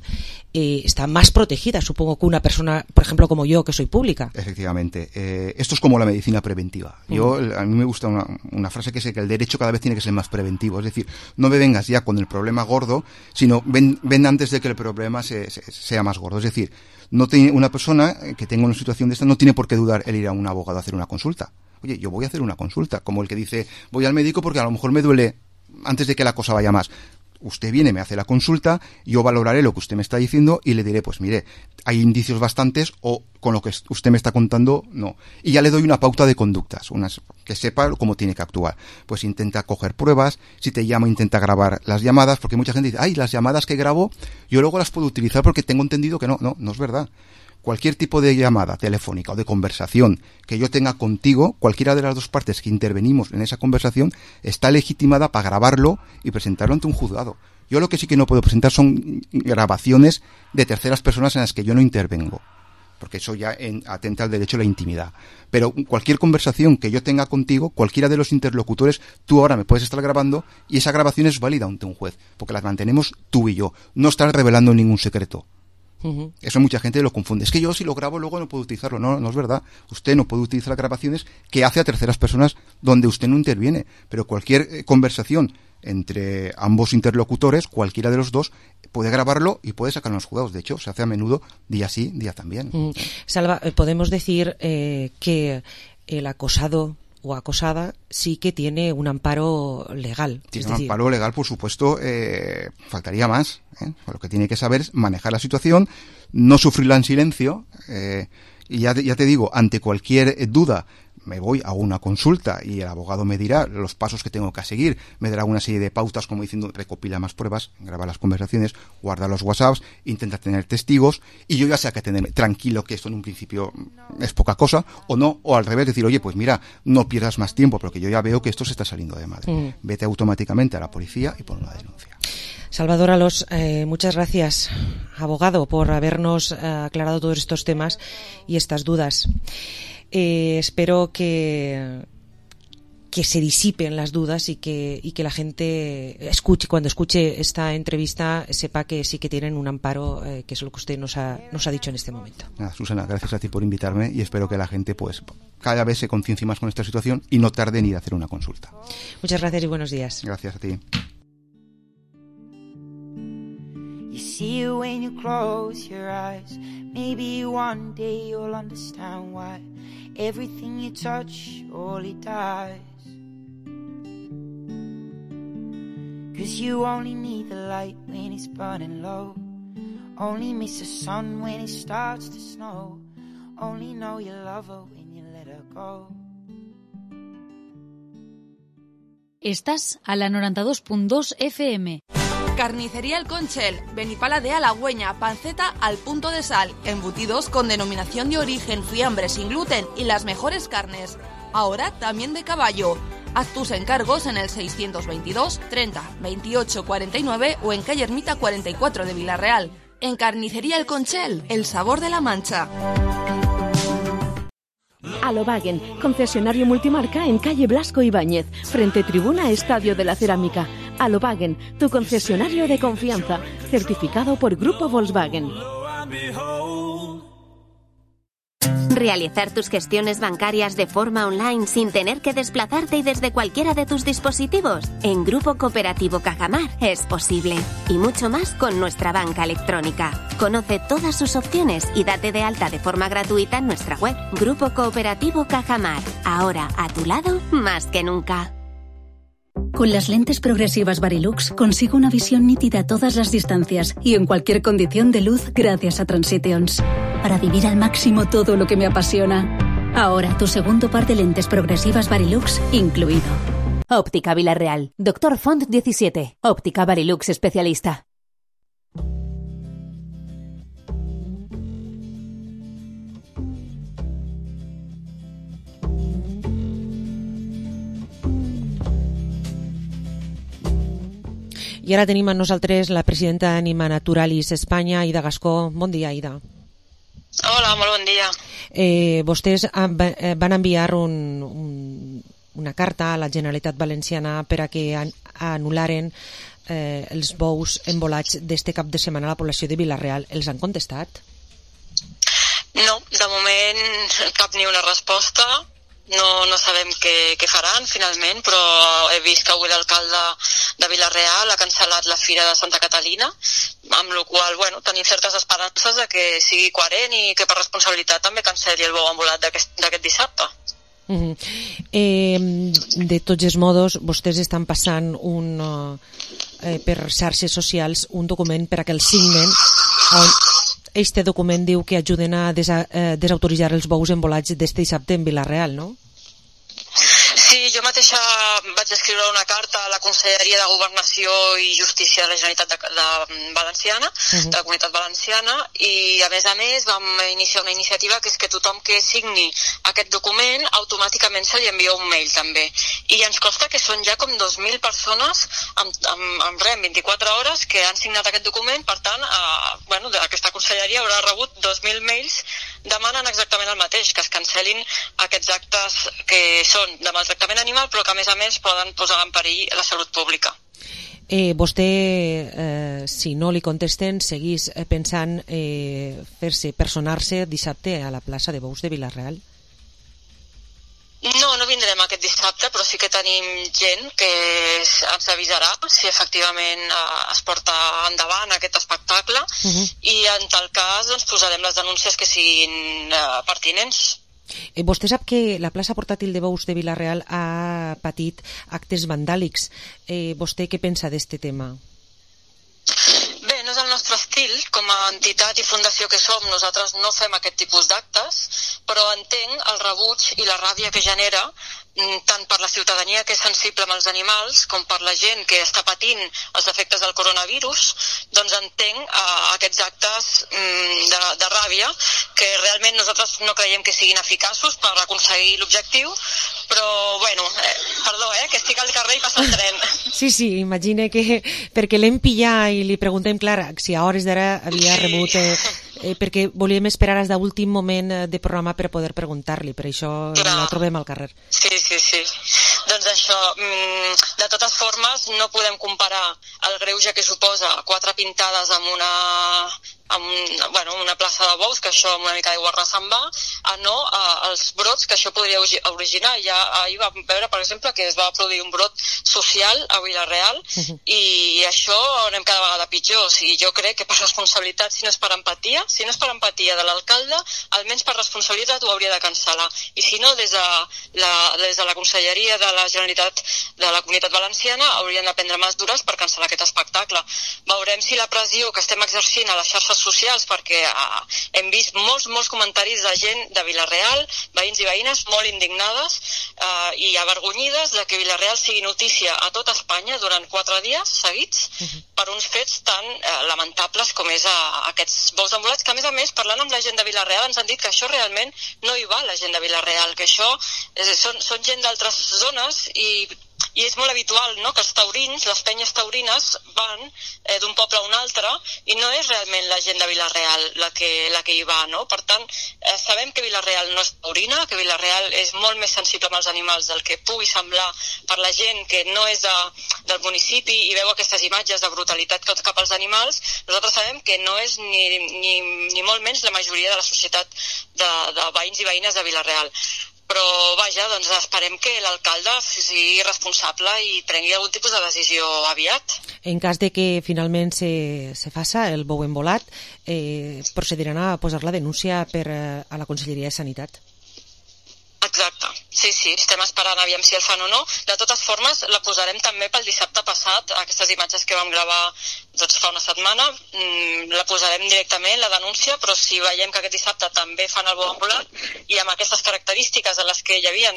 eh, está más protegida, supongo, que una persona, por ejemplo, como yo, que soy pública. Efectivamente. Eh, esto es como la medicina preventiva. Yo, uh-huh. A mí me gusta una, una frase que es que el derecho cada vez tiene que ser más preventivo. Es decir, no me vengas ya con el problema gordo, sino ven, ven antes de que el problema se, se, sea más gordo. Es decir, no tiene una persona que tenga una situación de esta no tiene por qué dudar el ir a un abogado a hacer una consulta. Oye, yo voy a hacer una consulta, como el que dice, voy al médico porque a lo mejor me duele antes de que la cosa vaya más. Usted viene, me hace la consulta, yo valoraré lo que usted me está diciendo y le diré, pues mire, hay indicios bastantes o con lo que usted me está contando, no. Y ya le doy una pauta de conductas, unas que sepa cómo tiene que actuar. Pues intenta coger pruebas, si te llama intenta grabar las llamadas, porque mucha gente dice, ay, las llamadas que grabo, yo luego las puedo utilizar porque tengo entendido que no, no, no es verdad. Cualquier tipo de llamada telefónica o de conversación que yo tenga contigo, cualquiera de las dos partes que intervenimos en esa conversación está legitimada para grabarlo y presentarlo ante un juzgado. Yo lo que sí que no puedo presentar son grabaciones de terceras personas en las que yo no intervengo, porque eso ya en, atenta al derecho a la intimidad. Pero cualquier conversación que yo tenga contigo, cualquiera de los interlocutores, tú ahora me puedes estar grabando y esa grabación es válida ante un juez, porque las mantenemos tú y yo. No estás revelando ningún secreto. Uh-huh. Eso mucha gente lo confunde. Es que yo si lo grabo luego no puedo utilizarlo. No, no es verdad. Usted no puede utilizar grabaciones que hace a terceras personas donde usted no interviene. Pero cualquier eh, conversación entre ambos interlocutores, cualquiera de los dos, puede grabarlo y puede sacarlo en los juzgados. De hecho, se hace a menudo día sí, día también. Uh-huh. Salva, podemos decir eh, que el acosado o acosada sí que tiene un amparo legal. Tiene es un decir... amparo legal, por supuesto, eh, faltaría más. ¿eh? Lo que tiene que saber es manejar la situación, no sufrirla en silencio, eh, y ya, ya te digo, ante cualquier duda, me voy a una consulta y el abogado me dirá los pasos que tengo que seguir, me dará una serie de pautas como diciendo recopila más pruebas, graba las conversaciones, guarda los WhatsApps, intenta tener testigos y yo ya sé que tenerme tranquilo que esto en un principio es poca cosa o no, o al revés decir, oye, pues mira, no pierdas más tiempo porque yo ya veo que esto se está saliendo de madre. Mm. Vete automáticamente a la policía y pon una denuncia. Salvador Alós, eh, muchas gracias, abogado, por habernos eh, aclarado todos estos temas y estas dudas. Eh, espero que que se disipen las dudas y que y que la gente escuche cuando escuche esta entrevista sepa que sí que tienen un amparo, eh, que es lo que usted nos ha nos ha dicho en este momento. Nada, Susana, gracias a ti por invitarme y espero que la gente pues cada vez se conciencie más con esta situación y no tarde en ir a hacer una consulta. Muchas gracias y buenos días. Gracias a ti. You see it when you close your eyes. Maybe one day you'll understand why everything you touch only dies. 'Cause you only need the light when it's burning low. Only miss the sun when it starts to snow. Only know you love her when you let her go. Estás a la noranta-dos punt dos F M. Carnicería El Conchel, Benipala de Halagüeña, panceta al punto de sal, embutidos con denominación de origen, fiambre sin gluten y las mejores carnes. Ahora también de caballo. Haz tus encargos en el seiscientos veintidós treinta veintiocho cuarenta y nueve o en calle Ermita cuarenta y cuatro de Villarreal. En Carnicería El Conchel, el sabor de la Mancha. Alobagen, concesionario multimarca en calle Blasco Ibáñez, frente tribuna Estadio de la Cerámica. Alobagen, tu concesionario de confianza, certificado por Grupo Volkswagen. Realizar tus gestiones bancarias de forma online sin tener que desplazarte y desde cualquiera de tus dispositivos. En Grupo Cooperativo Cajamar es posible. Y mucho más con nuestra banca electrónica. Conoce todas sus opciones y date de alta de forma gratuita en nuestra web. Grupo Cooperativo Cajamar. Ahora a tu lado más que nunca. Con las lentes progresivas Varilux consigo una visión nítida a todas las distancias y en cualquier condición de luz gracias a Transitions. Para vivir al máximo todo lo que me apasiona. Ahora tu segundo par de lentes progresivas Varilux incluido. Óptica Villarreal. Doctor Font diecisiete. Óptica Varilux especialista. I ara tenim amb nosaltres la presidenta d'Anima Naturalis Espanya, Aida Gascó. Bon dia, Aida. Hola, molt bon dia. Eh, vostès van enviar un, un, una carta a la Generalitat Valenciana per a que an, anul·laren eh, els bous embolats d'este cap de setmana a la població de Vila-real. Els han contestat? No, de moment cap ni una resposta. No, no sabem què, què faran finalment, però he vist que avui l'alcalde de Vila-real ha cancel·lat la Fira de Santa Catalina, amb la qual bueno, tenim certes esperances de que sigui coherent i que per responsabilitat també cancel·li el bou embolat d'aquest dissabte. Uh-huh. eh, de tots els modos, vostès estan passant un, eh, per xarxes socials un document per a que el signen, on este document diu que ajuden a desa, eh, desautoritzar els bous embolats d'este dissabte en Vila-real, no? Sí, jo mateixa vaig escriure una carta a la Conselleria de Governació i Justícia de la Generalitat de, de Valenciana, uh-huh. de la Comunitat Valenciana, i a més a més vam iniciar una iniciativa que és que tothom que signi aquest document automàticament se li envia un mail també. I ens consta que són ja com dos mil persones amb, amb, amb res, en vint-i-quatre hores que han signat aquest document, per tant, eh, bueno, aquesta Conselleria haurà rebut dos mil mails demanant exactament el mateix, que es cancel·lin aquests actes que són de maltractament animal, però que a més a més poden posar en perill la salut pública. Eh, vostè, eh, si no li contesten, seguís pensant eh, fer-se, personar-se dissabte a la plaça de Bous de Vila-real? No, no vindrem aquest dissabte, però sí que tenim gent que ens avisarà si efectivament eh, es porta endavant aquest espectacle, uh-huh. i en tal cas doncs, posarem les denúncies que siguin eh, pertinents. Eh, vostè sap que la plaça portàtil de Bous de Vila-real ha patit actes vandàlics. Eh, vostè què pensa d'este tema? Bé, no és el nostre estil, com a entitat i fundació que som, nosaltres no fem aquest tipus d'actes, però entenc el rebuig i la ràbia que genera tant per la ciutadania que és sensible amb els animals com per la gent que està patint els efectes del coronavirus, doncs entenc uh, aquests actes um, de, de ràbia que realment nosaltres no creiem que siguin eficaços per aconseguir l'objectiu, però bueno, eh, perdó, eh, que estic al carrer i passa el tren. Sí, sí, imagine que perquè l'hem pillat i li preguntem, clar, si a hores d'ara havia sí. rebut... Eh, eh, perquè volíem esperar fins a l'últim moment de programa per poder preguntar-li, per això clar. La trobem al carrer. Sí, sí, sí. Doncs això, de totes formes, no podem comparar el greuge que suposa quatre pintades amb una, amb un, bueno, una plaça de bous, que això amb una mica d'aigua se'n va, a no a, als brots que això podria originar. Ja ahir vam veure, per exemple, que es va produir un brot social a Vila-real, uh-huh. i això anem cada vegada pitjor. O sigui, jo crec que per responsabilitat, si no és per empatia, si no és per empatia de l'alcalde, almenys per responsabilitat ho hauria de cancel·lar. I si no, des de la, des de la Conselleria de la Generalitat de la Comunitat Valenciana haurien de prendre mesures per cancel·lar aquest espectacle. Veurem si la pressió que estem exercint a les xarxes socials, perquè uh, hem vist molts, molts comentaris de gent de Vila-real, veïns i veïnes molt indignades uh, i avergonyides de que Vila-real sigui notícia a tota Espanya durant quatre dies seguits uh-huh. per uns fets tan uh, lamentables com és uh, aquests bous embolats, que a més a més, parlant amb la gent de Vila-real, ens han dit que això realment no hi va la gent de Vila-real, que això és, són, són gent d'altres zones i i és molt habitual, no?, que els taurins, les penyes taurines van eh, d'un poble a un altre i no és realment la gent de Vila-real la que, la que hi va, no? Per tant, eh, sabem que Vila-real no és taurina, que Vila-real és molt més sensible amb els animals del que pugui semblar per la gent que no és de, del municipi i veu aquestes imatges de brutalitat cap als animals. Nosaltres sabem que no és ni, ni, ni molt menys la majoria de la societat de, de veïns i veïnes de Vila-real. Però, vaja, doncs esperem que l'alcalde sigui responsable i prengui algun tipus de decisió aviat. En cas de que finalment se, se faça el bou embolat, eh, procediran a posar la denúncia per, eh, a la Conselleria de Sanitat. Exacte, sí, sí, estem esperant aviam si el fan o no. De totes formes, la posarem també pel dissabte passat, aquestes imatges que vam gravar doncs, fa una setmana, mmm, la posarem directament, la denúncia, però si veiem que aquest dissabte també fan el bou embolat i amb aquestes característiques en les que hi havia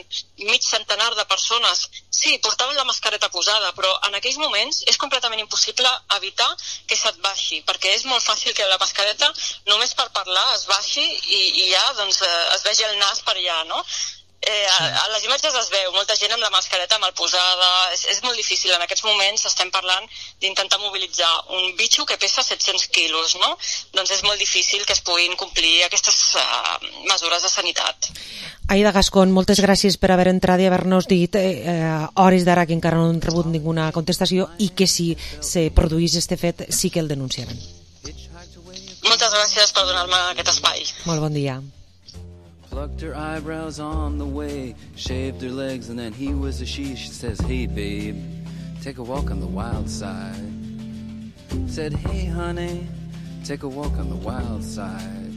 mig centenar de persones, sí, portaven la mascareta posada, però en aquells moments és completament impossible evitar que se't baixi, perquè és molt fàcil que la mascareta només per parlar es baixi i, i ja doncs, es vegi el nas per allà, no? Eh, a, a les imatges es veu, molta gent amb la mascareta mal posada, és, és molt difícil. En aquests moments estem parlant d'intentar mobilitzar un bitxo que pesa set-cents quilos, no? Doncs és molt difícil que es puguin complir aquestes uh, mesures de sanitat. Aida Gascón, moltes gràcies per haver entrat i haver-nos dit eh, a hores d'ara que encara no han rebut ninguna contestació i que si se produís este fet sí que el denunciaran. Moltes gràcies per donar-me aquest espai. Molt bon dia. Plucked her eyebrows on the way, shaved her legs, and then he was a she. She says, hey babe, take a walk on the wild side. Said, hey honey, take a walk on the wild side.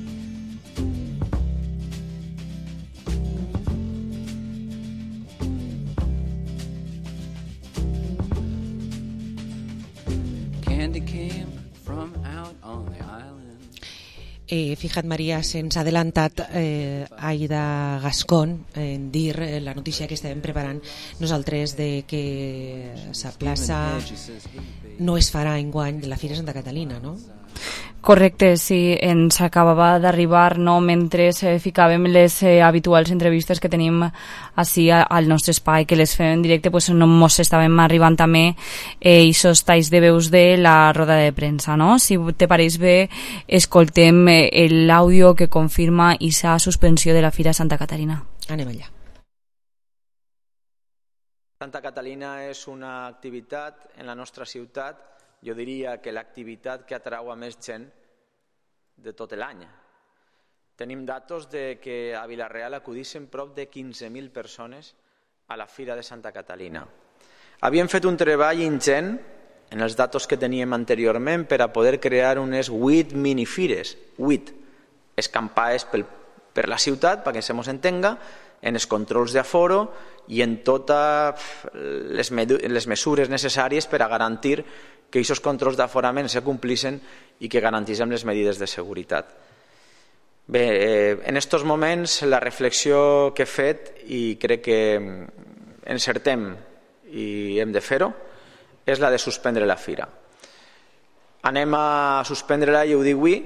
Candy came from out on the island. Eh, fíjate, Maria, se'ns ha adelantat eh, Aida Gascón en dir eh, la notícia que estàvem preparant nosaltres de que la plaça no es farà enguany de la Fira Santa Catalina, no? Correcte, sí, ens acabava d'arribar, no, mentre eh, ficàvem les eh, habituals entrevistes que tenim així al nostre espai, que les fem en directe, pues no mos estàvem arribant també eh, isos talls de veus de la roda de premsa, no? Si te pareix bé, escoltem eh, l'àudio que confirma esa suspensió de la Fira Santa Caterina. Anem allà. Santa Catalina és una activitat en la nostra ciutat, jo diria que l'activitat que atrau a més gent de tot l'any. Tenim datos de que a Vila-real acudissin prop de quinze mil persones a la Fira de Santa Catalina. Havíem fet un treball ingent en els datos que teníem anteriorment per a poder crear unes vuit minifires, vuit escampades pel, per la ciutat, perquè se mos entenga, en els controls d'aforo i en totes les, les mesures necessàries per a garantir que aquests controls d'aforament se complissin i que garantissin les mesures de seguretat. Bé, eh, en aquests moments la reflexió que he fet, i crec que encertem i hem de fer-ho, és la de suspendre la fira. Anem a suspendre-la, i ho dic avui,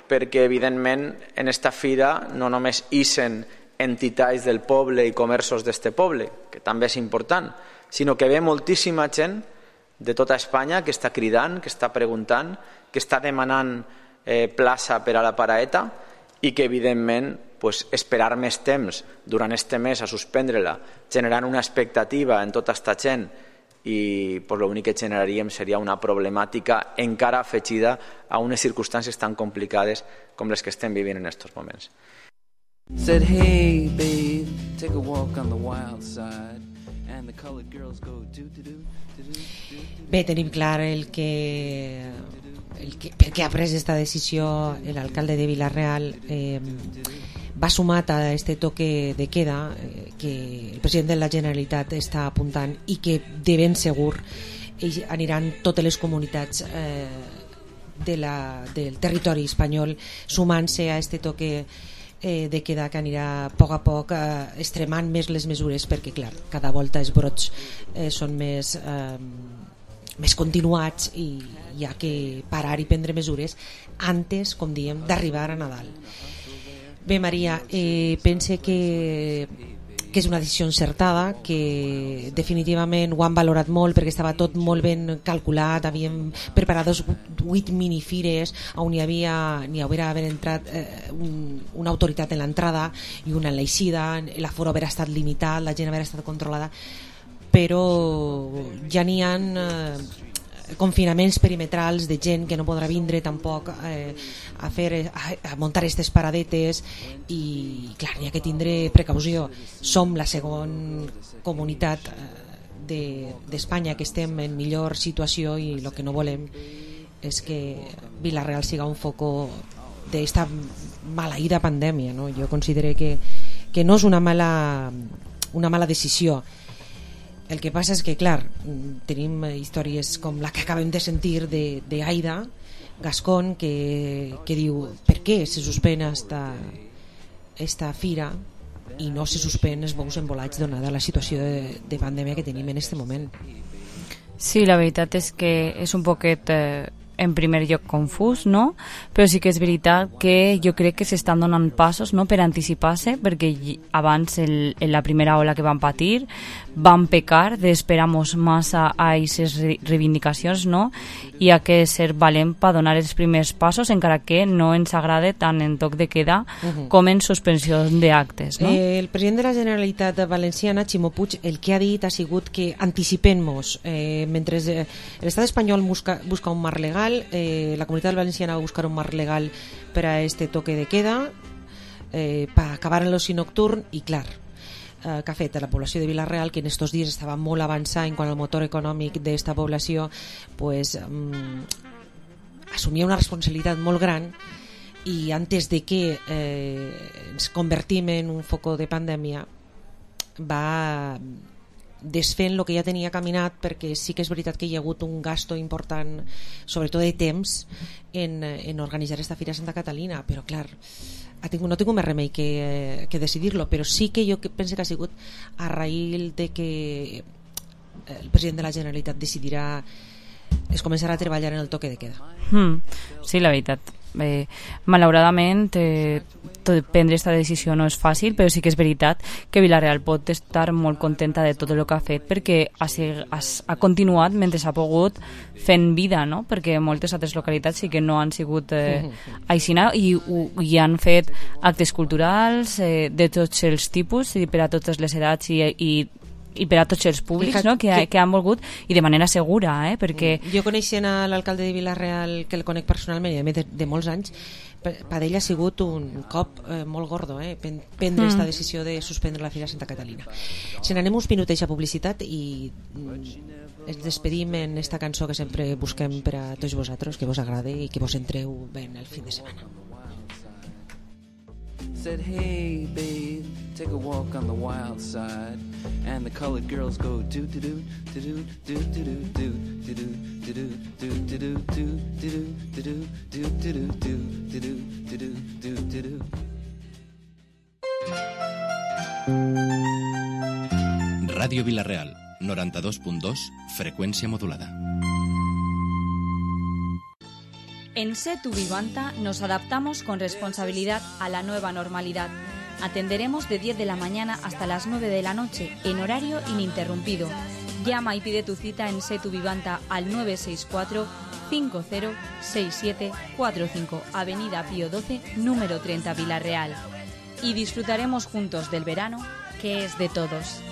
perquè evidentment en esta fira no només ixen entitats del poble i comerços d'este poble, que també és important, sinó que ve moltíssima gent de tota Espanya que està cridant, que està preguntant, que està demanant eh, plaça per a la paraeta i que evidentment pues, esperar més temps durant este mes a suspendre-la, generant una expectativa en tota esta gent i pues, l'únic que generaríem seria una problemàtica encara afegida a unes circumstàncies tan complicades com les que estem vivint en aquests moments. Said, hey babe, take a walk on the wild side, and the colored girls go do do do. Bé, tenim clar el que, el que per què ha pres aquesta decisió l'alcalde de Vila-real. Eh, va sumat a este toque de queda eh, que el president de la Generalitat està apuntant i que de ben segur aniran totes les comunitats eh, de la, del territori espanyol sumant-se a este toque eh, de queda que anirà a poc a poc eh, extremant més les mesures, perquè clar, cada volta els brots eh, són més eh, més continuats i hi ha que parar i prendre mesures antes, com diem, d'arribar a Nadal. Bé, Maria, eh, pense que que és una decisió encertada, que definitivament ho han valorat molt perquè estava tot molt ben calculat, havíem preparat vuit minifires on hi havia n'hi hauria haver entrat eh, un, una autoritat en l'entrada i una en l'eixida, l'aforo haver estat limitat, la gent haver estat controlada, però ja n'hi ha eh, confinaments perimetrals de gent que no podrà vindre tampoc eh, a, fer, a, a muntar aquestes paradetes i clar, n'hi ha que tindre precaució. Som la segona comunitat de, d'Espanya que estem en millor situació i el que no volem és que Vila-real siga un foco d'esta maleïda pandèmia, no? Jo considero que, que no és una mala, una mala decisió. El que passa és que, clar, tenim històries com la que acabem de sentir de, de Aida Gascón, que, que diu per què se suspèn esta, esta fira i no se suspèn els bous embolats donada la situació de, de pandèmia que tenim en aquest moment. Sí, la veritat és que és un poquet eh, en primer lloc confús, no? Però sí que és veritat que jo crec que s'estan donant passos, no?, per anticipar-se, perquè abans, el, en la primera ola que van patir, van pecar d'esperar-nos massa a aquestes reivindicacions, no? I ha que ser valent per donar els primers passos, encara que no ens agrade tant en toc de queda uh-huh. com en suspensió d'actes, no? Eh, el president de la Generalitat Valenciana, Ximo Puig, el que ha dit ha sigut que anticipem-nos. Eh, mentre eh, l'estat espanyol busca, busca un marc legal, eh, la comunitat valenciana va buscar un marc legal per a este toque de queda, eh, per acabar en l'oci nocturn, i clar, eh, que ha fet a la població de Vila-real, que en estos dies estava molt avançada en quant al motor econòmic d'esta població, pues, mm, assumia una responsabilitat molt gran, i antes de que eh, ens convertim en un foco de pandèmia, va desfent el que ja tenia caminat, perquè sí que és veritat que hi ha hagut un gasto important, sobretot de temps, en, en organitzar esta Fira Santa Catalina, però clar, ha tingut, no tinc més remei que, que decidir-lo, però sí que jo penso que ha sigut a raïl de que el president de la Generalitat decidirà es començarà a treballar en el toque de queda. Mm, sí, la veritat. Eh, malauradament eh, prendre aquesta decisió no és fàcil, però sí que és veritat que Vila-real pot estar molt contenta de tot el que ha fet, perquè ha, ha, ha continuat mentre s'ha pogut fent vida, no? Perquè moltes altres localitats sí que no han sigut eh, aixina, i, i han fet actes culturals eh, de tots els tipus i per a totes les edats i, i i per a tots els públics, no?, que, que, que han volgut, i de manera segura, eh? Perquè jo coneixent a l'alcalde de Vila-real, que el conec personalment i a més de, de molts anys, per ell ha sigut un cop eh, molt gordo, eh? prendre aquesta mm. decisió de suspendre la Fira Santa Catalina. Si n'anem uns minutets a publicitat i mm, ens despedim en esta cançó que sempre busquem per a tots vosaltres, que vos agrade i que vos entreu ben el fin de setmana. Said, hey babe, take a walk on the wild side, and the colored girls go do do do do do do do do do do do do do do do do do do. Radio Vila-real, noranta-dos punt dos, frecuencia modulada. En Setu Vivanta nos adaptamos con responsabilidad a la nueva normalidad. Atenderemos de diez de la mañana hasta las nueve de la noche, en horario ininterrumpido. Llama y pide tu cita en Setu Vivanta al nueve seis cuatro, cinco cero seis siete cuatro cinco, Avenida Pío doce, número treinta, Vila-real. Y disfrutaremos juntos del verano, que es de todos.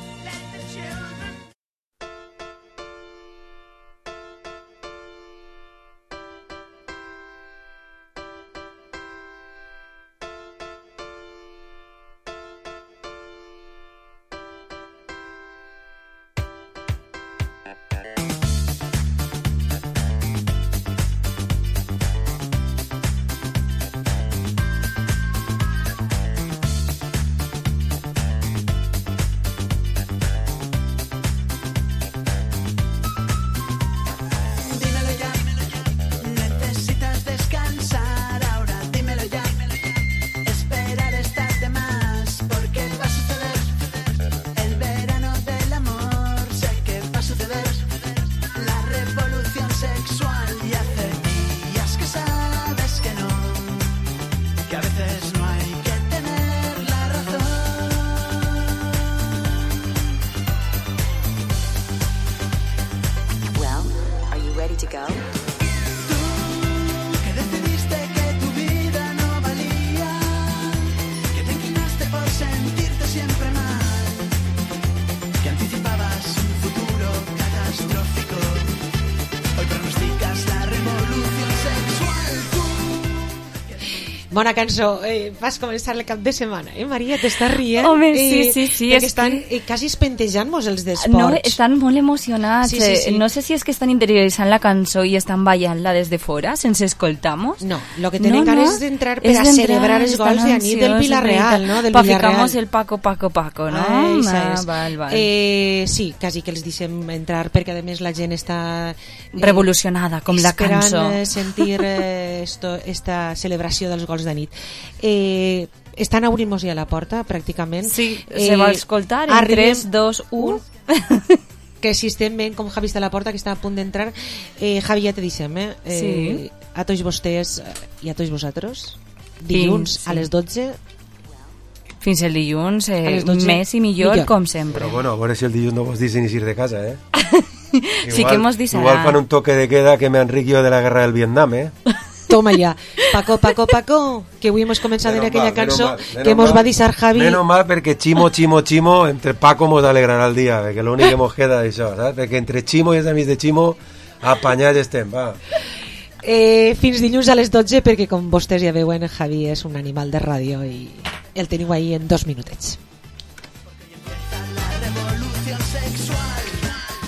Bona cançó, eh, vas començar el cap de setmana, eh, Maria? T'estàs rient? Home, eh, sí, sí, sí. Perquè estan eh, quasi espentejant-nos els d'esports. No, estan molt emocionats. Sí, sí, sí. No sé si és que estan interioritzant la cançó i estan ballant-la des de fora, sense escoltamos. No, lo que tenen no, ganes no. és d'entrar per a celebrar els gols de Anit del Vila-real, no? Del Pa Vila-real. ficamos el Paco, Paco, Paco, no? Ai, ah, val, val. Eh, sí, quasi que els deixem entrar, perquè a més la gent està... Eh, revolucionada, com la cançó. Esperant sentir eh, esto, esta celebració dels gols d'Anit. Eh, estan obrint-nos ja la porta, pràcticament. Sí, eh, se va escoltar en arribem... tres, dos, u... que que si estem veient com Javi està a la porta, que està a punt d'entrar, eh, Javi, ja te deixem, eh? eh sí. A tots vostès i a tots vosaltres, dilluns sí, sí. a les dotze. Fins el dilluns, eh, més i millor, millor, com sempre. Però bueno, a veure si el dilluns no vos dicen ni ir de casa, eh? igual, sí que mos deixarà. Igual fan un toque de queda que me enriquio de la guerra del Vietnam, eh? Toma ja. Paco, Paco, Paco, que avui hemos començat en aquella mal, cançó mal, que mos va deixar Javi. Menos mal, perquè Chimo, Chimo, Chimo, entre Paco mos alegrarà el dia, perquè l'únic que mos queda d'això, saps? Perquè entre Chimo i els amics de Chimo, apanyats estem, va. Eh, fins dilluns a les dotze, perquè com vostès ja veuen, Javi és un animal de ràdio i el teniu ahí en dos minutets.